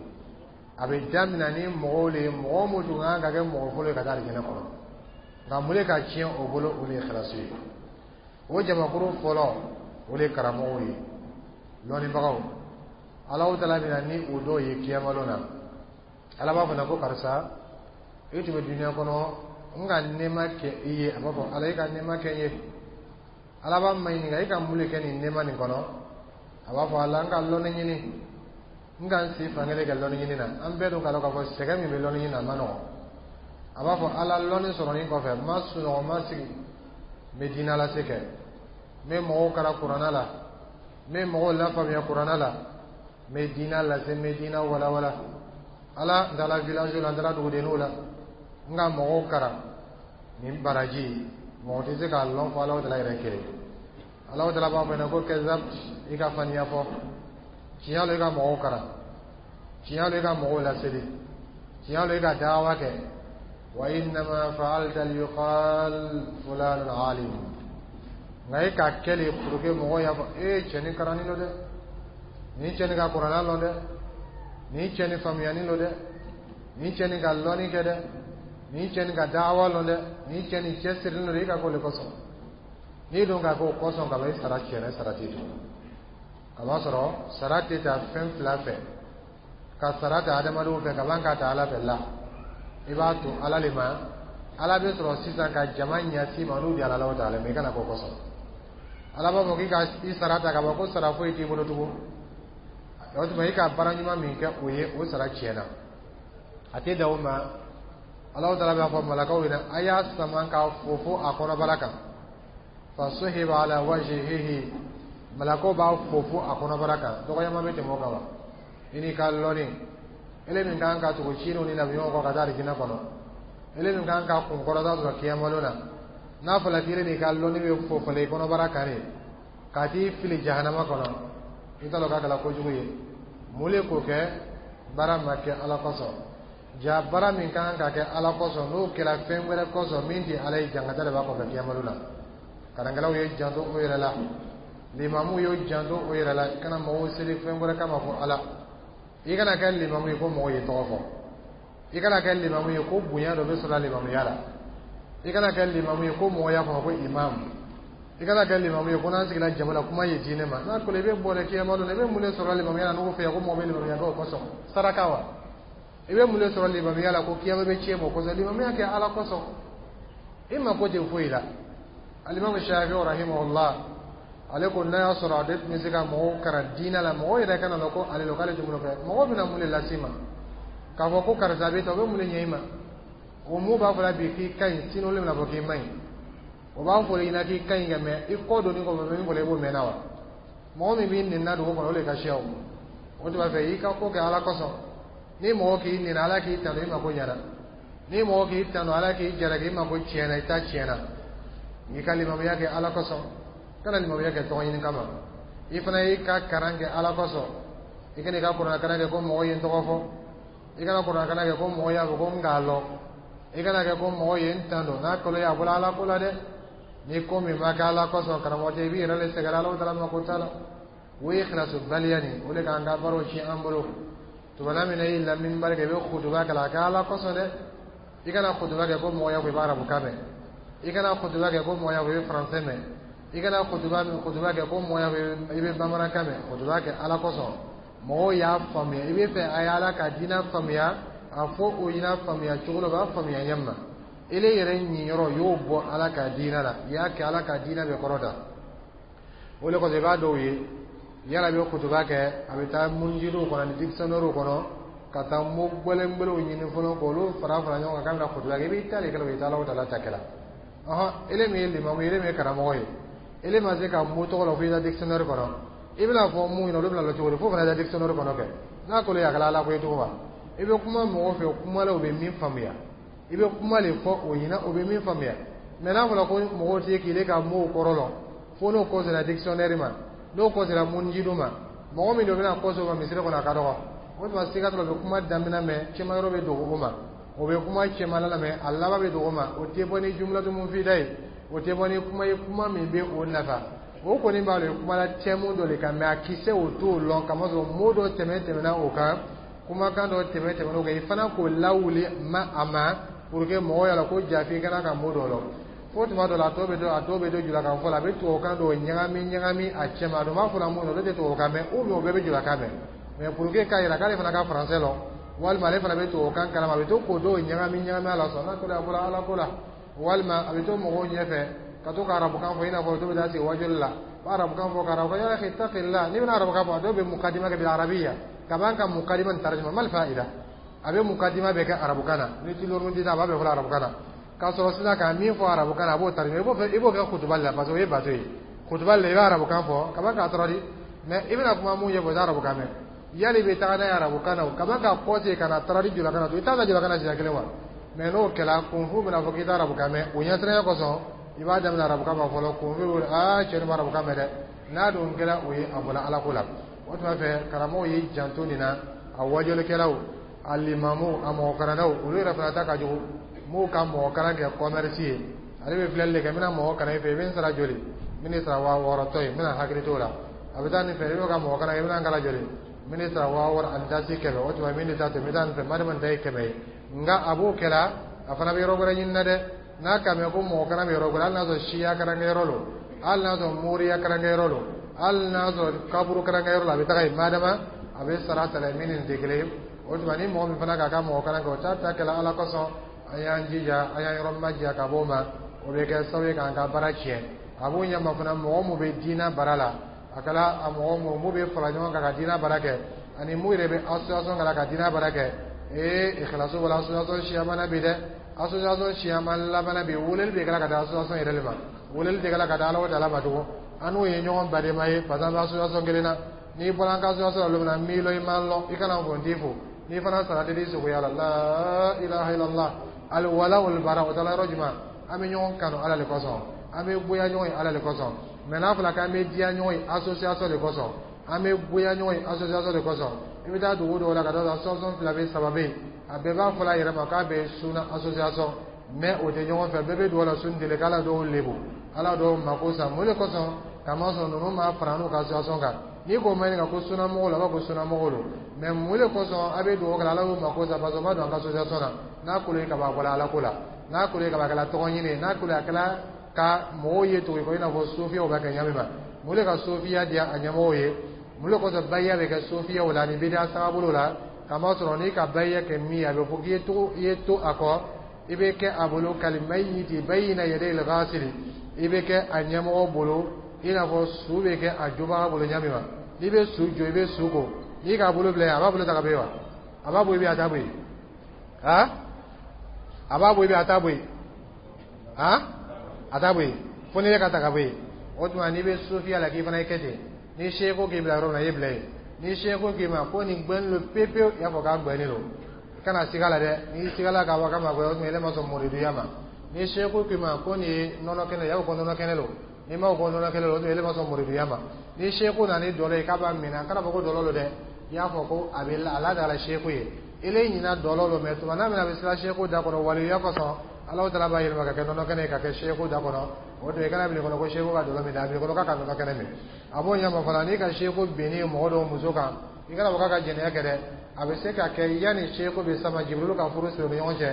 A bɛ daminɛ ni mɔgɔw le ye, mɔgɔ mun tun kan ka kɛ mɔgɔ fɔlɔ ye ka taa alijinɛ kɔnɔ, nka mun de ka tiɲɛ o bolo? O de ye ikhlasu ye. O jamakuru fɔlɔ, o de ye karamɔgɔw ye, lɔnnibagaw. Alahu taala bɛna ni o dɔw ye kiyamalon na. Ala b'a fɔ na ko karisa, e tun bɛ duniya kɔnɔ, n ka nɛɛma kɛ i ye. A b'a fɔ Ala, e ka nɛɛma kɛ n ye. Ala b'a ma ɲininka, e ka mun de kɛ nin nɛɛma nin kɔnɔ? A b'a fɔ Ala, n ka lɔnni ɲini, n ka n si fankelen kɛ lɔnni ɲini na. An bɛɛ dun k'a dɔn k'a fɔ sɛgɛn min bɛ lɔnni ɲini na, a ma nɔgɔn. A b'a fɔ Ala, lɔnni sɔrɔnin kɔfɛ, n ma sunɔgɔ, n ma sigi, n bɛ diinɛ lase kɛ, n bɛ mɔgɔw kalan kuranna la, n bɛ mɔgɔw lafaamuya kuranna la, n bɛ diinɛ lase, n bɛ diinɛ walawala. Ala, n taara village la, n taara dugudenninw la, n ka mɔgɔw kalan. Nin baraji, mɔgɔ tɛ se k'a lɔn fɔ Alahu taala yɛrɛ kelen. Alahu taala b'a fɔ ɲɛna ko كذبت, i ka faniya fɔ. Tiɲɛ lo, i ka mɔgɔw kalan, tiɲɛ lo, i ka mɔgɔw laseli, tiɲɛ lo, i ka dawa kɛ. وإنما فعلت ليقال فلان عالم, nka e k'a kɛ le pour que mɔgɔw y'a fɔ e cɛ nin kalannin don dɛ, nin cɛ nin ka kuranna lɔn dɛ, nin cɛ nin faamuyanin don dɛ, nin cɛ nin ka lɔnni kɛ dɛ, nin cɛ nin ka dawa lɔn dɛ, nin cɛ nin cɛsirilen don. I ka k'o de kosɔn. N'i dun ka k'o kosɔn ka ban, i sara tiɲɛna, sara tɛ to. Kamasɔrɔ sara tɛ ta fɛn fila fɛ, ka sara ta adamadenw fɛ ka ban k'a ta Ala fɛ la. I b'a to Ala le ma. Ala bɛ sɔrɔ sisan ka jama ɲɛsi ma n'u di Ala la o taala mɛ i kana k'o kosɔn. Ala b'a fɔ k'i ka i sara ta ka ban, ko sara foyi t'i bolo tugun. O tuma, i ka baara ɲuman min kɛ, o ye o sara tiɲɛna. A tɛ dan o ma, Alahu taala b'a fɔ malakaw ɲɛna, a y'a sama k'a fofo a kɔnɔbara kan. فسحب على وجهه, malakaw b'a fofo a kɔnɔbara kan. Dɔgɔyama bɛ tɛmɛ o kan wa? I n'i ka lɔnni, ele min kan ka tugu cidenw ni nabiɲumanw kɔ ka taa alijinɛ kɔnɔ, ele min kan ka kunkɔrɔta sɔrɔ kiyamalon na, n'a fɔra k'ile n'i ka lɔnni bɛ fofole i kɔnɔbara kan de. Ka t'i fili jahanama kɔnɔ, i t'a dɔn k'a kɛra kojugu ye. Mun le k'o kɛ? Baara ma kɛ Ala kosɔn. Ja baara min kan ka kɛ Ala kosɔn, n'o kɛra fɛn wɛrɛ kosɔn min tɛ Ala ye, jangata de b'a kɔfɛ kiyamalo la. Karankɛlaw ye janto o yɛrɛ la, limamu y'o janto o yɛrɛ la. I kana mɔgɔw seli fɛn wɛrɛ kama fo Ala. I kana kɛ limamu ye ko mɔgɔw ye tɔgɔ fɔ. I kana kɛ limamu ye ko bonya dɔ bɛ sɔrɔ limamuya la. I kana kɛ limamu ye ko mɔgɔ y'a fɔ ko imamu. I kana kɛ limamu ye ko n'an sigila jama la, kuma ye diinɛ ma. N'a kɔni i bɛ bɔ dɛ kiyama don, i bɛ mun de sɔrɔ limamuya la n'o fɛ ko mɔgɔ bɛ limamuya kɛ o kosɔn? Saraka wa? I bɛ mun de sɔrɔ limamuya la ko kiyama bɛ tiɲɛ o kosɔn? Limamuya kɛ Ala kosɔn, i mako tɛ foyi la. Alimamu Shafi rahimahullah, ale ko n'a y'a sɔrɔ ale tun bɛ se ka mɔgɔw kalan diinɛ la, mɔgɔw yɛrɛ kana na ko ale lo k'ale tɛ mun kɛ. Mɔgɔw bɛna mun de las'i ma k'a fɔ ko karisa bɛ tan? O bɛ mun de ɲɛ i ma? O mun b'a fɔ la bi k'i ka ɲi, sini olu bɛna fɔ k'i man ɲi. O b'a fɔ i ɲɛna k'i ka ɲi ka mɛ i kɔ donni kɔfɛ, min fɔla i b'o mɛn na wa? Mɔgɔ min b'i nɛni dugu kɔnɔ, o de ka siya. O o tuma fɛ, i ka ko kɛ Ala kosɔn. Ni mɔgɔ k'i nɛni, Ala k'i tanu, i mako ɲɛna. Ni mɔgɔ k'i tanu, Ala k'i jalaki, i mako tiɲɛna, i ta tiɲɛna. I ka limamuya kɛ Ala kosɔn, kana limamuya kɛ tɔgɔ ɲini kama. I fana y'i ka karan kɛ Ala kosɔn. I kana i ka kuranɛ kalan kɛ ko mɔgɔ ye n tɔgɔ fɔ. I kana kuranɛ kalan kɛ ko mɔgɔ y'a fɔ ko n k'a lɔn. I kana kɛ ko mɔgɔ ye n tando. N'a kolo ye, a bɔra Ala ko la dɛ. Ni ko min ma kɛ Ala kosɔn, karamɔgɔ cɛ, i b'i yɛrɛ le sɛgɛrɛ. Ala taala ma ko t'a la. O ye ikhilasubaliya nin, o de k'an ka baaraw tiɲɛ an bolo. Tuma min na i y'i minbari kɛ, i bɛ kutuba kɛ, a kɛ Ala kosɔn dɛ. I kana kutuba kɛ ko mɔgɔ y'a fɔ i bɛ arabukan mɛn. I kana kutuba kɛ ko mɔgɔ y'a fɔ i bɛ faransɛ mɛn. I kana kutuba min kutuba kɛ ko mɔgɔ y'a fɔ i bɛ bamanankan mɛn. Kutuba kɛ Ala kosɔn, mɔgɔw y'a faamuya. I bɛ fɛ a ye Ala ka diinɛ faamuya, a fɔ o ɲɛna faamuya cogo la, o b'a faamuya ɲɛ ma. Ele yɛrɛ ɲiyɔrɔ y'o bɔ Ala ka diinɛ la, i y'a kɛ Ala ka diinɛ bɛ kɔrɔ da. O de kosɔn i b'a dɔw ye yala bɛ kutuba kɛ, a bɛ taa munjiriw kɔnɔ ni dictionnaire kɔnɔ ka taa mo gbɛlɛngbɛlɛw ɲini fɔlɔ k'olu fara fara ɲɔgɔn kan k'a bɛna kutuba kɛ. I b'i ta de kɛ, o i t'a Ala ta kɛ la. Ɔhɔn, ele min ye limamu ye, ele min ye karamɔgɔ ye, ele ma se ka mo tɔgɔ la fo i ka dictionnaire kɔnɔ. I bɛna fɔ mun ɲɛna, olu bɛna lɔ cogo di fo fana ka dictionnaire kɔnɔ kɛ? N'a kolo ye, a kɛra Ala ko ye cogo ma. I bɛ kuma mɔgɔw fɛ kuma la, u bɛ min faamuya, i bɛ kuma de fɔ o ɲɛna, o bɛ min faamuya. Mɛ n'a fɔra ko mɔgɔw tɛ k'ile ka mow kɔrɔ lɔn fo n'o kɔ sera dictionnaire ma, n'o kɔ sera munjidu ma, mɔgɔ min de bɛna kɔ o ma misiri kɔnɔ, a ka dɔgɔ. O tuma siga t'a la, u bɛ kuma daminɛ mɛ cɛman yɔrɔ bɛ dogo o ma, o bɛ kuma cɛman la mɛ a laban bɛ dogo o ma. O tɛ bɔ ni jumlatu mufida ye, o tɛ bɔ ni kuma ye, kuma min bɛ o nafa. O kɔni b'a dɔn kuma la thème dɔ de kan, mɛ a kisɛ o t'o lɔn, kamasɔrɔ mot dɔ tɛmɛ tɛmɛna o kan, kumakan dɔ tɛmɛ tɛmɛna o kan. I fana k'o lawuli ma a ma pour que mɔgɔw y'a la ko jafi kana ka mot dɔ lɔn. Fo tuma dɔ la, a dɔw bɛ don a dɔw bɛ don julakan fɔ la, a bɛ tubabukan dɔw ɲagami ɲagami a cɛ ma. A dun b'a fɔ la mun na, olu tɛ tubabukan mɛn, ou bien o bɛɛ bɛ julakan mɛn, mɛ pour que k'a yira k'ale fana ka français lɔn, walima ale fana bɛ tubabukan kalama, a bɛ to k'o dɔw ɲagami ɲagami a la sɔn. N'a kɛra, a bɔra Ala ko la. Walima a bɛ to mɔgɔw ɲɛfɛ ka to ka arabukan fɔ, i n'a fɔ dɔw bɛ taa sigi wajuli la, ba arabukan fɔ ka arabukan. Ya akhi, ittaqillah. N'i bɛna arabukan fɔ, a dɔw bɛ mukadima kɛ bil arabiya ka ban ka mukadima nin tarjuma mal fa'ida. A bɛ mukadima bɛɛ kɛ arabukan na, ni tilorun ti a b'a bɛɛ fɔ arabukan na, k'a sɔrɔ sisan ka min fɔ arabukan na, a b'o tarjuma. I b'o kɛ i b'o kɛ kutuba la, parce que o ye bato ye. Kutuba la, i bɛ arabukan fɔ ka ban k'a traduit, mais i bɛna kuma mun ɲɛfɔ, o tɛ arabukan mɛn. Yali i bɛ taga n'a ye arabukan na, o ka ban ka kɔse ka na traduit julakan na, i t'a ka julakan na siɲɛ kelen wa? Mais n'o kɛra, kunfu bɛna fɔ k'i tɛ arabukan mɛn. O ɲɛsiranya kosɔn, i b'a daminɛ arabukan ma fɔlɔ. Kunfu bɛ aa cɛ nin bɛ arabukan mɛn dɛ. N'a dun kɛra o ye, a bɔra Ala ko la. O tuma fɛ, karamɔgɔw y'i janto nin na, a wajulikɛlaw, a limamuw, a mɔgɔkalannaw, olu yɛrɛ fana ta ka jugu. M'u ka mɔgɔ kalan kɛ commerce ye. Ale bɛ filɛli de kɛ: n bɛna mɔgɔ kalan i fɛ, i bɛ n sara joli? N bɛ sara waa wɔɔrɔ tɔ ye, n bɛna hakili t'o la. A bɛ taa nin fɛ, i bɛ ka mɔgɔ kalan, i bɛna n kalan joli? N bɛ sara waa wɔɔrɔ ani dasi kɛmɛ. O tuma min de ta to, n bɛ taa nin fɛ, madama nin ta ye kɛmɛ ye. Nka a b'o kɛla, a fana bɛ yɔrɔ wɛrɛ ɲini na dɛ. N'a ka mɛn ko mɔgɔ kalan bɛ yɔrɔ wɛrɛ, hali n'a sɔrɔ siya karankɛyɔrɔ lo, hali n'a sɔrɔ moriya karankɛyɔrɔ lo, hali n'a sɔrɔ kaburu karankɛyɔrɔ la, a bɛ taga yen, madama a bɛ sara ta la min ni nin tɛ kelen ye. O tuma ni mɔgɔ min fana k'a ka mɔgɔ kalan kɛ, o t'a ta kɛla Ala kosɔn. An y'an jija, an y'an yɔrɔ majiya ka bɔ o ma. O bɛ kɛ sababu ye k'an ka baara tiɲɛ. A b'o ɲɛma fana, mɔgɔ mun bɛ diinɛ baara la, a kɛra a mɔgɔ mun mun bɛ fara ɲɔgɔn kan ka diinɛ baara kɛ, ani mun yɛrɛ bɛ association kɛ la ka diinɛ baara kɛ. Ee, ikhlasu wala association siyaman bi dɛ. Association siyaman laban bi, weleli bɛ kɛla ka taa association yɛrɛ de ma, weleli tɛ kɛla ka taa Ala o Ala ma tugun. An n'o ye ɲɔgɔn badenma ye, parce que an bɛ association kelen na. N'i bɔra an ka association la don min na, n b'i lɔn, i m'an lɔn, i kana fɔ n t'i fo. N'i fana sara tɛ di sogoya la. La ilaha illallah. Alwala wal bara, o taara yɔrɔ jumɛn? An bɛ ɲɔgɔn kanu Ala de kosɔn, an bɛ bonya ɲɔgɔn ye Ala de kosɔn. Mɛ n'a fɔra k'an bɛ diya ɲɔgɔn ye association de kosɔn, an bɛ goya ɲɔgɔn ye association de kosɔn, i bɛ taa dugu dɔw la ka taa association fila bɛ, saba bɛ yen, a bɛɛ b'a fɔ a yɛrɛ ma k'a bɛ sunna association, mɛ o tɛ ɲɔgɔn fɛ. Bɛɛ bɛ dugawu la sun deli k'ala dɔw lebu, ala dɔw mako sa. Mun de kosɔn? Kamasɔrɔ ninnu ma fara n'u ka association kan. N'i ko ma ɲininka ko sunnamɔgɔw la, a b'a fɔ ko sunnamɔgɔw don, mɛ mun de kosɔn a bɛ dugawu kɛ ala y'u mako sa? Parce que o ma don an ka association na. N'a kolo ye kaba bɔla ala ko la, n'a kolo ye kaba kɛla tɔgɔ ɲini ye, n'a kolo ye a kɛla ka mɔgɔw ye tugu ko i n'a fɔ sofiyaw bɛ kɛ ɲa min ma. Mun de ka sofiya diya a ɲɛmɔgɔw ye? Mun de kosɔn bayiya bɛ kɛ sofiyaw la ni bidiya tagabolo la? Kamasɔrɔ n'i ka bayiya kɛ min ye, a bɛ fɔ k'i ye to, i ye to a kɔ, i bɛ kɛ a bolo kalimayiti bayina yadayil ghasili, i bɛ kɛ a ɲɛmɔgɔ bolo i n'a fɔ su bɛ kɛ a jobaga bolo ɲa min ma. N'i bɛ su jɔ, i bɛ su ko, n'i k'a bolo bila yen, a b'a bolo ta ka bɔ yen wa? A b'a bɔ i bɛ a t'a bɔ yen? Han, a b'a bɔ i bɛ a t'a bɔ yen? Han, a t'a bɔ yen fo ni ne ka ta ka bɔ yen. O tuma n'i bɛ sofiya la, k'i fana ye kɛ ten. Ni seko k'i bila yɔrɔ min na, i ye bila yen. Ni seko k'i ma ko nin gbɛnnen don pepewu, i y'a fɔ k'a gbɛnnen don, i kana siga la dɛ. N'i sigala k'a fɔ k'a ma gbɛ, o tuma e ma sɔn muriduya ma. Ni seko k'i ma ko nin ye nɔnɔ kɛnɛ ye, i y'a fɔ ko nɔnɔ kɛnɛ don. N'i ma ko nɔnɔ kɛnɛ don, o tuma e ma sɔn muriduya ma. Ni seko nana ni dɔlɔ ye k'a b'a minɛ, a kana fɔ ko dɔlɔ don dɛ, i y'a fɔ ko a bɛ a ladala seko ye. Ele ɲina dɔlɔ don, mɛ tuma n'a min a bɛ sira seko da kɔnɔ waliya kosɔn, Ala taala b'a yɛlɛma ka kɛ nɔnɔ kɛnɛ ye, ka kɛ seko da kɔnɔ. O tuma i kana bila kɔnɔ ko seko ka dɔlɔ min dɛ, a bila kɔnɔ k'a ka nɔnɔ kɛnɛ min. A b'o ɲɛma fana, n'i ka seko binni mɔgɔ dɔw muso kan, i kana fɔ k'a ka jɛnɛya kɛ dɛ. A bɛ se ka kɛ yanni seko bɛ sama, Jibirilu ka furu siri u ni ɲɔgɔn cɛ,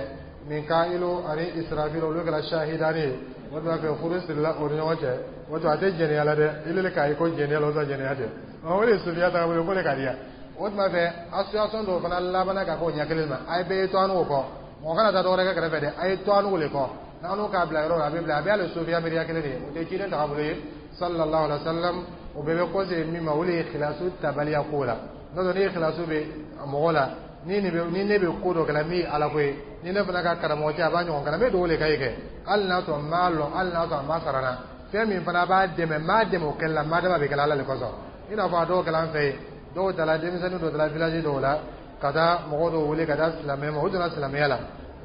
Mika'ilu ani Israfil, olu kɛra shahidani ye. O tuma fɛ furu sirila o ni ɲɔgɔn cɛ. O tuma a tɛ jɛnɛya la dɛ, ile le k'a ye ko jɛnɛya la, o tuma jɛnɛya tɛ. O de ye sofiya tagabolo ye, ko de ka di ya. O tuma fɛ association dɔw fana labanna ka k'o ɲɛ kelen ma. A ye bɛɛ ye to an n'o kɔ, mɔgɔ kana taa dɔwɛrɛ kɛ kɛrɛfɛ dɛ, a ye to an n'o le kɔ. N'an n'o k'a bila yɔrɔ la, a bɛ bila, a bɛ hali sofiya miiriya kelen de ye, o tɛ ciden tagabolo ye sallallahu alaihi wa sallam. O bɛɛ bɛ kɔsegin min ma, o de ye khilasu tabaliya ko la. N'o tɛ ni khilasu bɛ mɔgɔ la, ni nin bɛ ni ne bɛ ko dɔ kɛ la min ye ala ko ye, ni ne fana ka karamɔgɔ cɛ a b'a ɲɔgɔn kana, n bɛ dugawu de k'a ye kɛ, hali n'a sɔrɔ n m'a lɔn, hali n'a sɔrɔ a ma sara n na, fɛn min fana b'a dɛmɛ, n b'a dɛmɛ o kɛli la, n b'a dɛmɛ a bɛ kɛ ala de kosɔn. I n'a fɔ a dɔw kɛla an fɛ yen, dɔw taara, denmisɛnnin dɔw taara village dɔw la ka taa mɔgɔ dɔw wele ka taa silamɛ ma. O donna silamɛya la.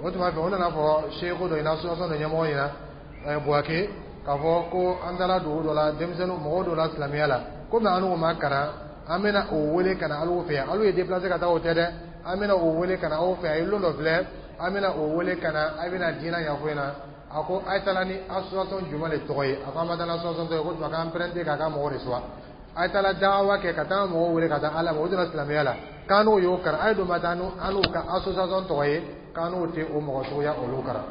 O tuma fɛ o nana fɔ seeko dɔ ɲɛna, association dɔ ɲɛmɔgɔ ɲɛna Buwake, k'a fɔ ko an taara dugu dɔ la, denmisɛnnin mɔgɔw dɔ la silamɛya la, komi an n'u ma kalan, an bɛna o wele ka na aw fɛ yan. Aw ye déplacé ka taa, o tɛ dɛ, an bɛna o wele ka na aw fɛ yan. A ye lon dɔ filɛ, an bɛna o wele ka na, a bɛna diinɛ ɲɛfɔ ɲɛna. A ko a ye taara ni association jumɛn de tɔgɔ ye? A ko an ma taa ni association tɔgɔ ye. Ko tuma k'an prêter k'a ka mɔgɔw de suwa. A ye taara dawa kɛ ka taa mɔgɔw wele ka taa ala ma, o donna silamɛya la, k'an n'o y'o kalan. A ye don ma taa an n'u ka association tɔgɔ ye, k'an n'o tɛ o mɔgɔ suguya olu kalan.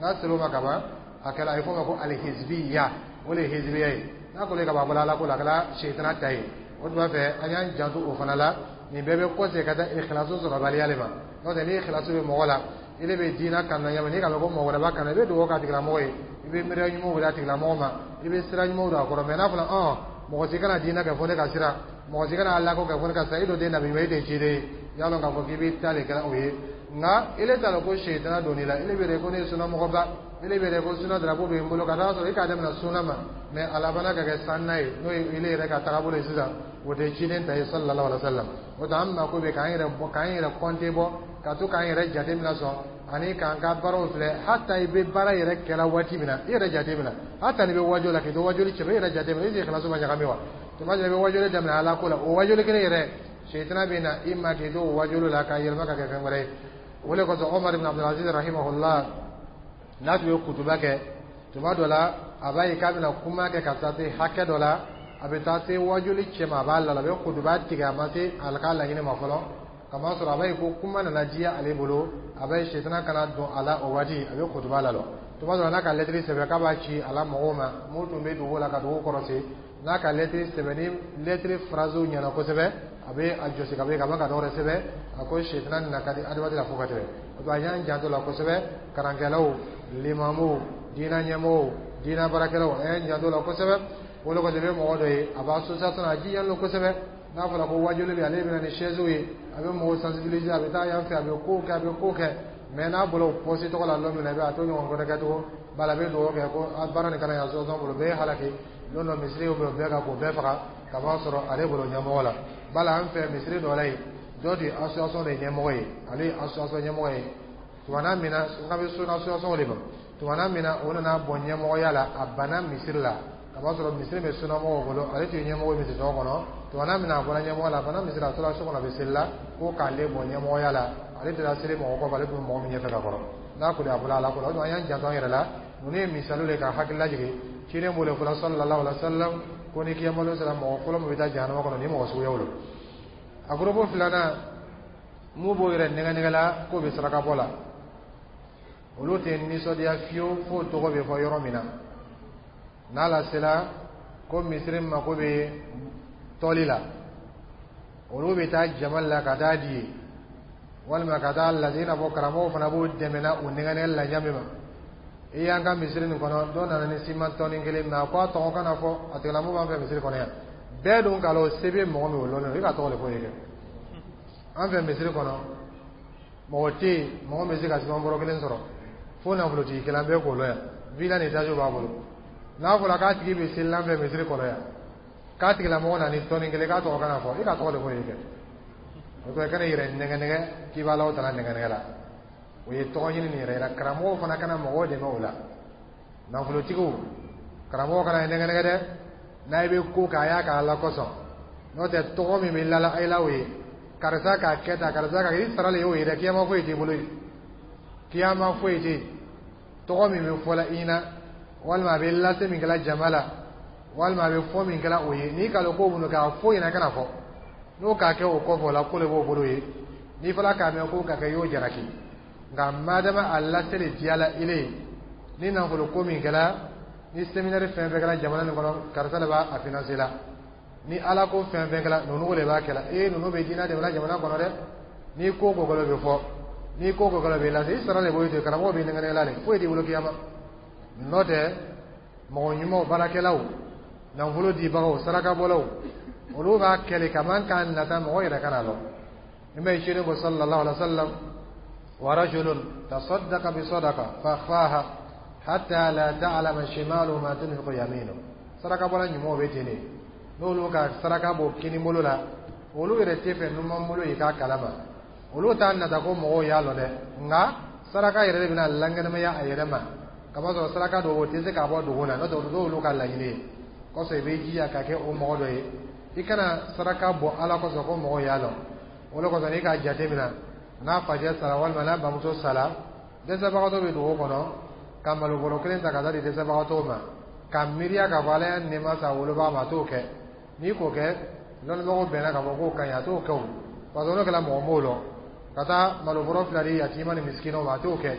N'a sera o ma kaban, a kɛra a ye fɔ o ma ko alihizbiya, o de ye hizbiya ye. N'a kɔni ka ban bɔla ala ko la, a kɛra sitana ta ye. O tuma fɛ an y'an janto o fana la. Nin bɛɛ bɛ kɔsegin ka taa ikhlasu sɔrɔbaliya de ma. N'o tɛ ni ikhlasu bɛ mɔgɔ la, i de bɛ diinɛ kanu na ɲɛma, n'i k'a mɛn ko mɔgɔ wɛrɛ b'a kanu, i bɛ dugawu k'a tigilamɔgɔ ye, i bɛ miiriya ɲumanw wele a tigilamɔgɔ ma, i bɛ sira ɲumanw don a kɔrɔ. Mɛ n'a fɔra ɔn mɔgɔ si kana diinɛ kɛ fo ne ka sira, mɔgɔ si kana ala ko kɛ fo ne ka sira, i don den nabi ɲuman, e tɛ ciden ye, i y'a dɔn k'a fɔ k'i bɛ taa de kɛra o ye. Nka ile t'a dɔn ko sitana donn'i la, ile bɛ yɛrɛ ko ne ye sunnamɔgɔba, ile bɛ yɛrɛ ko sunna darapo bɛ n bolo, ka taa sɔrɔ i k'a daminɛ sunna ma, mɛ a labanna ka kɛ sanna ye, n'o ye ile yɛrɛ ka tagabolo ye sisan, o tɛ ciden ta ye sallallahu alaihi wa sallam. O tɛ an mako bɛ k'an yɛrɛ bɔ, k'an yɛrɛ kɔnte bɔ, ka to k'an yɛrɛ jate minɛ sɔn ani k'an ka baaraw filɛ. Hata i bɛ baara yɛrɛ kɛla waati min na, i yɛrɛ jate minɛ, hata n'i bɛ wajo la, k'i to wajuli cɛ, i yɛrɛ jate minɛ, i sigi kilaso ma ɲagami wa? Tuma dɔ la i bɛ wajuli daminɛ ala ko la, o wajuli kelen yɛrɛ, sitana bɛ na i ma k'i to o wajuli la k'a yɛlɛma ka kɛ fɛn wɛrɛ ye. O de kosɔn Omar ibn Abdulaziz rahimahullah, n'a tun ye kutuba kɛ, tuma dɔ la a b'a ye k'a bɛna kuma kɛ ka taa se hakɛ dɔ la, a bɛ taa se wajuli cɛ ma, a b'a la, a bɛ kutuba tigɛ, a ma se a ka laɲini ma fɔlɔ, kamasɔrɔ a b'a ye ko kuma nana diya ale bolo, a b'a ye sitana kana don a la o waati, a bɛ kutuba lalɔ. Tuma dɔ la n'a ka lɛtiri sɛbɛn k'a b'a ci a la mɔgɔw ma, mun tun bɛ dugu la ka dugu kɔrɔsi, n'a ka lɛtiri sɛbɛn ni lɛtiri faraziw ɲɛna kosɛbɛ, a bɛ a jɔsi ka bɔ yen ka ban ka dɔwɛrɛ sɛbɛn. A ko sitana nana ka di adamaden la fo ka tɛmɛ. O tuma an y'an janto la kosɛbɛ, karankɛlaw, limamuw, diinɛ ɲɛmɔgɔw, diinɛ baarakɛlaw, an y'an janto la kosɛbɛ. O de kosɔn i bɛ mɔgɔ dɔ ye, a b'a association na, a jijalen don kosɛbɛ. N'a fɔra ko wajuli bɛ, ale bɛ na ni chaise ye, a bɛ mɔgɔw sensibiliser, a bɛ taa yan fɛ, a bɛ kow kɛ, a bɛ kow kɛ. Mɛ n'a bɔra o poste tɔgɔ la don min na, i bɛ a t'o ɲɔgɔn wɛrɛ kɛ tugun. Bala a bɛ dugawu kɛ ko baara nin kana yan association bolo, bɛɛ ye halaki don dɔ, misiri bɛ bɛɛ kan k'o bɛɛ faga, ka b'a sɔrɔ ale bolo ɲɛmɔgɔ la. Bala an fɛ misiri dɔ la yen, dɔ de ye association de ɲɛmɔgɔ ye, ale ye association ɲɛmɔgɔ ye. Tumana min na n ka bɛ so association de ma, tumana min na o nana bɔ ɲɛmɔgɔya la, a banna misiri la. A b'a sɔrɔ misiri bɛ sunnamɔgɔw bolo, ale tun ye ɲɛmɔgɔ ye misiri kɔnɔ. Tuma min na a bɔra ɲɛmɔgɔ la, a fana misiri, a tora so kɔnɔ, a bɛ seli la ko k'ale bɔ ɲɛmɔgɔya la. Ale tɛ taa seli mɔgɔ kɔfɛ, ale tun bɛ mɔgɔ min ɲɛfɛ ka kɔrɔ n'a koli, a bolo ala ko la. O tuma an y'an janto an yɛrɛ la. Ninnu ye misaliw de ka hakili lajigin. Ciden b'o de fɔla, sallallahu alaihi wa sallam, ko ni kiyama sera, mɔgɔ fɔlɔ min bɛ taa jahanama kɔnɔ, ni mɔgɔ suguyaw don. A groupe filanan mun b'o yɛrɛ nɛgɛ nɛgɛ la k'o bɛ saraka bɔ la, olu tɛ nisɔndiya fiyewu f'o tɔgɔ bɛ fɔ yɔrɔ min na. N'a lasela ko misiri mako bɛ tɔli la, olu bɛ taa jama la ka taa di ye walima ka taa lajɛ, i n'a fɔ karamɔgɔw fana b'o dɛmɛ na o nɛgɛ nɛgɛ la ɲa min ma. I y'an ka misiri nin kɔnɔ, dɔ nana ni siman tɔni kelen mɛ, a ko a tɔgɔ kana fɔ, a tigilamɔgɔ b'an fɛ misiri kɔnɔ yan. Bɛɛ dun k'a lɔn se bɛ mɔgɔ min, o lɔnnen don, i ka tɔgɔ de fɔ ye kɛ. An fɛ misiri kɔnɔ, mɔgɔ tɛ yen mɔgɔ min bɛ se ka siman bɔrɔ kelen sɔrɔ fo nafolotigi kelen bɛɛ k'o lɔn yan, villa ni étage b'a bolo. N'a fɔra k'a tigi bɛ seli an fɛ misiri kɔnɔ yan, k'a tigilamɔgɔ nana ni tɔni kelen, k'a tɔgɔ kana fɔ, i ka tɔgɔ de fɔ ye kɛ. O tɔ i kana i yɛrɛ nɛgɛ nɛgɛ k'i b'a la o tala nɛgɛ nɛgɛ la, o ye tɔgɔ ɲini nin yɛrɛ yira. Karamɔgɔw fana kana mɔgɔw dɛmɛ o la. Nafolotigiw, karamɔgɔ kana nɛgɛ nɛgɛ dɛ. N'a bɛ ko k'a y'a k'a la kosɔn, n'o tɛ tɔgɔ min bɛ lala a la, o ye karisa k'a kɛ tan, karisa k'a kɛ, i sara le y'o ye dɛ. Kiyama foyi t'i bolo yen, kiyama foyi tɛ yen. Tɔgɔ min bɛ fɔla i ɲɛna, walima a bɛ lase min kɛla jama la, walima a bɛ fɔ min kɛla o ye, n'i ka lɔn ko minnu k'a fɔ ɲɛna, kana fɔ n'o k'a kɛ o kɔfɛ, o la ko de b'o bolo ye. N'i fɔra k'a mɛn ko ka kɛ, i y'o jalaki. Nka madama a lase de diyala ile ye, ni nafolo ko min kɛra, ni séminaire fɛn fɛn kɛra jamana nin kɔnɔ, karisa de b'a a financer la, ni ala ko fɛn fɛn kɛra, ninnu de b'a kɛla. Ee, ninnu bɛ diinɛ dɛmɛ jamana kɔnɔ dɛ. Ni ko ko kɛla, o bɛ fɔ, ni ko ko kɛla, o bɛ lase. I sara de b'o ye, karamɔgɔ b'i nɛgɛ nɛgɛ la de, foyi t'i bolo kiyama. N'o tɛ, mɔgɔ ɲumanw, baarakɛlaw, nafolo dibagaw, sarakabɔlaw, olu b'a kɛlɛ kaman k'a nata mɔgɔ yɛrɛ kana lɔ. I ma ye, ciden ko, sallallahu alaihi wa sallam, wa rajulun tasaddaqa bi sadaqa fa akhfaha hatta la ta'lama shimalu ma tunfiqu yaminu. Sarakabɔla ɲumanw bɛ ten de. N'olu ka saraka bɔ kini bolo la, olu yɛrɛ tɛ fɛ numan bolo yi k'a kalama. Olu t'a nata ko mɔgɔw y'a lɔn dɛ, nka saraka yɛrɛ de bɛna lankɛnɛmaya a yɛrɛ ma. Kamasɔrɔ saraka dɔw, o tɛ se k'a bɔ dogo la, n'o tɛ o t'olu ka laɲini ye. Kɔsɔn i bɛ jija ka kɛ o mɔgɔ dɔ ye. I kana saraka bɔ ala kosɔn ko mɔgɔw y'a lɔn. O de kosɔn n'i k'a jate minɛ, n'a facɛ sara walima n'a bamuso sara, dɛsɛbagatɔ bɛ dugu kɔnɔ, ka malobɔrɔ kelen ta ka taa di dɛsɛbagatɔw ma, ka miiriya k'a fɔ ala y'a nɛɛma sa wolobaga ma, a t'o kɛ. N'i k'o kɛ, lɔnnibagaw bɛnna k'a fɔ k'o ka ɲi, a t'o kɛ o, parce que n'o kɛra, mɔgɔ m'o lɔn. Ka taa malobɔrɔ fila di yatima ni misikinaw ma, a t'o kɛ.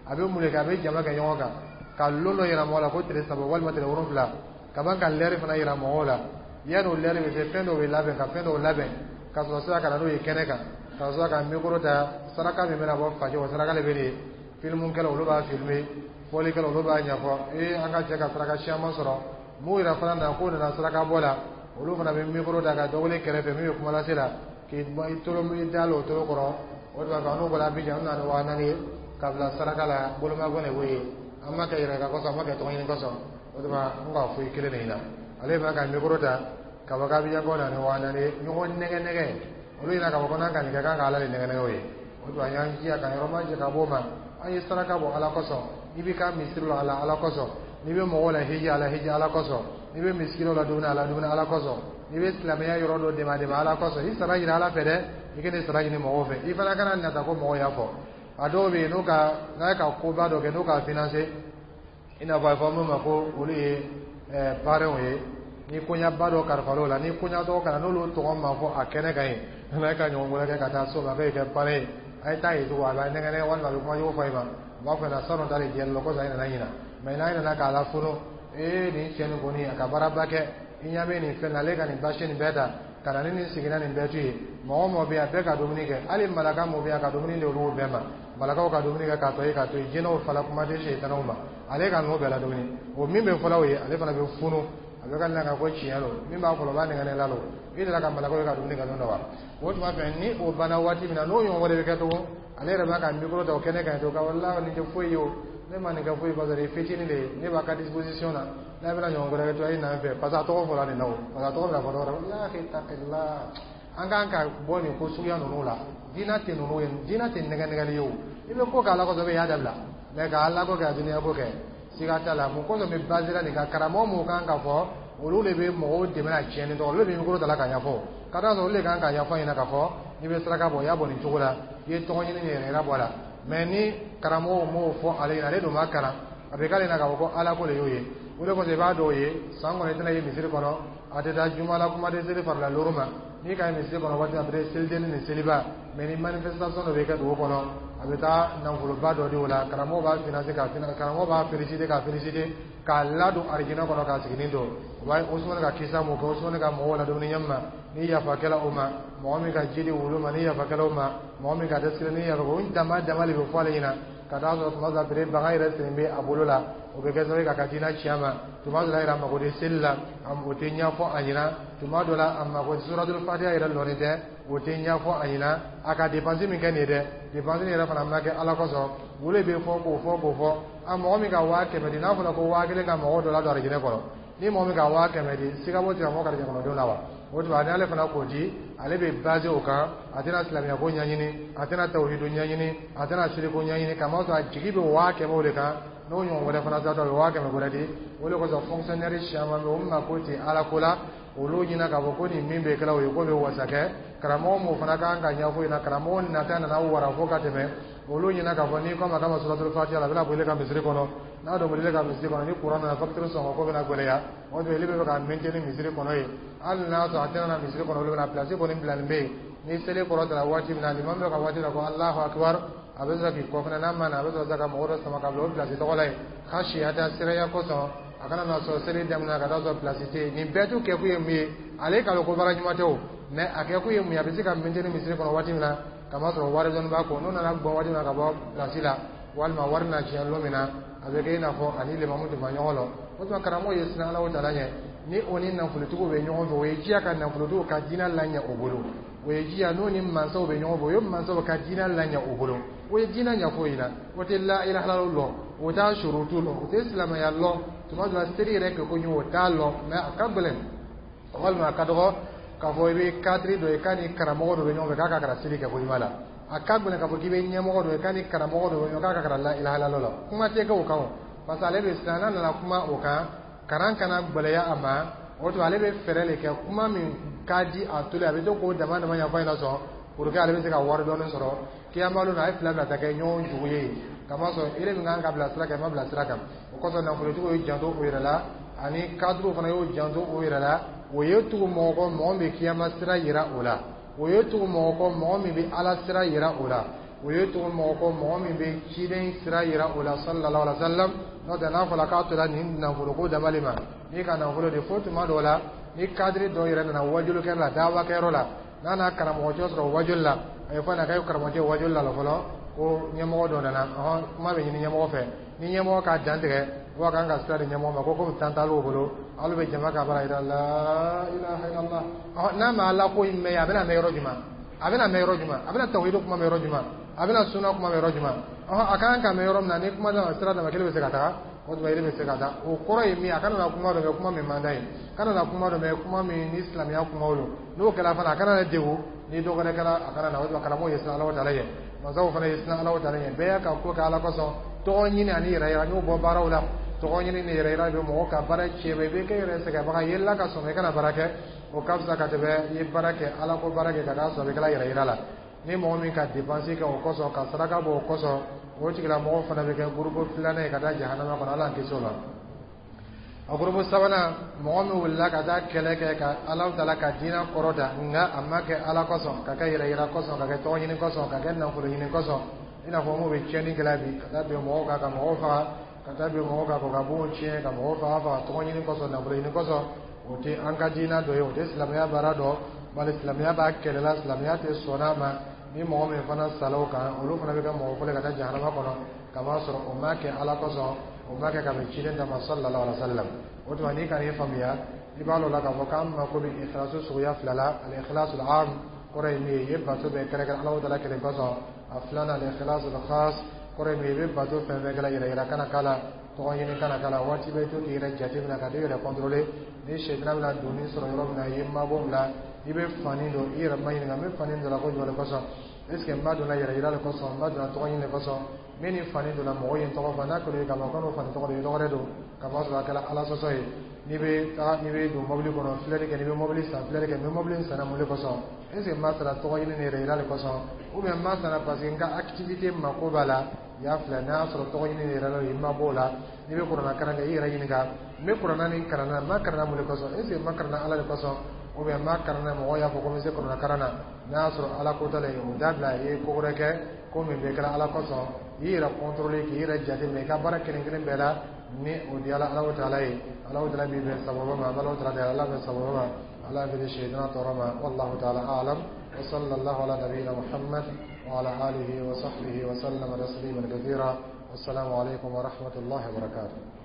A bɛ mun de kɛ? A bɛ jama kɛ ɲɔgɔn kan ka lon dɔ yira mɔgɔ la ko tile saba walima tile wolonfila, ka ban ka lɛri fana yira mɔgɔw la. Yanni o lɛri bɛ se, fɛn dɔw bɛ labɛn, ka fɛn dɔw labɛn ka sɔrɔ sira ka na n'o ye kɛnɛ kan, ka sɔrɔ ka micro ta. Saraka min bɛna bɔ facɛ, o saraka de bɛ nin ye. Filmukɛlaw, olu b'a filmer, fɔlikɛlaw, olu b'a ɲɛfɔ. Ee, an ka cɛ ka saraka caman sɔrɔ. Mun yɛrɛ fana na k'o nana saraka bɔ la, olu fana bɛ micro ta ka dɔ wele kɛrɛfɛ min bɛ kuma lase la, k'i tolo i da la o tolo kɔrɔ. O de b'a fɔ n'o bɔra Abidjan, an nana ni waa naani ye ka bila saraka la, bolomafɛn de b'o ye. An ma kɛ yɛrɛ ka kosɔn, an ma kɛ tɔgɔ ɲini kosɔn. O de b'a n k'a fɔ i kelen de ɲɛna. Ale fana ka micro ta ka fɔ k'Abidjan na ni waa naani ye. Ɲɔgɔn nɛgɛ nɛgɛ, olu ɲɛna k'a fɔ ko n'an ka nin kɛ, k'an ka ala de nɛgɛ nɛgɛ o ye. O tuma an y'an jija ka yɔrɔ ma jɛ ka bɔ o ma. An ye saraka bɔ ala kosɔn. N'i b'i ka misiri la ala ala kosɔn, n'i bɛ mɔgɔw la hiji ala hiji ala kosɔn, n'i bɛ misikinaw la dumuni ala dumuni ala kosɔn, n'i bɛ silamɛya yɔrɔ dɔ dɛmɛ dɛmɛ ala kosɔn, i sara ɲini ala fɛ dɛ. I kana sara ɲini mɔgɔw fɛ. I fana kana nata ko mɔgɔw y'a fɔ. A dɔw bɛ yen, n'u ka n'a ka koba dɔ kɛ, n'u k'a financer, i n'a fɔ a bɛ fɔ min ma ko olu ye ɛɛ parrainw ye, ni koɲaba dɔ kalifal'o la, ni koɲatɔ kana n'olu tɔgɔ ma fɔ a kɛnɛ kan yen, n'a ka ɲɔgɔn wɛrɛ kɛ ka taa so ma k'e kɛ parrain ye, a ye taa yen tugun, a b'a nɛgɛ nɛgɛ walima a bɛ kuma jugu fɔ i ma. U b'a fɔ ɲɛna sanu ta de jɛlen don kosɔn, i nana ɲina mɛ. N'a nana k'a lafunu, ee, nin cɛ nin kɔni, a ka baaraba kɛ, i ɲɛ bɛ nin fɛn na, ale ka nin basi nin bɛɛ ta ka na ni nin siginna nin bɛɛ to yen. Mɔgɔ o mɔgɔ bɛ yen, a bɛɛ ka dumuni kɛ, hali malaka mun bɛ yen, a ka dumuni di olu bɛɛ ma. Malakaw ka dumuni kɛ k'a tɔ ye k'a to yen, jinɛw fala, kuma tɛ sɛtanɛw ma. Ale ka ninnu bɛɛ la dumuni o min bɛ fɔlɔ o ye, ale fana bɛ funu, a bɛ ka na ka ko tiɲɛ don. Min b'a kɔlɔ, o b'a nɛgɛ la don, i delila ka malakaw ye ka dumuni kɛ don dɔ wa? O tuma fɛ, ni o banna waati min na, n'o ɲɔgɔn wɛrɛ bɛ kɛ tugun, ale yɛrɛ b'a ka micro ta o kɛnɛ kan yen tugun ka wala nin tɛ foyi ye o, ne ma nin kɛ foyi, parce que fitinin de ye, ne b'a ka disposition na. N'a bɛna ɲɔgɔn wɛrɛ kɛ to, a ye na n fɛ, parce que a tɔgɔ fɔra nin na o, parce que a tɔgɔ bɛna fɔ dɔ wɛrɛ. Ya ittaqillah, an kan ka bɔ nin ko suguya ninnu la. Diinɛ tɛ ninnu ye, diinɛ tɛ nɛgɛ nɛgɛli ye o. I bɛ ko kɛ ala kosɔn, i bɛ y'a dabila mɛ ka ala ko kɛ, a duniya ko kɛ. Siga t'a la. Mun kosɔn bɛ basera nin kan? Karamɔgɔ mun kan ka fɔ, olu de bɛ mɔgɔw dɛmɛ a tiɲɛni tɔgɔ, olu de bɛ micro ta la ka ɲɛfɔ. Ka d'a kan olu de kan ka ɲɛfɔ ɲɛna k'a fɔ n'i bɛ saraka bɔ, i y'a bɔ nin cogo la, i ye tɔgɔ ɲini ni yɛrɛ yira bɔ a la. Mɛ ni karamɔgɔw m'o fɔ ale ɲɛna, ale dun ma kalan, a bɛ k'ale ɲɛna k'a fɔ ko Ala ko de y'o ye. O de kosɔn i b'a dɔw ye san kɔnɔ, i tɛna ye misiri kɔnɔ, a tɛ taa juma la, kuma tɛ seli farila looru ma. N'i ka ye misiri kɔnɔ waati, a bɛ selideni ni seliba. Mɛ ni manifestation dɔ bɛ kɛ dugu kɔnɔ, a bɛ taa nafoloba dɔ di o la, karamɔgɔ b'a financer k'a financer, karamɔgɔ b'a féliciter k'a féliciter, k'a ladon arijinɛ kɔnɔ, k'a siginin don. O b'a ye Usumani ka kisa mun kɛ, Usumani ka mɔgɔw ladumuni ɲɛ ma, ni yafa kɛla o ma, mɔgɔ min ka ji di wulu ma, ni yafa kɛla o ma, mɔgɔ min ka dɛsɛ, ni yafa, o dama dama de bɛ fɔ ale ɲɛna. Ka taa sɔrɔ tuma dɔ la bere bagan yɛrɛ sen bɛ a bolo la, o bɛ kɛ sababu ye k'a ka diinɛ ci a ma. Tuma dɔ la yɛrɛ, a mako tɛ seli la, o tɛ ɲɛfɔ a ɲɛna. Tuma dɔ la, a mako tɛ suratul fatiha yɛrɛ lɔnni tɛ, o tɛ ɲɛfɔ a ɲɛna. A ka dépense min kɛ nin ye dɛ, dépense yɛrɛ fana ma kɛ Ala kosɔn. Wolo bɛ fɔ k'o fɔ k'o fɔ. A mɔgɔ min ka waa kɛmɛ di, n'a fɔra ko waa kelen ka mɔgɔ dɔ ladon arijinɛ kɔnɔ, ni mɔgɔ min ka waa kɛmɛ di, siga b'o tigilamɔgɔ ka arijinɛ kɔnɔdenw na wa? O tuma n'ale fana k'o di, ale bɛ basé o kan, a tɛna silamɛya ko ɲɛɲini, a tɛna tawhidu ɲɛɲini, a tɛna siriko ɲɛɲini, kamasɔrɔ a jigi bɛ waa kɛmɛ o de kan. N'o ɲɔgɔn wɛrɛ fana taatɔ, a bɛ waa kɛmɛ wɛrɛ di. O de kosɔn fonctionnaire caman bɛ yen, o mako tɛ Ala ko la. Olu ɲina k'a fɔ ko nin min bɛ kɛla o ye, k'o bɛ wasa kɛ. Karamɔgɔ m'o fana kan ka ɲɛfɔ ɲɛna, karamɔgɔ nata nana wara fo ka tɛmɛ. Olu ɲina k'a fɔ n'i ko a ma k'a ma suratul fatiha la, a bɛna bɔ ile ka misiri kɔnɔ. N'a dɔn bɔ ile ka misiri kɔnɔ, ni kuran nana, facture sɔngɔ ko bɛna gɛlɛya. O tuma ile bɛ fɛ ka maintenir misiri kɔnɔ yen, hali n'a sɔrɔ a tɛna na misiri kɔnɔ, olu bɛna place kɔni bilalen bɛ yen. Ni seli kɔrɔ waati min na, limami bɛ ka waati la ko Alahu akibar, a bɛ sɔrɔ k'i kɔfɛ. N'a ma na, a bɛ sɔrɔ ka mɔgɔ dɔ sama ka bila o place tɔgɔ la yen, khashiyata, siranya kosɔn, a kana na sɔrɔ seli daminɛ ka taa sɔrɔ place tɛ yen. Nin bɛɛ t'u kɛkun ye mun ye? Ale k'a dɔn ko baara ɲuman tɛ o, mɛ a kɛkun ye mun ye? A bɛ se ka maintenir misiri kɔnɔ waati min na, kamasɔrɔ wari dɔɔni b'a kɔ. N'o nana gbɔn waati min na ka bɔ place la, walima wari na tiɲɛ don min na, a bɛ kɛ i n'a fɔ ani limamu tun ma ɲɔgɔn lɔ. O tuma karamɔgɔ ye siran Ala taala ɲɛ. Ni o ni nafolotigiw bɛ ɲɔgɔn fɛ, o ye jiya ka nafolotigiw ka diinɛ laɲɛ o bolo. O ye jiya n'o ni mansaw bɛ ɲɔgɔn fɛ, o ye mansaw ka diinɛ laɲɛ o bolo. O ye diinɛ ɲɛfɔ o ɲɛna, o tɛ la ilaha illallah lɔn, o t'a surutu lɔn, o tɛ silamɛya lɔn. Tuma dɔ la, seli yɛrɛ kɛ ko ɲɛ, o t'a lɔn. Mɛ a ka gɛlɛn walima a ka dɔgɔ k'a fɔ i bɛ cadre dɔ ye k'a ni karamɔgɔ dɔ bɛ ɲɔgɔn fɛ k'a ka kalan seli kɛ ko ɲuman la. A ka gɛlɛn k'a fɔ k'i bɛ ɲɛmɔgɔ dɔ ye k'a ni karamɔgɔ dɔ bɛ ɲɔgɔn k'a ka kalan la ilaha illallah la. Kuma tɛ kɛ o kan o, parce que ale bɛ siran n'a nana kuma o kan, kalan kana gɛlɛya a ma. O tuma ale bɛ fɛɛrɛ de kɛ, kuma min ka di a tolo, a bɛ to k'o dama dama ɲɛfɔ a ɲɛna sɔn, pour que ale bɛ se ka wari dɔɔni sɔrɔ. Kiyama don, a ye fila bila ta kɛ ɲɔgɔn jugu ye, kamasɔrɔ ere min kan ka bila sira kan, i ma bila sira kan. O kosɔn nafolotigiw y'u janto o yɛrɛ la, ani cadre fana y'o janto o yɛrɛ la. O ye tugu mɔgɔ kɔ, mɔgɔ min bɛ kiyama sira yira o la. O ye tugu mɔgɔ kɔ, mɔgɔ min bɛ Ala sira yira o la. O ye tugu mɔgɔ kɔ, mɔgɔ min bɛ ciden sira yira o la, sallallahu alaihi wa sallam. N'o tɛ, n'a fɔra k'a tora nin nafoloko dabali ma, n'i ka nafolo de fo, tuma dɔw la, ni cadre dɔw yɛrɛ nana wajulikɛyɔrɔ la, dawakɛyɔrɔ la, n'a n'a karamɔgɔcɛ sɔrɔ wajuli la, a ye fɔ a k'a ye karamɔgɔcɛ wajuli la fɔlɔ ko ɲɛmɔgɔ dɔ nana, ɔhɔn, kuma bɛ ɲini ɲɛmɔgɔ fɛ. Ni ɲɛmɔgɔ k'a dantigɛ, wa kan ka sira di ɲɛmɔgɔ ma ko komi tan t'ale bolo, alu bɛ jama ka baara yira la ilaha illallah. Ɔhɔn, n'a ma Ala ko in mɛn, a bɛna mɛn yɔrɔ jumɛn? A bɛna mɛn yɔrɔ jumɛn? A bɛna tawhidu kuma mɛn yɔrɔ jumɛn? A bɛna sunna kuma mɛn yɔrɔ jumɛn? Ɔhɔn, a kan ka mɛn yɔrɔ min na, ni kuma d'a sira d'a ma, kelen bɛ se ka taga, o tuma yiri bɛ se ka taa. O kɔrɔ ye min ye, a kana na kuma dɔ mɛn, kuma min man d'a ye, kana na kuma dɔ mɛn, kuma min ni silamɛya kumaw don. N'o kɛra fana, a kana na degun ni dɔ wɛrɛ kɛra, a kana na. O tuma karamɔgɔ ye siran Ala taala ɲɛ, mansaw fana ye siran Ala taala ɲɛ. Bɛɛ y'a ka ko kɛ Ala kosɔn. Tɔgɔ ɲini ani yɛrɛ yira, n y'o bɔ baaraw la. Tɔgɔ ɲini ni yɛrɛ yira bɛ mɔgɔ ka baara tiɲɛ. I bɛ kɛ yɛrɛ sɛgɛnbaga ye la ka sɔn i kana baara kɛ, o ka fisa ka tɛmɛ i ye baara kɛ, Ala ko baara kɛ, ka taa sɔrɔ a bɛ kɛla yɛrɛ yira la. Ni mɔgɔ min ka dépense kɛ o kosɔn, ka saraka bɔ o kosɔn, o tigilamɔgɔ fana bɛ kɛ groupe filanan ye ka taa jahanama kɔnɔ. Ala kisi o la. A groupe sabanan, mɔgɔ min wulila ka taa kɛlɛ kɛ ka Ala taala ka diinɛ kɔrɔta, nka a ma kɛ Ala kosɔn, ka kɛ yɛrɛ yira kosɔn, ka kɛ tɔgɔ ɲini kosɔn, ka kɛ nafolo ɲini kosɔn, i n'a fɔ mun bɛ tiɲɛni kɛla bi, ka taa bin mɔgɔw kan ka mɔgɔw faga, ka taa bin mɔgɔw kan ka bon tiɲɛ, ka mɔgɔw faga faga tɔgɔ ɲini kosɔn, nafolo ɲini kosɔn, o tɛ an ka diinɛ dɔ ye, o tɛ silamɛya baara dɔ. Bari silamɛya b'a kɛlɛ la, silamɛya tɛ sɔn a ma. Ni mɔgɔ min fana sala o kan, olu fana bɛ kɛ mɔgɔ fɔlɔ ka taa jahanama kɔnɔ, k'a sɔrɔ o ma kɛ Ala kosɔn, o ma kɛ ka bɛn ciden ta ma, sallallahu alaihi wa sallam. O tuma n'i ka n'i faamuya, i b'a dɔn la k'a fɔ k'an mako bɛ ikhlasu suguya fila la. Al ikhlasu al am kɔrɔ ye min ye, i ye bato bɛɛ kɛrɛnkɛrɛn Ala taala kelen kosɔn. A filanan, al ikhlasu al khas, kɔrɔ ye min ye, i bɛ bato fɛn fɛn kɛla, yɛrɛ yira kana k'a la, tɔgɔ ɲini kana k'a la. Waati bɛɛ to k'i yɛrɛ jateminɛ, ka t'i yɛrɛ contrôler. Ni sɛtana bɛna donni sɔrɔ yɔrɔ min na, i ye mabɔ o la. I bɛ fani don, i yɛrɛ ma ɲininka n bɛ fani don la ko jumɛn de kosɔn? Est ce que n b'a donna yɛrɛ yira de kosɔn, n b'a donna tɔgɔ ɲini de kosɔn? N bɛ nin fani donna, mɔgɔw ye n tɔgɔ fɔ, n'a kɛra ye ka ban, ko n'o fani tɔgɔ de ye, dɔwɛrɛ don ka ban sɔrɔ a kɛra Ala sɔsɔ ye. N'i bɛ taga, n'i bɛ don mobili kɔnɔ, filɛli kɛ. N'i bɛ mobili san, filɛli kɛ. N bɛ mobili in sanna mun de kosɔn? Est ce que n b'a sara tɔgɔ ɲini ni yɛrɛ yira de kosɔn, ou bien n b'a sanna parce que n ka activité mako b'a la? I y'a filɛ, n'a y'a sɔrɔ tɔgɔ ɲini ni yɛrɛ la, i ma b'o la. N'i bɛ kuranna kalan kɛ, i yɛrɛ ɲininka: n bɛ kuranna nin kalan na, n b'a kalan mun de kosɔn? Est ce que n b'a kalan Ala de kosɔn, ou bien n b'a kalan na mɔgɔw y'a fɔ ko n bɛ se kuranna kalan na? N'a y'a sɔrɔ Ala ko t'a la, o dabila. I ye ko wɛrɛ kɛ, ko min bɛ kɛra Ala kosɔn. I yɛrɛ contrôler, k'i yɛrɛ jateminɛ i ka baara kelen kelen bɛɛ la. Ni o diyara Ala taala ye, Ala taala b'i bɛn sababa ma. An bɛ Ala taala deli, Ala bɛ sababa ma, Ala bɛ seyidina tɔɔrɔ ma. والله تعالى أعلم، وصلى الله على نبينا محمد وعلى آله وصحبه وسلم تسليما كثيرا، والسلام عليكم ورحمة الله وبركاته.